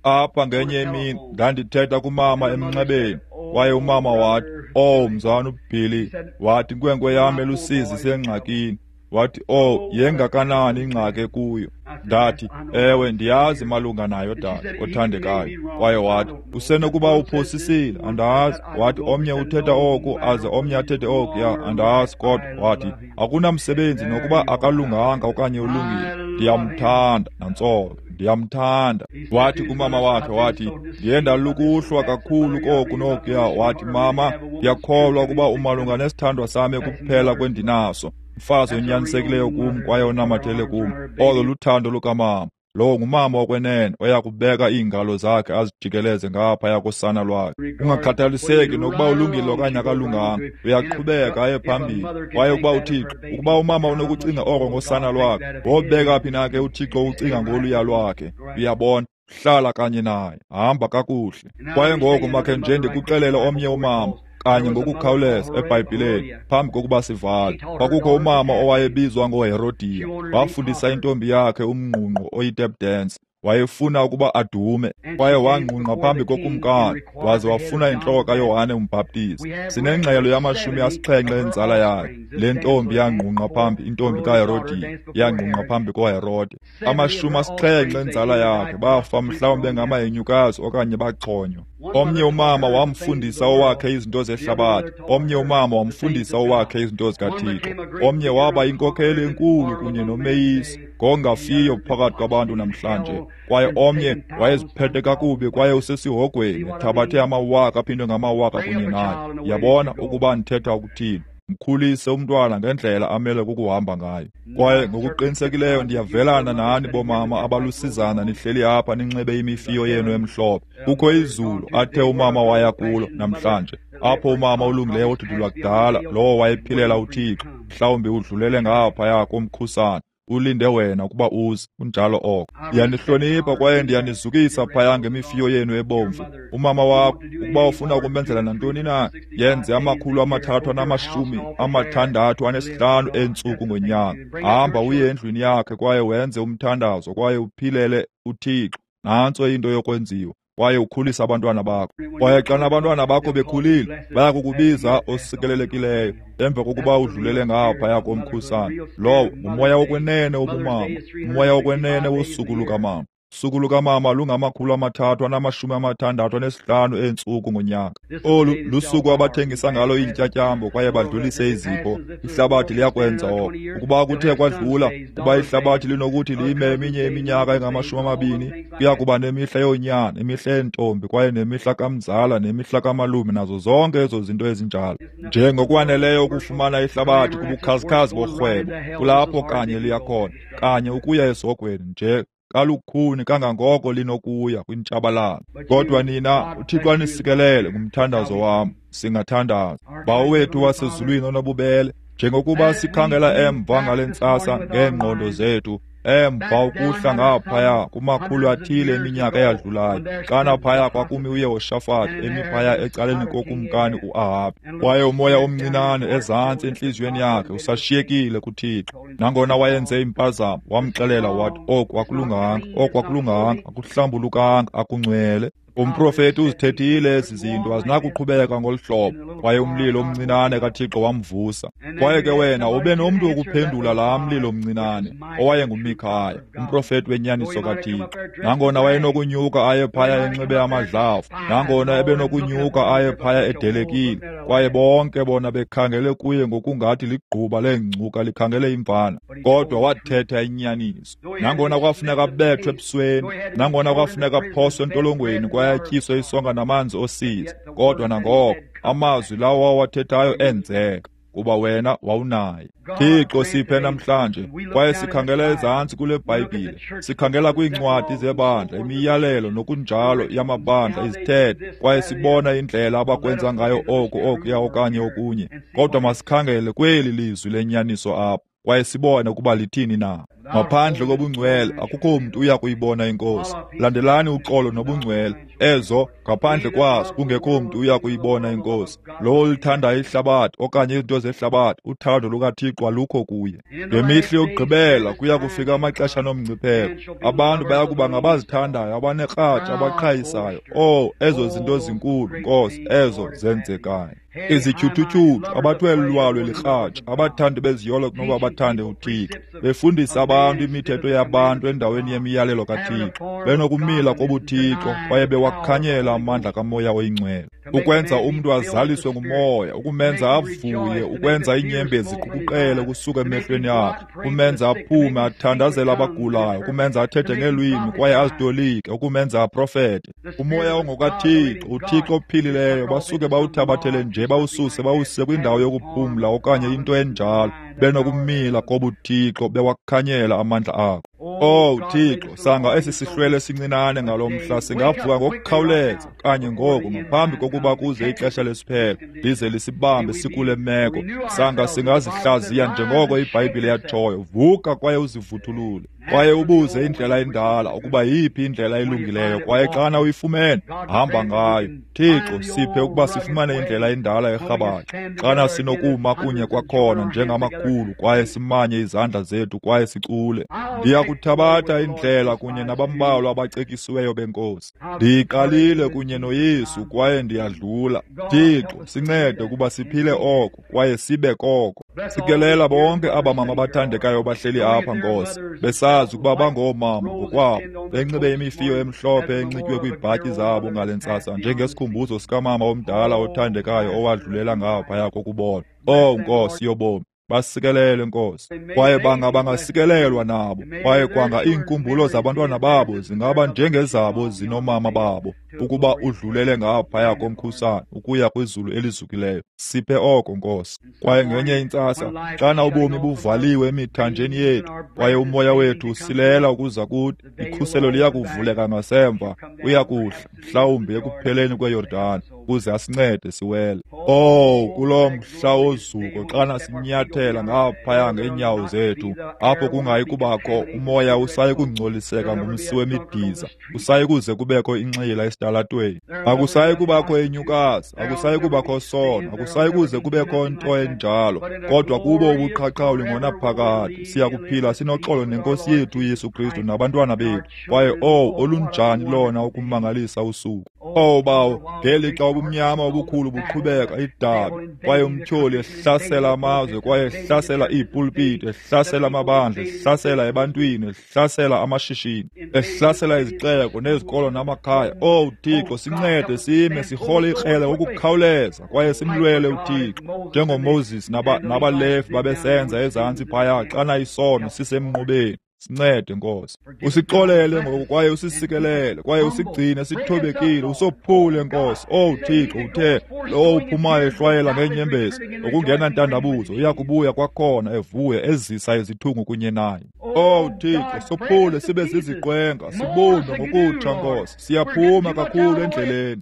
Apha ngenye imini ndandithetha kumama emnxebeni, kwaye umama wathi, "Oh, mzana uBilly," wathi, inkwenkwe yam elusizi isengxakini. Wathi, "Oh, yengakanani ingxaki ekuyo?" Ndathi, "Ewe, ndiyazi malunga nayo, dade othandekayo." Kwaye wathi, "Usenokuba uphosisile, andazi." Wathi, "Omnye uthetha oku aze omnye athethe okuya, andazi." Kodwa wathi, "Akunamsebenzi nokuba akalunganga okanye ulungile, ndiyamthanda." Nantso, ndiyamthanda. Wathi kumama wakhe, wathi, "Ndiye ndalukuhlwa kakhulu koku nokuya." Wathi, "Mama, ndiyakholwa ukuba umalunga nesithandwa sam ekuphela kwendinaso, mfazi onyanisekileyo kum kwaye onamathele kum." Olo luthando lukamama. Lowo ngumama wokwenene oya kubeka iingalo zakhe azijikeleze ngaphaya kosana lwakhe, kungakhathaliseki nokuba ulungile okanye akalunganga, uyaqhubeka aye phambili. Kwaye ukuba uThixo, ukuba umama unokucinga oko ngosana lwakhe, wobeka phi na ke uThixo ucinga ngoluya lwakhe? Uyabona, hlala kanye naye, hamba kakuhle. Kwaye ngoku makhe nje ndikuxelele omnye umama kanye ngokukhawuleza eBhayibhileni phambi kokuba sivale. Kwakukho umama owayebizwa ngoHerodiya, wafundisa intombi yakhe umngqungqo oyi-tap dance. Wayefuna ukuba adume, kwaye wangqungqa phambi kokumkani, waze wafuna intloko kaYohane uMbhaptizi. Sinengxelo yama-70 enzala yakhe. Le ntombi yangqungqa phambi, intombi kaHerodiya yangqungqa phambi koHerode. 70 enzala yakhe bafa, mhlawumbi bengamahenyukazi okanye baxhonywa. Omnye umama wamfundisa owakhe izinto zehlabathi, omnye umama wamfundisa owakhe izinto zikaThixo. Omnye waba inkokheli enkulu kunye nomeyisi ngongafiyo phakathi kwabantu namhlanje, kwaye omnye wayeziphethe kakubi kwaye usesihogweni, ethabathe amawaka aphindwe ngamawaka kunye naye. Yabona ukuba ndithetha ukuthini? Mkhulise umntwana ngendlela amele kukuhamba ngayo. Kwaye ngokuqinisekileyo ndiyavelana nani bomama abalusizana nihleli apha ninxibe imifiyo yenu emhlophe. Kukho izulu athe umama waya kulo namhlanje, apho umama olungileyo odudulwa kudala, lowo wayephilela uThixo, mhlawumbi udlulele ngaphaya komkhusane, ulinde wena ukuba uze. Kunjalo oko. Ndiyanihlonipha kwaye ndiyanizukisa phaya ngemifiyo yenu ebomvu. Umama wakho, ukuba ufuna ukumenzela nantoni na, yenze 365 eentsuku ngonyaka. Hamba uye endlwini yakhe kwaye wenze umthandazo kwaye uphilele uThixo. Nantso into yokwenziwa. Kwaye ukhulisa abantwana bakho. Kwaye xana abantwana bakho bekhulile, baya kukubiza osikelelekileyo emva kokuba udlulele ngaphaya komkhusane. Lowo ngumoya wokwenene wobumama, umoya wokwenene wosuku lukamama. Usuku lukamama lungama-365 eentsuku ngonyaka. Olu lusuku abathengisa ngalo iintyatyambo kwaye badlulise izipho. Ihlabathi liyakwenza oko. Ukuba kuthe kwadlula, kuba ihlabathi linokuthi lime eminye iminyaka engama-20, kuya kuba nemihla yoonyana, imihla yeentombi, kwaye nemihla kamzala nemihla kamalume, nazo zonke ezo zinto ezinjalo. Njengokwaneleyo ukufumana ihlabathi kubukhazikhazi borhwebo, kulapho kanye liyakhona, kanye ukuya esihogweni nje kalukhuni kangangoko linokuya kwintshabalalo. Kodwa nina, uThixo anisikelele ngumthandazo wam. Singathandaza. Bawo wethu wasezulwini onobubele, njengokuba sikhangela emva ngale ntsasa ngeengqondo zethu, emva ukuhla ngaphaya kumakhulu athile eminyaka eyadlulayo, xana phaya kwakumi uYehoshafati emi phaya ecaleni kokumkani uAhabi, kwaye umoya omncinane ezantsi entliziyweni yakhe usashiyekile kuThixo. Nangona wayenze impazamo, wamxelela wathi oku akulunganga, oku akulunganga, akuhlambulukanga, akungcwele. Umprofeti uzithethile ezi zinto, azinakuqhubeka ngolu hlobo. Kwaye umlilo omncinane kaThixo wamvusa. Kwaye ke wena ube nomntu wokuphendula laa mlilo mncinane, owayenguMikhaya, umprofeti wenyaniso kaThixo. Nangona wayenokunyuka aye phaya enxibe amadlavu, nangona ebenokunyuka aye phaya edelekile, kwaye bonke bona bekhangele kuye ngokungathi ligquba leengcuka likhangele imvana, kodwa wathetha inyaniso. Nangona kwafuneka abethwe ebusweni, nangona kwafuneka aphoswe entolongweni kwaye atyiswe isonka namanzi osizi, kodwa nangoko amazwi lawo wawathethayo enzeka, kuba wena wawunaye. Thixo, siphe namhlanje, kwaye sikhangela ezantsi kule Bhayibhile, sikhangela kwiincwadi zebandla, imiyalelo nokunjalo yamabandla, izithethe, kwaye sibona indlela abakwenza ngayo oku, okuya okanye okunye. Kodwa masikhangele kweli lizwi lenyaniso apha, kwaye sibone ukuba lithini na. Ngaphandle kobungcwele akukho mntu uya kuyibona iNkosi. Landelani uxolo nobungcwele, ezo ngaphandle kwazo kungekho mntu uya kuyibona iNkosi. Lowo olithandayo ihlabathi okanye izinto zehlabathi, uthando lukaThixo alukho kuye. Ngemihla yokugqibela kuya kufika amaxesha nomngcipheko. Abantu baya kuba ngabazithandayo, abanekratshi, abaqhayisayo. Oh, ezo zinto zinkulu, Nkosi, ezo zenzekayo. Izityhuthutyhuthu, abathwele lwalwe likratshi, abathandi beziyolo kunoba bathande uThixo, befundisa abantu imithetho yabantu endaweni yemiyalelo kaThixo, benokumila kobuThixo kwaye bewakhanyela amandla kaMoya oyiNgcwele, ukwenza umntu azaliswe nguMoya, ukumenza avuye, ukwenza iinyembezi ziqukuqele ukusuka emehlweni akhe, ukumenza aphume athandazele abagulayo, ukumenza athethe ngeelwimi kwaye azitolike, ukumenza aprofete. Umoya ongokaThixo, uThixo ophilileyo, basuke bawuthabathele nje bawususe bawuse kwindawo yokuphumla okanye into enjalo, benokumila kobuThixo bewakhanyela amandla akho. Oh Thixo, sanga esi sihlwele sincinane ngalo mhla singavuka ngokukhawuleza kanye ngoku ngaphambi kokuba kuze ixesha lesiphelo lize lisibambe sikule meko. Sanga singazihlaziya njengoko iBhayibhile yatshoyo, vuka kwaye uzivuthulule, kwaye ubuze indlela endala ukuba yiphi indlela elungileyo, kwaye xana uyifumene, hamba ngayo. Thixo, siphe ukuba sifumane indlela endala erhabaxa, xana sinokuma kunye kwakhona njengamakhulu kwaye simanye izandla zethu kwaye sicule. Ndiyakuthabatha indlela kunye nabambalwa abacekisiweyo beNkosi. Ndiyiqalile kunye noYesu kwaye ndiyadlula. Thixo, sincede ukuba siphile oko kwaye sibe koko. Sikelela bonke aba mama bathandekayo bahleli apha, Nkosi, besazi ukuba bangoomama ngokwabo, benxibe imifiyo emhlophe enxitywe kwiibhatyi zabo ngale ntsasa njengesikhumbuzo sikamama omdala othandekayo owadlulela ngaphaya kokubona. Oh Nkosi yobomi, basikelele Nkosi, kwaye banga bangasikelelwa nabo, kwaye kwanga iinkumbulo zabantwana babo zingaba njengezabo zinomama babo, ukuba udlulele ngaphaya komkhusane ukuya kwizulu elizukileyo. Siphe oko, Nkosi. Kwaye ngenye intsasa, xana ubomi buvaliwe emithanjeni yethu kwaye umoya wethu usilela ukuza kuthi, ikhuselo liya kuvuleka ngasemva, uya kuhla mhlawumbi ekupheleni kweYordani ukuze asincede siwele. Oh, kuloo mhla wozuko xana sinyathela ngaphaya ngeenyawo zethu, apho kungayi kubakho umoya usayi kungcoliseka ngumsi wemidiza, usayi kuze kubekho inxila esitalatweni, akusayi kubakho inyukasi, akusayi kubakho sono, akusayi kuze kubekho nto enjalo, kodwa kubo ubuqhaqhawuli ngonaphakade siya kuphila sinoxolo neNkosi yethu uYesu Kristu nabantwana bethu. Kwaye oh, olunjani lona ukumangalisa usuku! Oh Bawo, ngelixa ubumnyama obukhulu buqhubeka idabi, kwaye umtyholi ehlasela amazwe, kwaye ehlasela iipulpiti, ehlasela amabandla, ehlasela ebantwini, ehlasela amashishini, ehlasela izixeko nezikolo namakhaya. Owu Thixo, sincede sime sirhole ikrele ngokukhawuleza kwaye simlwele uThixo njengoMoses nabaLevi babesenza ezantsi phaya xana isono sisemnqubeni. Sincede Nkosi, usixolele ngoku kwaye usisikelele kwaye usigcine sithobekile, usophule Nkosi. Owu Thixo, uthe lowo uphumayo ehlwayela ngeenyembezi ngokungena ntandabuzo uya kubuya kwakhona evuya ezisa izithungu kunye naye. Owu Thixo, sophule sibe ziziqwenga, sibumbe ngokutsha Nkosi. Siyaphuma kakhulu endleleni.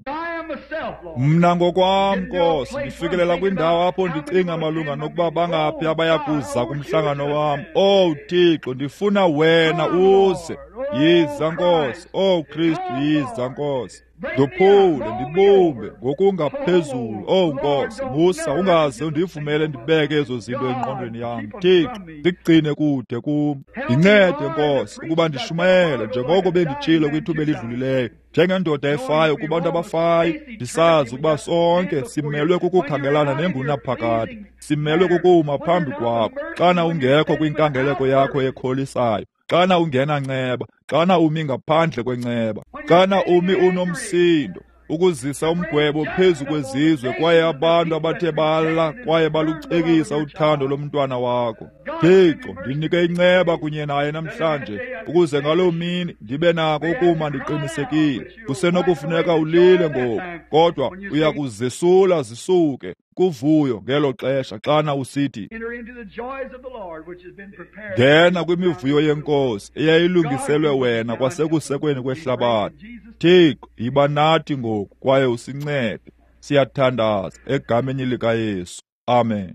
Mna ngokwam Nkosi, ndifikelela kwindawo apho ndicinga malunga nokuba bangaphi abaya kuza kumhlangano wam. Owu Thixo, ndifuna wena uze. Yiza Nkosi. Owu Kristu, yiza Nkosi. Ndophule, ndibumbe ngokungaphezulu. Owu Nkosi, musa ungaze undivumele ndibeke ezo zinto engqondweni yam. Thixo, ndigcine kude kum. Ndincede Nkosi ukuba ndishumayele njengoko benditshilo kwithuba elidlulileyo, njengendoda efayo kubantu abafayo, ndisazi ukuba sonke simelwe kukukhangelana nengunaphakade, simelwe kukuma phambi kwakho. Xana ungekho kwinkangeleko yakho ekholisayo, xana ungenanceba, xana umi ngaphandle kwenceba, xana umi unomsindo, ukuzisa umgwebo phezu kwezizwe kwaye abantu abathe bala kwaye balucekisa uthando lomntwana wakho. Thixo, ndinike inceba kunye naye namhlanje, ukuze ngaloo mini ndibe nako ukuma ndiqinisekile. Kusenokufuneka ulile ngoku, kodwa uya kuzesula zisuke kuvuyo ngelo xesha xana usithi, ngena kwimivuyo yeNkosi eyayilungiselwe wena kwasekusekweni kwehlabathi. Thixo, yiba nathi ngoku kwaye usincede. Siyathandaza egameni likaYesu. Amen.